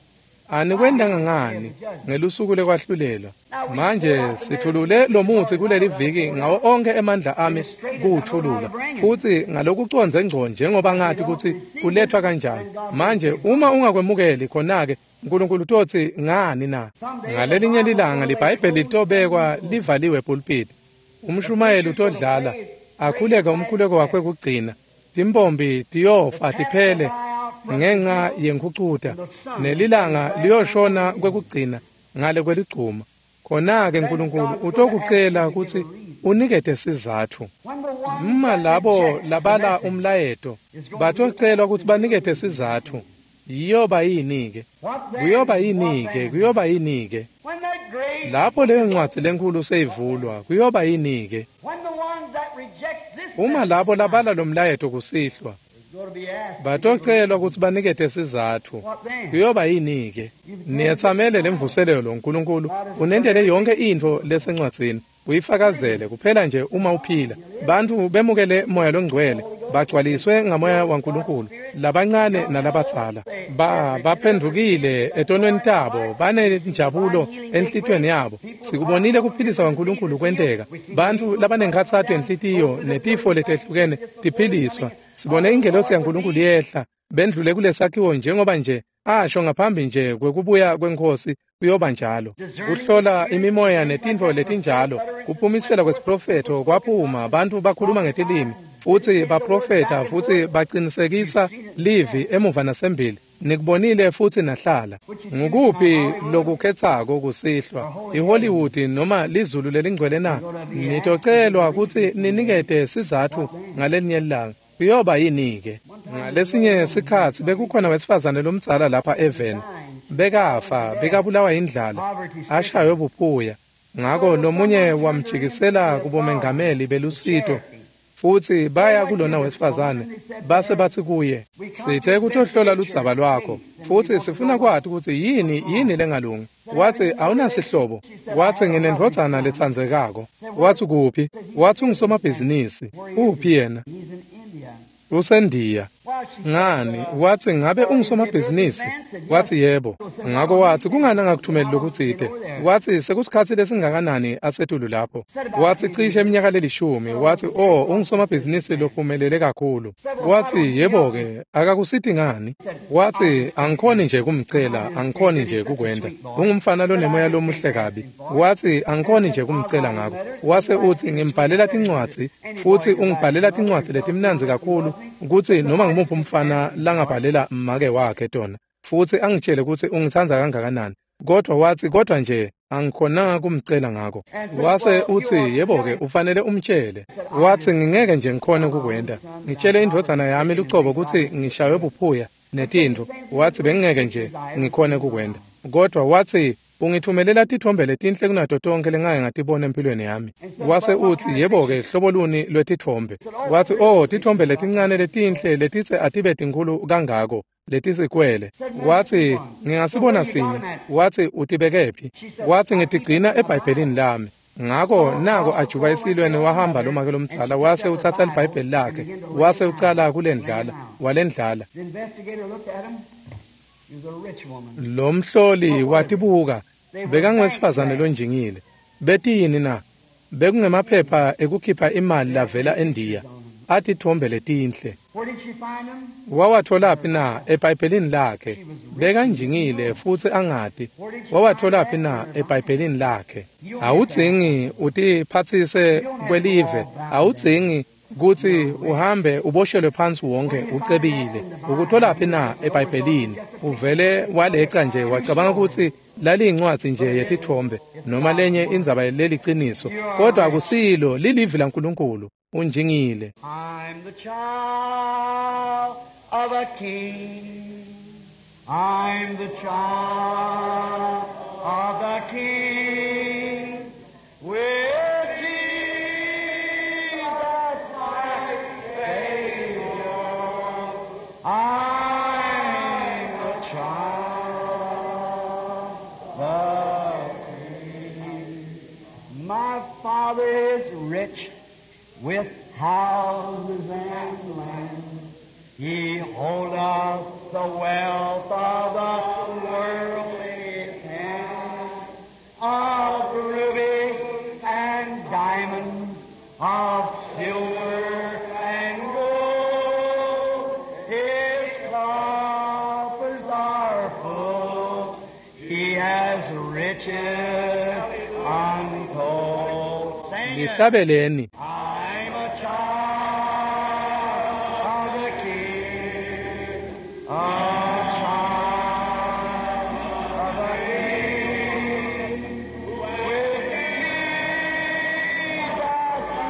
Anikwentanga ngani ngelusuku lekwahlulelwa? Manje sithulule lomutsi kuleli viki ngawo onke emandla ami kuwuthulula, futsi ngalokucondze ngco njengoba ngati kutsi kulethwa kanjani. Manje uma ungakwemukeli, khona-ke uNkulunkulu utotsi ngani na? Ngalelinye lilanga liBhayibheli litobekwa livaliwe epulpiti. Umshumayeli utodlala akhuleke umkhuleko wakhe kugcina. Timpompi tiyofa tiphele ngenxa yenkhucuta, nelilanga liyoshona kwekugcina ngale kweligcuma. Khona-ke uNkulunkulu utokucela kutsi unikete sizatfu. Uma labo labala umlayeto batocelwa kutsi banikete sizatfu, Iyoba yini-ke? Kuyoba yini-ke? Kuyoba yini-ke? Lapho leyo ncwadzi lenkulu seyivulwa, kuyoba yini-ke? Uma labo labala lo mlayeto kusihlwa, Batocelwa kutsi banikete sizatfu. Kuyoba yini-ke? Niyetsamele lemvuselelo Nkulunkulu unentele yonke intfo lesencwadzini. Uyifakazele kuphela nje uma uphila. Bantfu bemukele moya longcwele, bagcwaliswe ngamoya waNkulunkulu, labancane nalabadzala. Baphendvukile etonweni tabo, banenjabulo enhlitiyweni yabo. Sikubonile kuphilisa kwaNkulunkulu kwenteka. Bantfu labanenkhatsato yenhlitiyo netifo letehlukene tiphiliswa. Sibone ingelosi yaNkulunkulu yehla, bendlule kulesakhiwo njengoba nje asho ngaphambi nje kwekubuya kweNkhosi kuyoba njalo. Kuhlola imimoya netintfo letinjalo, kuphumisela kwesiprofetho kwaphuma, bantfu bakhuluma ngetilimi futsi baprofetha futsi bacinisekisa livi emuva nasembili. Nikubonile futsi nahlala. Ngukuphi lokukhetsako kusihlwa, iHollywood noma lizulu lelingcwele na? Nitocelwa kutsi ninikete sizatfu ngalelinye ilanga. Kuyoba yini-ke? Ngalesinye sikhatsi bekukhona wesifazane lomdzala lapha eveni. Bekafa, bekabulawa yindlala, ashaywe buphuya. Ngako lomunye wamjikisela kubomengameli belusito futsi baya kulona wesifazane base batsi kuye, sithe kutohlola ludzaba lwakho futsi sifuna kwati kutsi yini lengalungi. Watsi awunasihlobo. Watsi nginendvodzana letsandzekako. Watsi kuphi? Watsi ungusomabhizinisi. Uphi yena? Usendiya. Ngani? Watsi ngabe ungusomabhizinisi? Watsi yebo. Ngako watsi kungani angakuthumeli lokutsite? Watsi sekusikhatsi lesingakanani asetulu lapho? Watsi cishe iminyaka lelishumi. Watsi oh, ungusomabhizinisi lophumelele kakhulu. Watsi yebo-ke, akakusiti ngani? Watsi angikhoni nje kumcela, angikhoni nje kukwenta. Ungumfana lonemoya lomuhle kabi. Watsi angikhoni nje kumcela ngako. Wase utsi ngimbhalela tincwadzi futsi ungibhalela tincwadzi letimnandzi kakhulu kutsi noma ngumuphi umfana langabhalela make wakhe tona futsi angitshele kutsi ungitsandza kangakanani. Kodwa watsi kodwa nje angikhonanga kumcela ngako. Wase utsi yebo-ke ufanele umtshele. Watsi ngingeke nje ngikhone kukwenta. Ngitshele indvodzana yami lucobo kutsi ngishaywe buphuya netintfo. Watsi bengingeke nje ngikhone kukwenta. Kodwa watsi ungithumelela titfombe letinhle kunato tonke lengake ngatibona empilweni yami. Wase utsi yebo-ke hlobo luni lwetitfombe? Watsi oh, titfombe letincane letinhle letitse atibe tinkhulu kangako letisikwele. Watsi ngingasibona sinye. Watsi utibekephi? Watsi ngitigcina eBhayibhelini lami. Ngako nako ajuba esilweni wahamba lomake lomdzala wase utsatsa liBhayibheli lakhe wase ucala kulendlala walendlala. Lo mhloli watibuka, bekangwesifazane lonjingile. Betiyini na? Bekungemaphepha ekukhipha imali lavela eNdiya, atitfombe letinhle. Wawatholaphi na? EBhayibhelini lakhe. Bekanjingile futsi angati. Wawatholaphi na? EBhayibhelini lakhe. Awudzingi utiphatsise kwelive, awudzingi kutsi uhambe uboshelwe phansi wonke ucebile. Ukutholaphi na? EBhayibhelini. Uvele waleca nje wacabanga kutsi laliyincwadzi nje yetitfombe noma lenye indzaba leliciniso, kodwa akusilo, lilivi laNkulunkulu. Unjingile. I'm the child of a king. I'm the child of a king. With Jesus my Savior, I'm the child of a king. My father is rich with houses and lands. He holdeth the wealth of the world in his hand, of rubies and diamonds, of silver and gold. His coffers are full. He has riches untold. Sing it. Lihlabeleni. I'm a child of the King, a child of the King. With Jesus my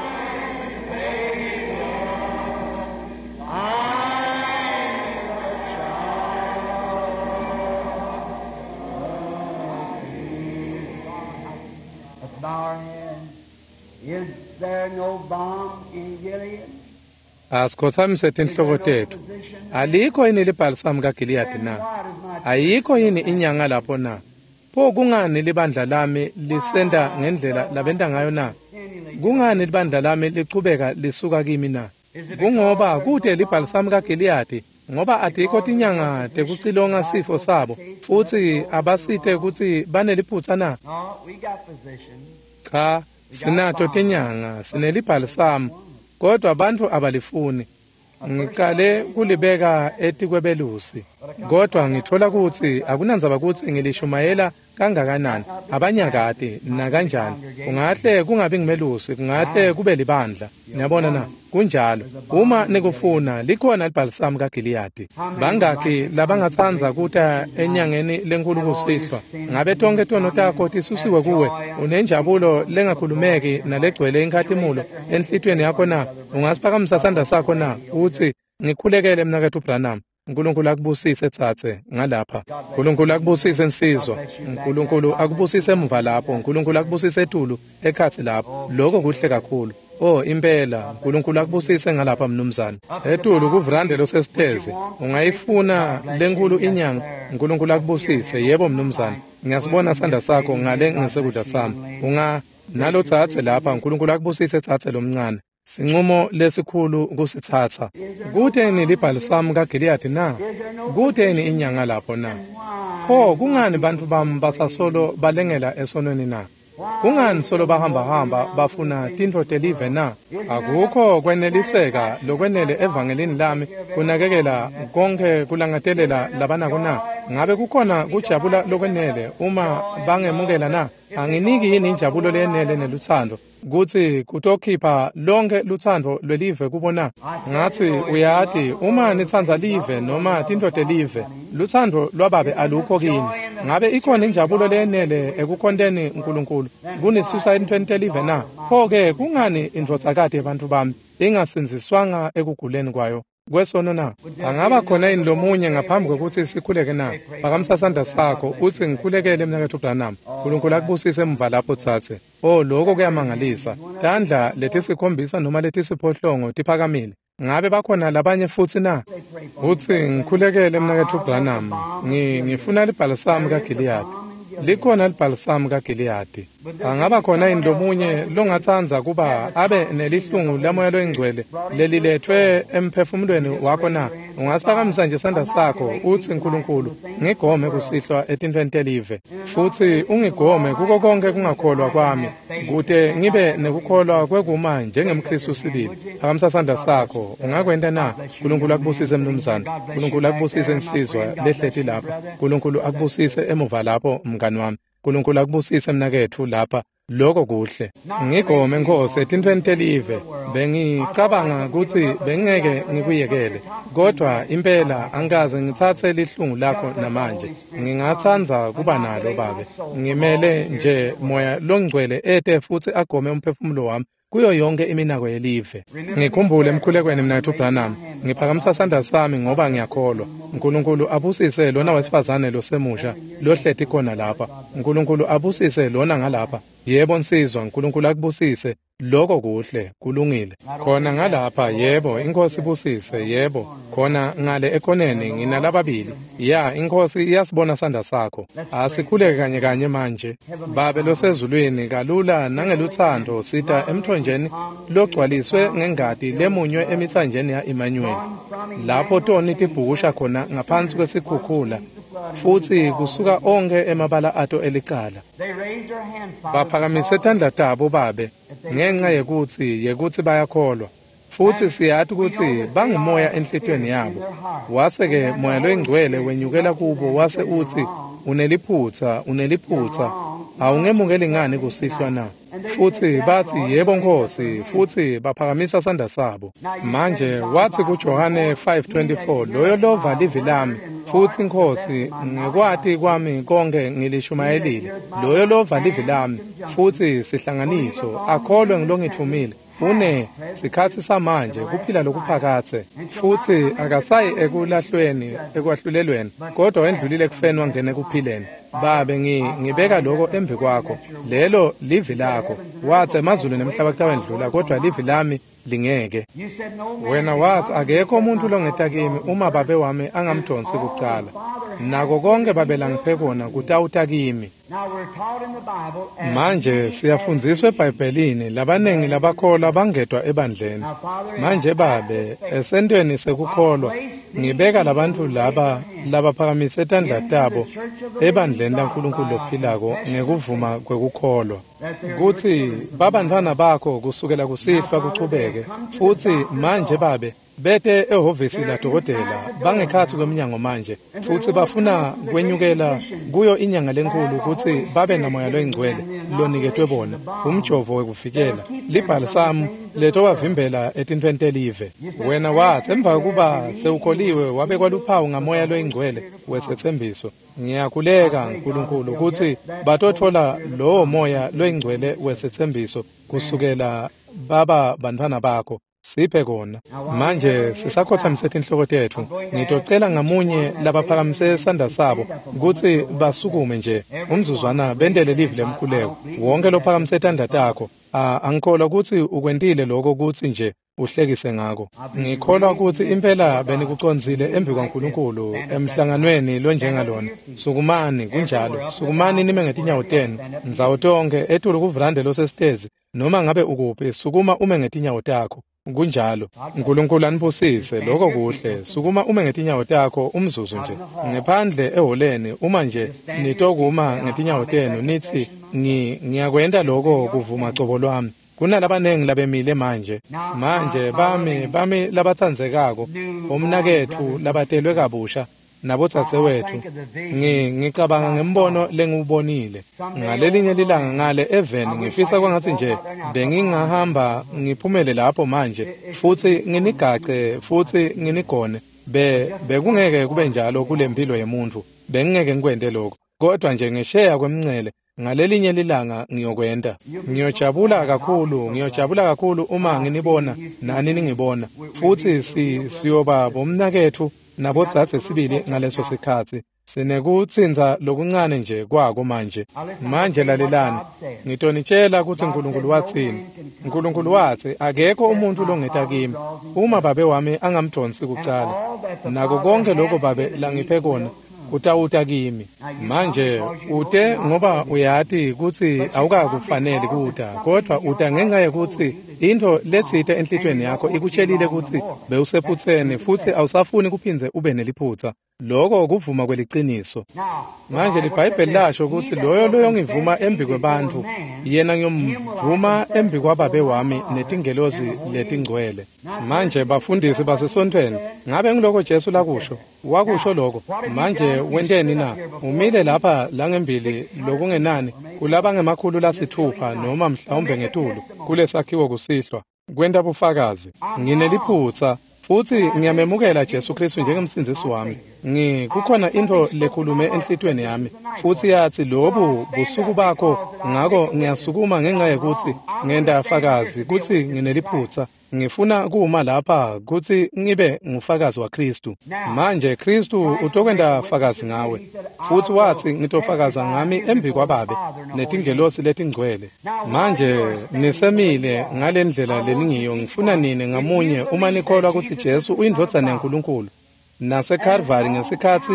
Savior, I'm a child of the King. Let's bow our heads. Is there no balm in Gilead? Asikhothamise tinhloko tetfu. Alikho yini libhalisamu kaGiliyadi na? Ayikho yini inyanga lapho na? Pho kungani libandla lami lisenta ngendlela labenta ngayo na? Kungani libandla lami lichubeka lisuka kimi na? Kungoba kute libhalisamu kaGiliyadi, ngoba atikho tinyanga tekucilonga sifo sabo, futsi abasite kutsi baneliphutsa na? Cha, sinato tinyanga, sinelibhalisamu, kodwa bantfu abalifuni. Ngicale kulibeka etikwebelusi, kodwa ngithola kutsi akunandzaba kutsi ngilishumayela kangakanani, abanyakati nakanjani. Kungahle kungabi ngimelusi, kungahle kube libandla. Niyabona na? Kunjalo. Uma nikufuna, likhona libhalisamu kaGiliyadi. Bangakhi labangatsandza kuta enyangeni lenkulu kusihlwa? Ngabe tonke tono takho tisusiwe kuwe? Unenjabulo lengakhulumeki nalegcwele inkhatimulo enhlitiyweni yakho na? Ungasiphakamisa sandla sakho na? Utsi, ngikhulekele mnaketfu Branham. Nkulunkulu akubusise tsatse ngalapha. Nkulunkulu akubusise nsizwa. Nkulunkulu akubusise emuva lapho. Nkulunkulu akubusise etulu ekhatsi lapho. Lokho kuhle kakhulu. Oh, impela, Nkulunkulu akubusise ngalapha mnumzane. Etulu kuvrande losesitezi. Ungayifuna lenkulu inyanga. Nkulunkulu akubusise. Yebo mnumzane. Ngiyasibona sandla sakho ngale ngesekudla sami. Unga nalo tsatse lapha. Nkulunkulu akubusise tsatse lomncane. Sinqumo lesikhulu kusitsatsa. Kuteni libhalisamu kaGiliyadi na? Kuteni inyanga lapho na? Pho kungani bantfu bami basasolo balengela esonweni na? Kungani solo bahambahamba bafuna tintfo telive na? Akukho kweneliseka lokwenele evangelini lami kunakekela konke kulangatelela labanako na? Ngabe kukhona kujabula lokwenele uma bangemukela na? Anginiki yini injabulo leyenele nelutsandvo kutsi kutokhipha lonke lutsandvo lwelive kubo na? Ngatsi, uyati, uma nitsandza live noma tintfo telive, lutsandvo lwababe alukho kini. Ngabe ikhona injabulo leyenele ekukhonteni Nkulunkulu kunisusa entfweni telive na? Pho-ke kungani indvodzakati yebantfu bami ingasindziswanga ekuguleni kwayo kwesono na? Angaba khona yini lomunye ngaphambi kwekutsi sikhuleke na? Phakamisa sandla sakho utsi, ngikhulekele mnaketfu Branham. Nkulunkulu akubusise emuva lapho tsatse. Oh, lokho kuyamangalisa. Tandla letisikhombisa noma letisiphohlongo tiphakamile. Ngabe bakhona labanye futsi na? Utsi, ngikhulekele mnaketfu Branham. Ngifuna libhalisamu kaGiliyadi. Likhona libhalisamu kaGiliyadi. Angaba khona yini lomunye longatsandza kuba abe nelihlungu lamoya loyingcwele leliletfwe emphefumulweni wakho na? Ungasiphakamisa nje sandla sakho utsi, Nkulunkulu, ngigome kusihlwa etintfweni telive, futsi ungigome kuko konke kungakholwa kwami, kute ngibe nekukholwa kwekuma njengemKhristu sibili. Phakamisa sandla sakho. Ungakwenta na? Nkulunkulu akubusise mnumzane. Nkulunkulu akubusise nsizwa lehleti lapha. Nkulunkulu akubusise emuva lapho mngani wami. Nkulunkulu akubusise mnaketfu lapha. Lokho kuhle. Ngigome Nkosi etintfweni telive. Bengicabanga kutsi bengeke ngikuyekele, kodwa impela angikaze ngitsatse lihlungu lakho namanje. Ngingatsandza kuba nalo babe. Ngimele nje moya longcwele ete futsi agome umphefumulo wami kuyo yonke iminako yelive. Ngikhumbule emkhulekweni mnaketfu Branham. Ngiphakamisa sandla sami ngoba ngiyakholwa. Nkulunkulu abusise lona wesifazane losemusha lohleti khona lapha. Nkulunkulu abusise lona ngalapha. Yebo nsizwa, Nkulunkulu akubusise. Lokho kuhle, kulungile. Khona ngalapha, yebo, iNkhosi ibusise, yebo. Khona ngale ekhoneni nginalababili. Ya, iNkhosi iyasibona sandla sakho. Asikhuleke kanye kanye manje. Babe losezulwini, kalula nangelutsandvo sita emthonjeni logcwaliswe ngengati lemunywe emitsanjeni ya-Emmanuel, lapho toni tibhukusha khona ngaphansi kwesikhukhula, futsi kusuka onkhe emabala ato elicala. Baphakamise tandla tabo babe, ngenxa yekutsi bayakholwa, futsi siyati kutsi bangumoya enhlitiyweni yabo. Wase-ke moya loyingcwele wenyukela kubo wase utsi, uneliphutsa, uneliphutsa, awungemukeli ngani kusihlwa na? Futsi batsi, yebo Nkosi, futsi baphakamisa sandla sabo. Manje watsi kuJohane 5:24, loyo lova livi lami, futsi Nkosi, ngekwati kwami konke ngilishumayelile, loyo lova livi lami, futsi sihlanganiso, akholwe ngilongitfumile, une sikhatsi samanje kuphila lokuphakatse, futsi akasayi ekulahlweni ekwahlulelweni, kodwa wendlulile ekufeni wangena ekuphileni. Babe, ngibeka lokho embi kwakho, lelo livi lakho. Watsi emazulu nemhlaba kutawendlula, kodwa livi lami Lingeke. Wena wathi akekho umuntu longeta kimi uma babe wami angamdonsi kucala. Nako konke babe langiphe kona kutawuta kimi. Manje siyafundziswa eBhayibhelini labaningi labakholwa bangedwa ebandleni. Manje babe esentweni sekukholwa ngibeka labantfu laba labaphakamise tandla tabo ebandleni laNkulunkulu lophilako ngekuvuma kwekukholwa kutsi babantfwana bakho kusukela kusihlwa kuchubeke. Futsi manje babe bete ehhovisi ladokotela bangekhatsi kweminyango manje futsi bafuna kwenyukela kuyo inyanga lenkulu kutsi babe namoya loyingcwele loniketwe bona umjovo wekuvikela libhalisamu letobavimbela etintfweni telive. Wena wathi emva kokuba sewukholiwe wabekwa luphawu ngamoya loyingcwele wesethembiso. Ngiyakhuleka Nkulunkulu kutsi batotfola lowo moya loyingcwele wesethembiso kusukela baba bantfwana bakho. Siphe kona. Manje sisakhothamise tinhloko tetfu. Ngitocela ngamunye labaphakamise sandla sabo kutsi basukume nje umzuzwana bentele livi lemkhuleko. Wonke lophakamise tandla takho, angikholwa kutsi ukwentile lokho kutsi nje uhlekise ngako. Ngikholwa kutsi impela benikucondzile embi kwaNkulunkulu emhlanganweni lonjengalona. Sukumani, kunjalo. Sukumani nime ngetinyawo tenu ndzawo tonkhe etulu kuvrande losesitezi noma ngabe ukuphi, sukuma ume ngetinyawo takho. Kunjalo. Nkulunkulu anibusise, lokho kuhle. Sukuma ume ngetinyawo takho umzuzu nje. Ngephandle eholeni uma nje nitokuma ngetinyawo tenu nithi ngiyakwenta lokho kuvuma cobo lwami. Kunalabanengi labemile manje. Manje bami labatsandzekako, bomnaketfu labatelwe kabusha nabodzadzewetfu, ngicabanga ngembono lengiwubonile ngalelinye lilanga ngale eveni. Ngifisa kwangatsi nje bengingahamba ngiphumele lapho manje futsi nginigace futsi nginigone. Bekungeke kube njalo kule mpilo yemuntfu, bengingeke ngikwente lokho, kodwa nje ngesheya kwemncele ngalelinye lilanga ngiyokwenta. Ngiyojabula kakhulu, ngiyojabula kakhulu uma nginibona nani ningibona, futsi siyoba bomnaketfu nabodzadze sibili ngaleso sikhatsi. Sinekutsintsa lokuncane nje kwako manje. Manje lalelani, ngitonitshela kutsi Nkulunkulu watsini. Nkulunkulu watsi akekho umuntu longeta kimi uma babe wami angamdonsi kucala. Nako konke lokho babe langiphe kona kutawuta kimi. Manje ute ngoba uyati kutsi awukakufaneli kuta, kodwa uta ngenxa yekutsi intfo letsite enhlitiyweni yakho ikutshelile kutsi bewusephutseni futsi awusafuni kuphindze ube neliphutsa. Lokho kuvuma kweliciniso. Manje liBhayibheli lasho kutsi loyo loyongivuma embi kwebantfu, yena ngiyomvuma embi kwababe wami netingelosi letingcwele. Manje bafundisi basesontfweni, ngabe ngiloko Jesu lakusho? Wakusho lokho. Manje wenteni na? Umile lapha langembili lokungenani kulaba ngemakhulu 6 noma mhlawumbe ngetulu kulesakhiwo kusihlwa kwenta bufakazi. Ngineliphutsa futsi ngiyamemukela Jesu Kristu njengemsindzisi wami. Kukhona intfo lekhulume enhlitiyweni yami futsi yatsi lobu busuku bakho, ngako ngiyasukuma ngenxa yekutsi ngenta fakazi kutsi ngineliphutsa. Ngifuna kuma lapha kutsi ngibe ngufakazi waKristu. Manje Kristu utokwenta fakazi ngawe, futsi watsi ngitofakaza ngami embi kwababe netingelosi letingcwele. Manje nisemile ngalendlela leningiyo. Ngifuna nine ngamunye uma nikholwa kutsi Jesu uyindvodzana yaNkulunkulu naseKalvari ngesikhatsi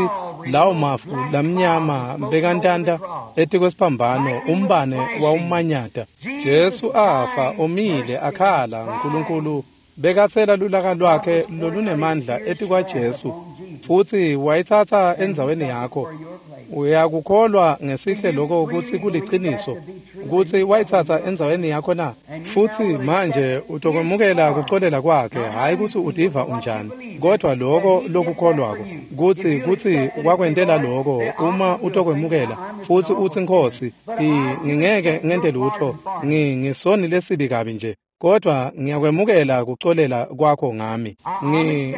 lawo mafu lamnyama bekantanta etikwesiphambano, umbane wawumanyata, Jesu afa omile akhala. Nkulunkulu bekatsela lulaka lwakhe lolunemandla etikwaJesu futsi wayitsatsa endzaweni yakho. Uyakukholwa ngesihle lokho kutsi kuliciniso kutsi wayitsatsa endzaweni yakho na? Futsi manje utokwemukela kucolela kwakhe, hhayi kutsi utiva unjani, kodwa lokho lokukholwako kutsi wakwentela lokho. Uma utokwemukela futsi utsi Nkhosi, ngingeke ngente lutfo, ngisoni lesibi kabi nje, kodwa ngiyakwemukela kucolela kwakho ngami.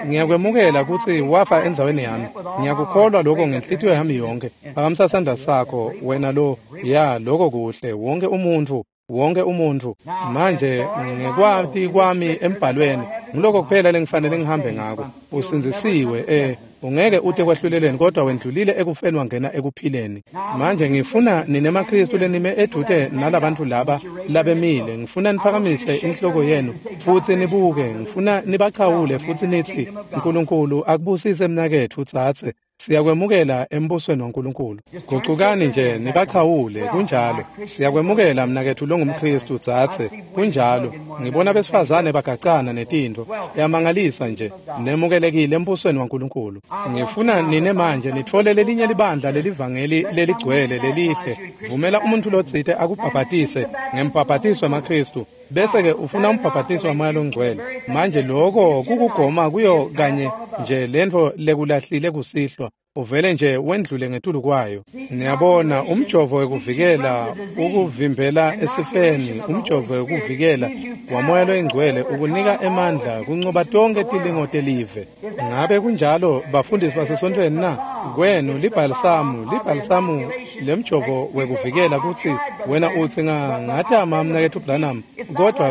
Ngiyakwemukela kutsi wafa endzaweni yami. Ngiyakukholwa lokho ngenhlitiyo yami yonke. Phakamisa sandla sakho wena lo. Ya, lokho kuhle. Wonke umuntfu, wonke umuntfu. Manje ngekwati kwami embhalweni, ngiloko kuphela lengifanele ngihambe ngako. Usindzisiwe. Ungeke ute kwahlulelweni kodwa wendlulile ekufeni wangena ekuphileni. Manje ngifuna nine maKristu lenime edvute nalabantu laba labemile, ngifuna niphakamise inhloko yenu futsi nibuke, ngifuna nibachawule futsi nitsi, "Nkulunkulu akubusise mnaketfu tsatse. Siyakwemukela embusweni waNkulunkulu." Gucukani nje nibachawule, kunjalo. Siyakwemukela mnaketfu longumKristu tsatse, kunjalo. Ngibona besifazane bagacana netintfo. Yamangalisa nje, nemukelekile embusweni waNkulunkulu. Ngifuna nine manje nitfole lelinye libandla lelivangeli leligcwele lelihle. Vumela umuntu lotsite akubhabhatise ngembhabhatiso wemaKristu, bese-ke ufuna umbhabhatiso waMoya loNgcwele. Manje loko kukugoma kuyo kanye nje lentfo lekulahlile kusihlwa, uvele nje wendlule ngetulu kwayo. Niyabona, umjovo wekuvikela ukuvimbela esifeni, umjovo wekuvikela waMoya loyiNgcwele ukunika emandla kuncoba tonke tilingo telive. Ngabe kunjalo bafundisi basesontfweni na? Kwenu libhalisamu lemjovo wekuvikela kutsi wena utsi ngatama mnaketfu Branham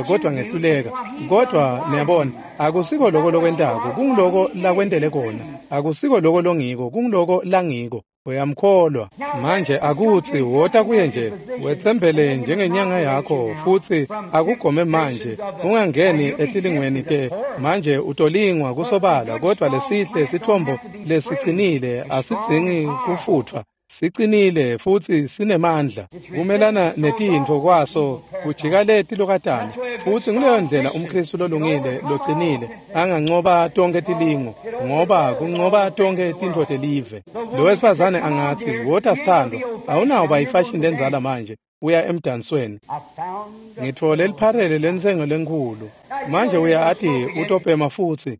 kodwa ngehluleka. Kodwa niyabona, akusiko loko lokwentako, kunguloko lakwentele kona. Akusiko loko longiko, kunguloko langiko. Uyamkholwa. Manje akutsi wota kuye nje, wetsembele njengenyanga yakho futsi akugome manje, ungangeni etilingweni te. Manje utolingwa kusobala, kodwa lesihle sithombo lesicinile asidzingi kufutfwa. Sicinile futsi sinemandla. Kumelana netintfo kwaso kujika letilokatana. Futsi nguleyo ndlela umKristu lolungile locinile angancoba tonke tilingo, ngoba kuncoba tonke tintfo telive. Lo wesifazane angatsi, "Wota sithandwa, awunawuba yifashini lendzala manje, uya emdansweni. Ngitfole lipharele lentsengo lenkhulu." Manje uyati utobhema futsi.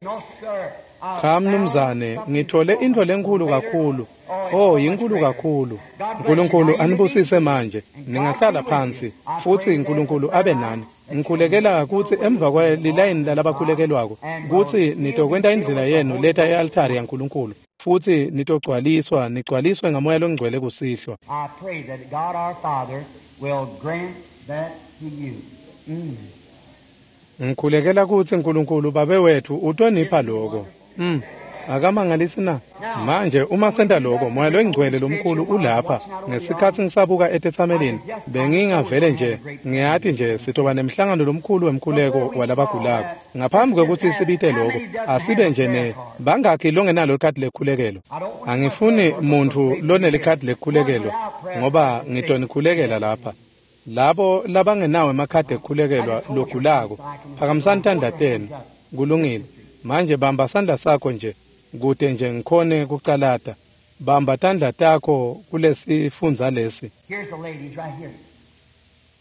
Cha mnumzane, ngitfole intfo lenkhulu kakhulu. Oh, yinkulu kakhulu. Nkulunkulu anibusise manje. Ningahlala phansi futsi Nkulunkulu abe nani. Ngikhulekela kutsi emva kwelilayini lalabakhulekelwako kutsi nitokwenta indlela yenu leta e-altari yaNkulunkulu futsi nitogcwaliswa, nigcwaliswe ngaMoya loNgcwele kusihlwa. I pray that God our Father will grant that to you. Ngikhulekela kutsi Nkulunkulu Babe wethu utonipha loko. Akamangalisi na? Manje uma senta loko, Moya loNgcwele lomkhulu ulapha. Ngesikhatsi ngisabuka etetsamelini, bengingavele nje ngiyati nje sitoba nemhlangano lomkhulu wemkhuleko walabagulako. Ngaphambi kwekutsi sibite loko, asibe nje ne bangakhi longenalo likhadi lekhulekelo. Angifuni muntfu lonelikhadi lekhulekelo ngoba ngitonikhulekela lapha. Labo labangenawo emakhadi ekukhulekelwa logulako, phakamisani tandla tenu. Kulungile. Manje bamba sandla sakho nje kute nje ngikhone kucalata. Bamba tandla takho kulesifundza lesi. Here's the ladies right here.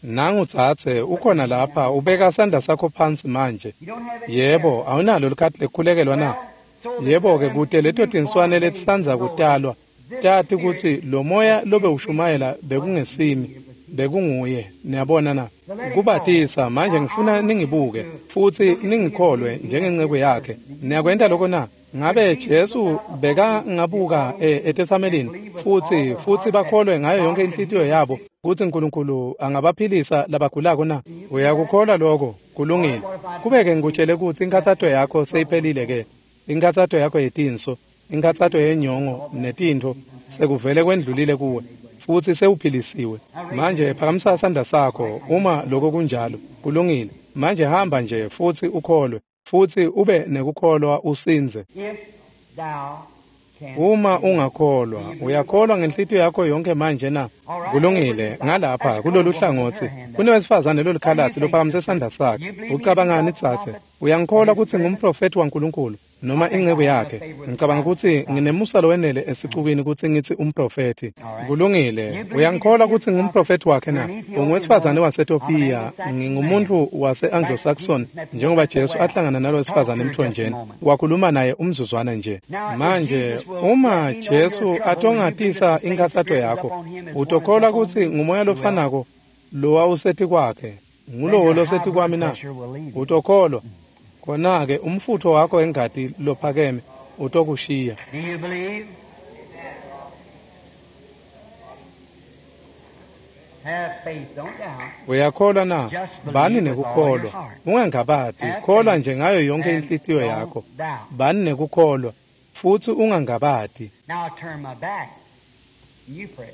Nangu tsatse ukhona lapha, ubeka sandla sakho phansi manje. Yebo, awunalo likhadi lekukhulekelwa na? Yebo-ke, kute leto tinswane letisandza kutalwa tati kutsi lo moya lobe ushumayela bekungesimi, bekunguye. Niyabona na? Kubatisa. Manje ngifuna ningibuke futsi ningikholwe njengenceko yakhe. Niyakwenta loko na? Ngabe Jesu bekangabuka etetsamelini futsi bakholwe ngayo yonke inhlitiyo yabo kutsi Nkulunkulu angabaphilisa labagulako na? Uyakukholwa loko? Kulungile. Kubeke ngikutshele kutsi inkhatsato yakho seyiphelile ke. Inkhatsato yakho yetinso, inkhatsato yenyongo netintfo sekuvele kwendlulile kuwe futsi sewuphilisiwe. Manje phakamisa sandla sakho uma loko kunjalo. Kulungile. Manje hamba nje futsi ukholwe, futsi ube nekukholwa usindze. If thou canst. Uma ungakholwa, uyakholwa ngenhlitiyo yakho yonke manje na? Kulungile. Ngalapha kulolu hlangotsi kunewesifazane lolikhalatsi lophakamise sandla sakhe. Ucabangani tsatse? Uyangikholwa kutsi ngumprofethi waNkulunkulu noma inceku yakhe? Ngicabanga kutsi nginemusa lowenele esicukwini kutsi ngitsi umprofethi. Kulungile. Uyangikholwa kutsi ngumprofethi wakhe na? Ungowesifazane waseTopiya, ngingumuntu wase-Anglo-Saxon, njengoba Jesu ahlangana nalo wesifazane emthonjeni, wakhuluma naye umzuzwana nje. Manje uma Jesu atongatisa inkhatsato yakho, utokholwa kutsi ngumoya lofanako lowawuseti kwakhe ngulowo loseti kwami na? Utokholwa. Khona-ke umfutfo wakho wengati lophakeme utokushiya. Do you believe? Have faith, don't doubt. Uyakholwa na? Bani nekukholwa. Ungangabati, kholwa nje ngayo yonke inhlitiyo yakho. Bani nekukholwa. futsi ungangabati. Now I turn my back. You pray.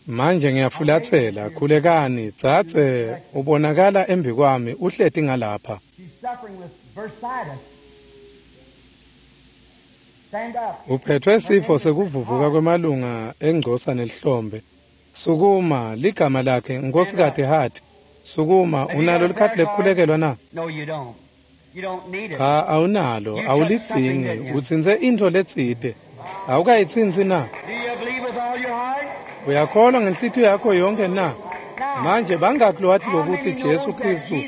Manje ngiyafulathela, khulekani, dzadze, ubonakala embikwami uhleti ngalapha. She's suffering with bursitis. Stand up. Uphethwe sifo sekuvuvuka kwemalunga engcosa nelihlombe. Sukuma, ligama lakhe Nkosikazi Hart. Sukuma, unalo likhadi lekukhulekelwa na? No, you don't. You don't need it. Cha, awunalo, awulidzingi. Utsintse intfo letsite. Awukayitsintsi na? Do you believe with all your heart? Uyakholwa ngenhlitiyo yakho yonke na? Manje bangaki lowati lokuthi Jesu Kristu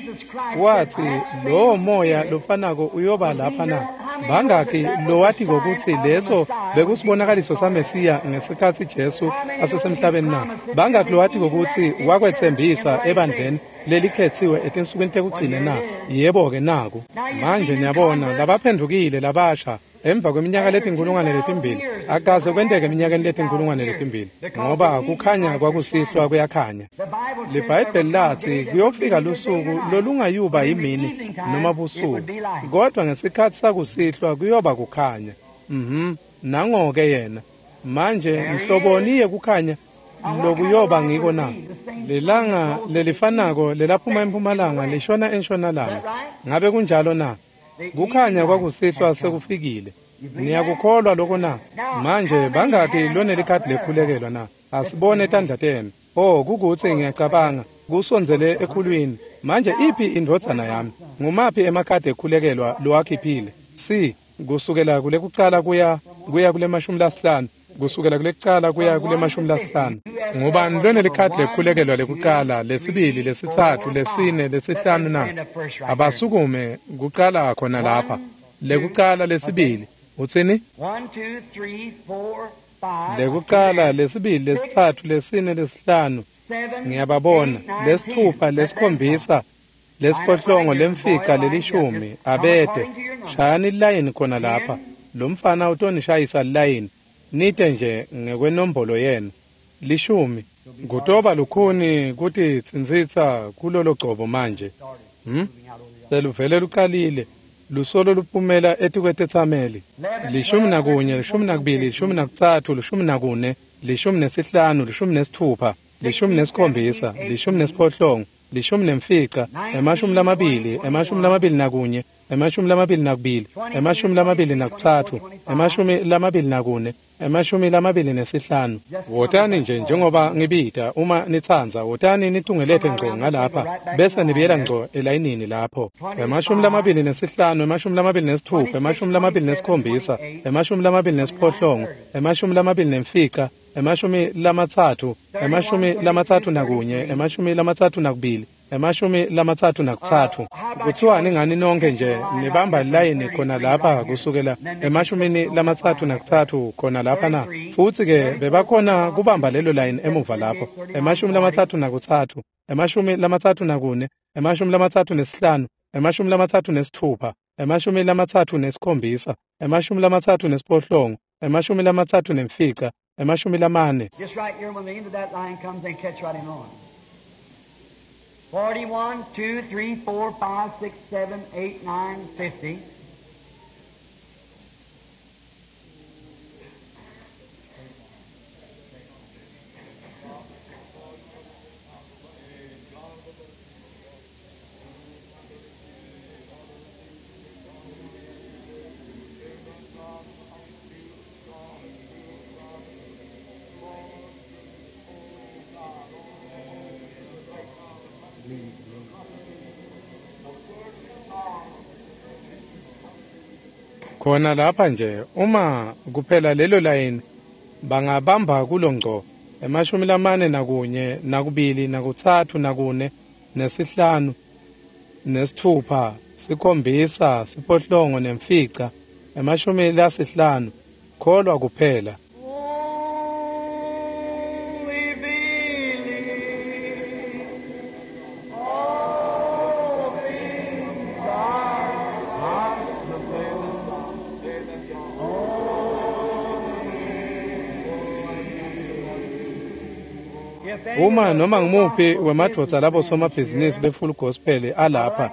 wathi lowo moya lofanako uyoba lapha na? Bangaki lowati kokuthi leso bekusibonakaliso saMesiya ngesikhathi Jesu asesemhlabeni na? Bangaki lowati kokuthi wakwetsembisa ebandleni lelikhethiwe etinsukwini tekugcina na? Yebo-ke naku. Manje niyabona labaphendukile labasha emva kweminyaka letinkulungwane letimbili akaze kwenteke eminyakeni letinkulungwane letimbili ngoba kukhanya kwakusihlwa kuyakhanya. The Bible says LiBhayibheli lathi kuyofika lusuku lolungayuba yimini noma busuku, kodwa ngesikhathi sakusihlwa kuyoba kukhanya. Nango-ke yena. Manje mhloboni yekukhanya lokuyoba ngiko na? Lelanga lelifanako lelaphuma empumalanga lishona entshonalanga. Ngabe kunjalo na? Kukhanya kwakusihlwa sekufikile. Niyakukholwa lokho na? Manje bangaki lonelikhadi lekhulekelwa na? Asibone tandla tenu. Oh, kukuthi ngiyacabanga kusondzele ekhulwini. Manje iphi indvodzana yami? Ngumaphi emakhadi ekhulekelwa lowakhiphile? C, kusukela kulekucala kuya kule 50, kusukela kulekucala kuya kule 50. Ngubani lonelikhadi lekhulekelwa lekucala, lesibili, lesitsatfu, lesine, lesihlanu na? Abasukume kucala khona lapha. Lekucala, lesibili. Utsini? 1, 2, 3, 4, 5, Lekucala, lesibili, lesitsatfu, lesine, lesihlanu. 7, Ngiyababona. 8, 9, Lesithupha, 10. lesikhombisa, lesiphohlongo, lemfica, lelishumi. Abete. Shayani lilayini khona lapha. Lo mfana utonishayisa lilayini. Nite nje ngekwenombolo yenu. 10. Kutoba lukhuni kutitsintsitsa kulolo gcobo manje. Seluvele lucalile. Lusolo luphumela etikwetetsameli. 11, 12, 13, 14, 15, 16, 17, 18, 15, 20, 21, 22, 23, 24, 25. Wotani nje njengoba ngibita uma nitsandza, wotani nitungelete ngco ngalapha bese nibuyela ngco elayinini lapho. 25, 26, 27, 28, 25, 30, 31, 32, 33. Kuthiwani ngani nonke nje nibamba lilayini khona lapha kusukela 33 khona lapha na? Futsi ke bebakhona kubamba lelo layini emuva lapho. 33, 34, 35, 36, 37, 38, 35, 40. Just right here, when the end of that line comes, they catch right in on. 41, 2, 3, 4, 5, 6, 7, 8, 9, 50. Khona lapha nje uma kuphela lelo layini bangabamba kulo ngco 41, 42, 43, 45, 6, 7, 8, 9, 50. Kholwa kuphela. Only believe, all things are possible. Only Uma noma ngumuphi wemadvodza labo somabhizinisi be-Full Gospel alapha,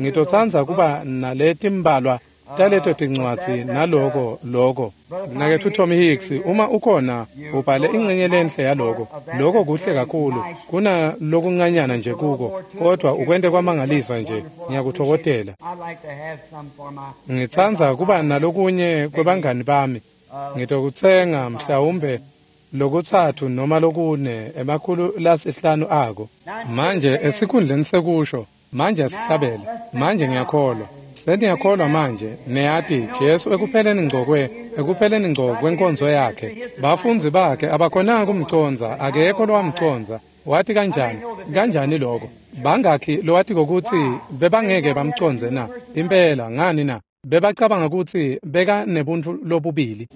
ngitotsandza kuba naletimbalwa taleto tincwadzi naloko loko. Mnaketfu Tommy Hicks, uma ukhona ubhale ingcenye lenhle yaloko. Loko kuhle kakhulu kuna lokuncanyana nje kuko, kodwa ukwente kwamangalisa nje. Ngiyakuthokozela. Ngitsandza kuba nalokunye kwebangani bami. Ngitokutsenga mhlawumbe lokutsatfu noma lokune 500 ako. Manje esikhundleni sekusho, manje asihlabele, manje ngiyakholwa. Seniyakholwa manje, niyati Jesu ekupheleni ngco kwenkonzo yakhe. Bafundzi bakhe abakhonanga kumcondza, akekho lowamcondza. Wathi kanjani? Kanjani lokho? Bangakhi lowati kokutsi bebangeke bamcondze na? Impela ngani na? Bebacabanga ukuthi beka nebuntfu lobubili.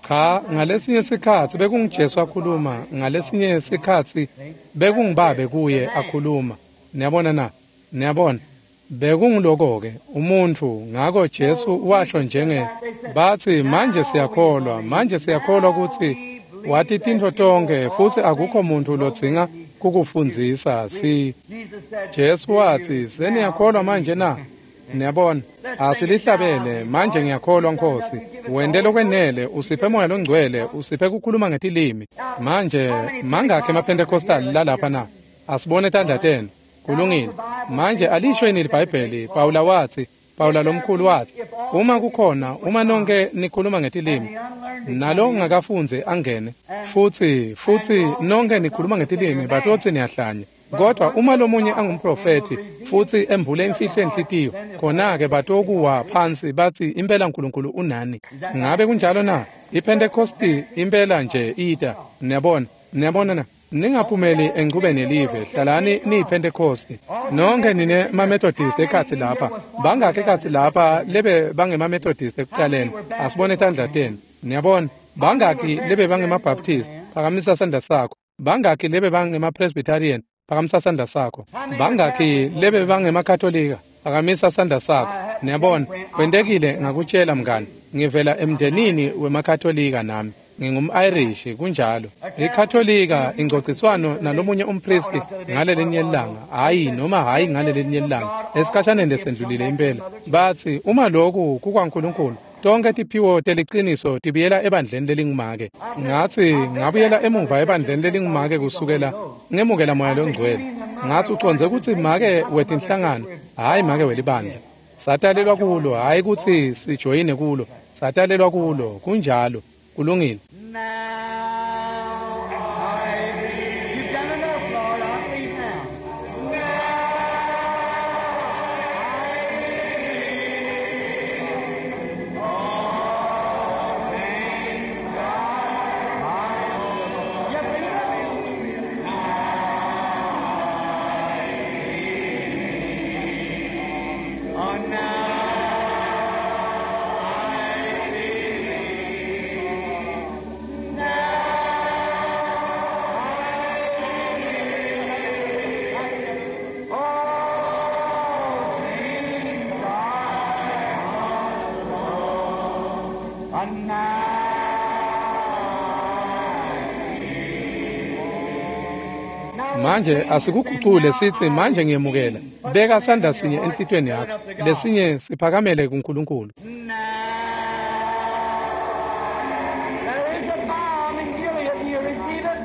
Cha, ngalesinye sikhatsi bekunguJesu akhuluma, ngalesinye sikhatsi bekungubabe kuye akhuluma. Niyabona na? Niyabona? Bekunguloko-ke umuntfu. Ngako Jesu washo njenge batsi manje siyakholwa ukuthi wati tintfo tonkhe futsi akukho muntfu lodzinga kukufundzisa. Si Jesu watsi seniyakholwa manje na? Niyabona, asilihlabele manje ngiyakholwa Nkosi. Wente lokwenele, usiphe Moya loNgcwele, usiphe kukhuluma ngetilimi. Manje mangakhi emaPentecostal lalapha na? Asibone tandla tenu. Kulungile. Manje alisho yini iBhayibheli? Pawula watsi, Pawula lomkhulu watsi, uma kukhona, uma nonke nikhuluma ngetilimi, nalo ongakafundzi angene, futsi nonke nikhuluma ngetilimi, batotsi niyahlanya. Kodwa uma lomunye angumprofethi futsi embule imfihlo yenhlitiyo, khona-ke batokuwa phansi batsi impela uNkulunkulu unani. Ngabe kunjalo na? IPhentekosti impela nje ita. Niyabona? Niyabona na? Ningaphumeli enchubeni yelive, hlalani niyiPhentekosti. Nonke nine maMethodist ekhatsi lapha. Bangakhi ekhatsi lapha lebe bangemaMethodist ekucaleni? Asibone tandla tenu. Niyabona? Bangakhi lebe bangemaBaptist? Phakamisa sandla sakho. Bangakhi lebe bangemaPresbyterian? Phakamisa sandla sakho. Bangakhi lebe bangemakatolika? Phakamisa sandla sakho. Niyabona? Kwentekile ngakutshela mngani. Ngivela emndenini wemakatolika nami. Ngingum-Irish, kunjalo. IKatolika ingcociswano nalomunye umpristi ngalelinye ilanga, hayi noma hayi ngalelinye ilanga, esikhashaneni lesendlulile impela. Batsi uma lokhu kukwaNkulunkulu, tonke tiphiwo teliciniso tibuyela ebandleni lelingumake. Ngatsi ngabuyela emuva ebandleni lelingumake kusukela ngemukela Moya loNgcwele. Ngatsi ucondze kutsi make wetinhlangano, hayi make welibandla. Satalelwa kulo, hayi kutsi sijoyine kulo. Satalelwa kulo, kunjalo. Kulungile. Now I believe. You've done enough, Lord. I believe now. Now I believe all things are mine. You believe it? Now I believe. Oh, now I believe. Manje asikugucule sithi manje ngiyemukela. Beka sandla sinye enhlitiyweni yakho, lesinye siphakamele kuNkulunkulu. There is a balm in Gilead. Do you receive it?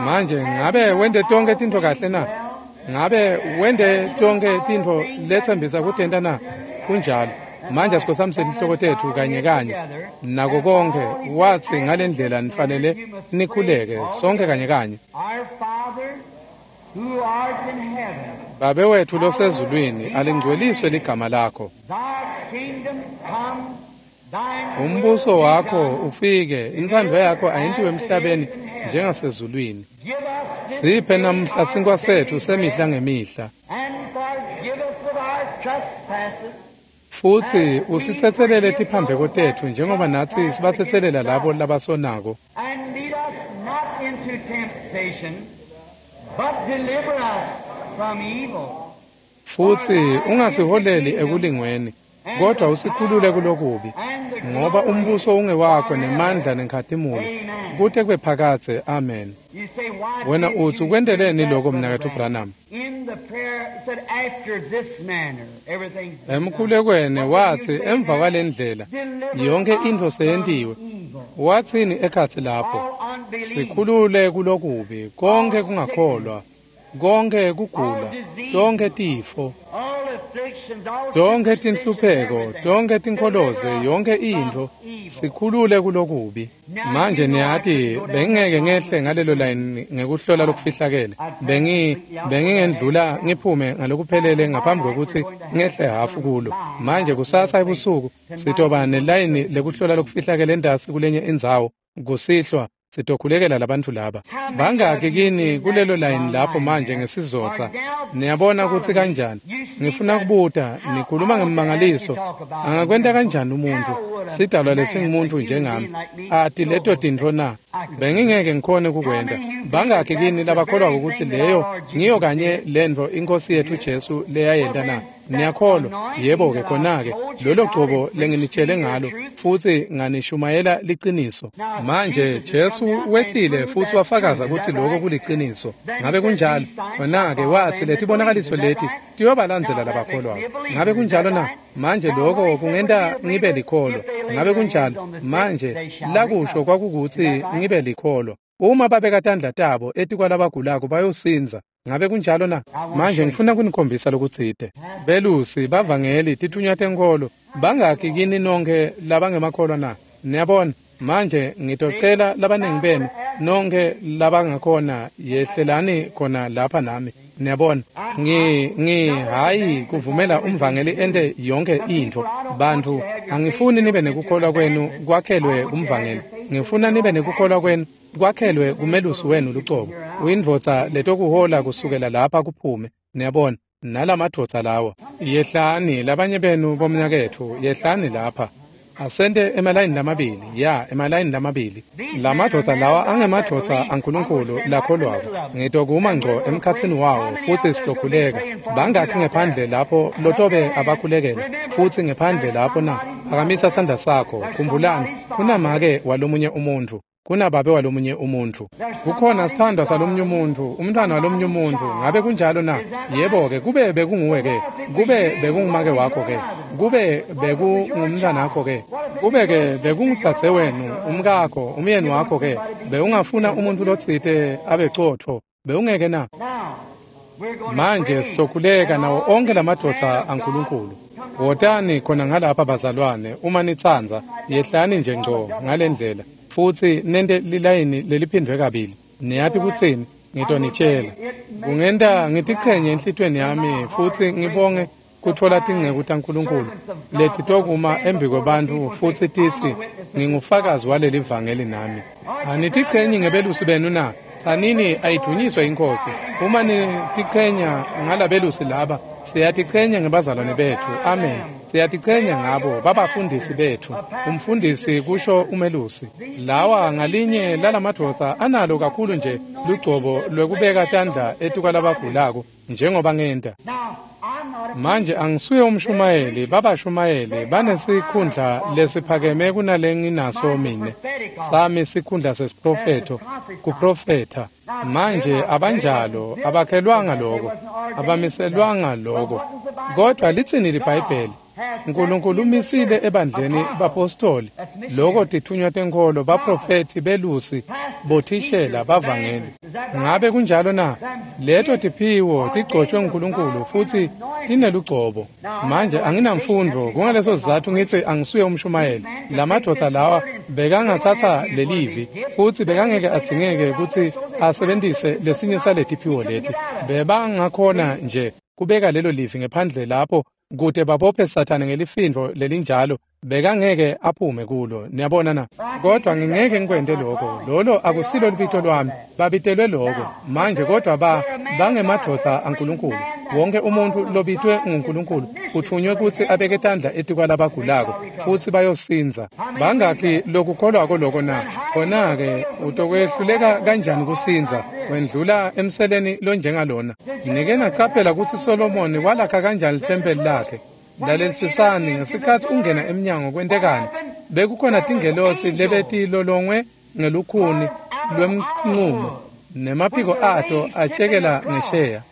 Manje ngabe wente tonke tintfo kahle na? Ngabe wente tonke tintfo letsembisa kutenta na? Kunjalo. Manje asikhotshamiseni isihloko tetfu kanye kanye nako konke. Watsi ngalendlela nifanele nikhuleke sonke kanye kanye. Our Father, who art in heaven, Babe wethu losezulwini, alingcweliswe ligama lakho. thy kingdom come, thine Umbuso will be wakho done. ufike, intsandvo yakho ayentiwe emhlabeni njengasezulwini. Give us this Siphe day namhla our sinkwa sethu daily semihla bread, ngemihla. and forgive us of our trespasses, Futhi usithethelele tiphambeko tethu njengoba nathi sibathethelele labo labasonako. and lead us not into temptation, but deliver us from evil. Futhi ungasiholeli ekulingweni, kodwa usikhulule kulokubi. Ngoba umbuso ungewakho nemandla nenkhatimulo, kute kube phakadze. Amen. You say, why Wena did uthi you ukwenteleni do that, lokho Brother mnakethu Branham? Branham? In the prayer, it said, after this manner, everything's been done. Emkhulekweni What did wathi you say emva there? kwalendlela Deliver yonke us into from seyentiwe. evil. Wathini ekhatsi lapho? All unbelief, Sikhulule kulokubi, konke kungakholwa, konke kugula, tonke tifo, all afflictions, all tonke superstitions, tinhlupheko, everything. tonke tinkholoze, Deliver us yonke from into, evil. sikhulule kulokubi. Manje niyati bengingeke ngehle ngalelo line ngekuhlola lokufihlakele. Bengingendlula ngiphume ngalokuphelele ngaphambi kwekutsi ngehle hafu kulo. Manje kusasa ebusuku sitoba nelayini lekuhlola lokufihlakele entasi kulenye indzawo kusihlwa sitokhulekela labantfu laba. Bangaki kini kulelo layini lapho manje ngesizotsa? Niyabona kutsi kanjani? Ngifuna kubuta, nikhuluma ngemmangaliso. Angakwenta kanjani umuntu? Sidalwa lesingumuntu njengami. Ati leto tintfo na? Bengingeke ngikhone kukwenta. Bangaki kini labakholwako kutsi leyo ngiyo kanye lentfo inkosi yethu Jesu leyayenta na? Niyakholwa? Yebo-ke khona-ke lolo gcobo lenginitshele ngalo futhi nganishumayela liciniso. Manje Jesu wehlile futhi wafakaza kutsi lokho kuliciniso. Ngabe kunjalo? Khona-ke wathi letibonakaliso leti tiyobalandzela labakholwako. Ngabe kunjalo na? Manje lokho kungenta ngibe likholwa. Ngabe kunjalo? Manje lakusho kwakukutsi ngibe likholwa. Uma babeka tandla tabo etikwalabagulako bayosindza. Ngabe kunjalo na? Manje ngifuna kunikhombisa lokutsite. Belusi, bavangeli, tithunywa tenkholo, bangaki kini nonke labangemakholwa na? Niyabona? Manje ngitocela labaningi benu nonke labangakhona yehlelani khona lapha nami. Niyabona? Ngi hayi kuvumela umvangeli ente yonke intfo. Bantfu, angifuni nibe nekukholwa kwenu kwakhelwe kumvangeli. Ngifuna nibe nekukholwa kwenu kwakhelwe kumelusi wenu lucobo. Uyindvodza letokuhola kusukela lapha kuphume. Niyabona? Nalamadvodza lawa. Yehlani labanye benu bomnaketfu, yehlani lapha. Asente emalayini lamabili, ya emalayini lamabili. Lamadvodza lawa angemadvodza aNkulunkulu lakholwako. Ngitokuma ngco emkhatsini wawo futhi sitokhuleka. Bangakhi ngephandle lapho lotobe abakhulekela futhi ngephandle lapho na? Phakamisa sandla sakho. Khumbulani, kunamake walomunye umuntfu. Kunababe walomunye umuntfu. Kukhona sithandwa salomunye umuntfu, umntwana walomunye umuntfu. Ngabe kunjalo na? Yebo-ke, kube bekunguwe-ke, kube bekungumake wakho-ke, kube bekungumntwanakho-ke, kube-ke bekungudzadze wenu, umkakho, umyeni wakho-ke, bewungafuna umuntfu lotsite abe cotfo, bewungeke na? Now, we're going to Manje pray. sitokhuleka nawo onke lamadvodza Man of God, aNkulunkulu. Wotani khona ngalapha bazalwane, uma nitsandza, yehlani nje ngco ngalendlela futhi nente lilayini leliphindwe kabili. Niyati kutsini? Ngitonitshela. Kungenta ngitichenye enhlitiyweni yami futhi ngibonge kutfola tinceku taNkulunkulu letitokuma embi kwebantfu futsi titsi ngingufakazi waleli vangeli nami. Anitichenyi ngebelusi benu na? Tsanini ayidunyiswe inkosi. Uma nitichenya ngalabelusi laba, siyatichenya ngebazalwane bethu. Amen. Siyatichenya ngabo babafundisi bethu. Umfundisi kusho umelusi. Lawa ngalinye lalamadvodza analo kakhulu nje lugcobo lwekubeka tandla etikwalabagulako njengoba ngenta. Now, I'm not a Manje angisuye umshumayeli, babashumayeli banesikhundla lesiphakeme kunalenginaso mine. Sami sikhundla sesiprofetho, kuprofetha. Manje abanjalo, abakhelwanga lokho, abamiselwanga lokho. Kodwa litsini liBhayibheli? Nkulunkulu umisile ebandleni bapostoli, loko tithunywa tenkholo, baprofethi, belusi, bothishela, bavangeli. Ngabe kunjalo na? Leto tiphiwo tigcotshwe nguNkulunkulu futhi tinelugcobo. Manje anginamfundvo, kungaleso sizatfu ngitsi angisuye umshumayeli. Lamadvodza lawa Bekangatsatsa lelivi futsi bekangeke adzingeke kutsi asebentise lesinye saletiphiwo leti. Bebangakhona nje kubeka lelo livi ngephandle lapho kute babophe Sathane ngelifindvo lelinjalo, bekangeke aphume kulo. Niyabona na? Kodwa ngingeke ngikwente lokho. Lolo akusilo libito lwami, babitelwe lokho manje. Kodwa bangemadvodza aNkulunkulu. Wonke umuntu lobitwe nguNkulunkulu uthunywe kutsi abeke tandla etikwalabagulako futsi bayosindza. Bangakhi lokukholwako loko na? Khona-ke utokwehluleka kanjani kusindza wendlula emseleni lonjengalona? Nike nacaphela kutsi Solomoni walakha kanjani lithempeli lakhe? Lalelisisani, ngesikhatsi ungena emnyango kwentekani? Bekukhona tingelosi lebetilolongwe ngelukhuni lwemnqumo nemaphiko ato atshekela ngesheya,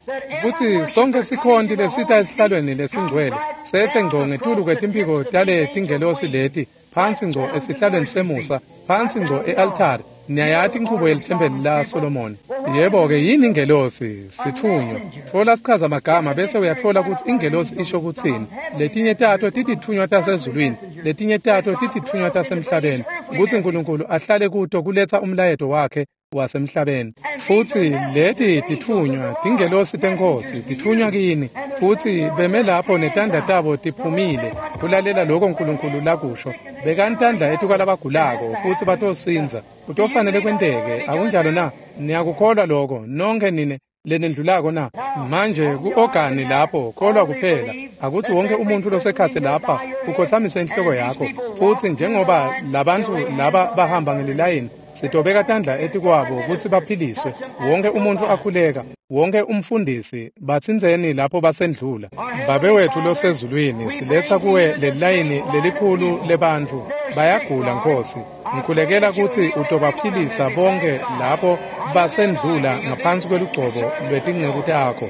kutsi sonke sikhonti lesita esihlalweni lesingcwele sehle ngco ngetulu kwetimphiko tale tingelosi leti, phansi ngco esihlalweni semusa, phansi ngco e-altari. Niyayati inchubo yelithempeli la Solomoni. Yebo-ke, yini ingelosi? Sithunywa. Tfola sichaza magama bese uyatfola kutsi ingelosi isho kutsini. Letinye tato titithunywa tasezulwini, letinye tato titithunywa tasemhlabeni, kutsi Nkulunkulu ahlale kuto kuletsa umlayeto wakhe wasemhlabeni. Futsi leti tithunywa, tingelosi teNkhosi, tithunywa kini, futsi beme lapho netandla tabo tiphumile kulalela lokho Nkulunkulu lakusho. Bekani tandla etikwalabagulako futsi batosindza. Kutofanele kwenteke, akunjalo na? Niyakukholwa lokho nonkhe nine lenendlulako na? Manje ku-ogani lapho, kholwa kuphela. Akutsi wonke umuntu losekhatsi lapha ukhotsamise inhloko yakho, futsi njengoba labantu laba bahamba ngelilayini, sitobeka tandla etikwabo kutsi baphiliswe. Wonke umuntu akhuleka, wonke umfundisi, batsintseni lapho basendlula. Babe wetfu losezulwini, siletsa kuwe lelilayini lelikhulu lebantfu. Bayagula, Nkhosi. Ngikhulekela kutsi utobaphilisa bonke lapho basendlula ngaphansi kwelugcobo lwetinceku takho.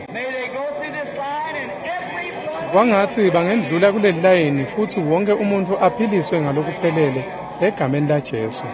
Kwangatsi bangendlula kuleli layini futsi wonke umuntu aphiliswe ngalokuphelele egameni laJesu.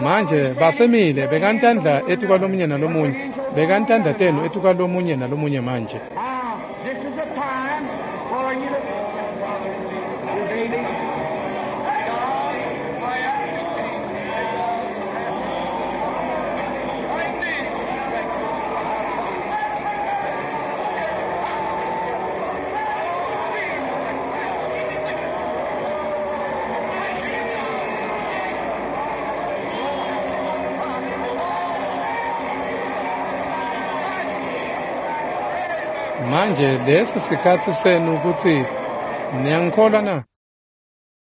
Manje basemile bekantandla etikwalomunye nalomunye, bekantandla tenu etikwalomunye nalomunye manje. Now, this is the time for you to. Your baby. Manje lesi sikhatsi senu kutsi niyangikholwa na?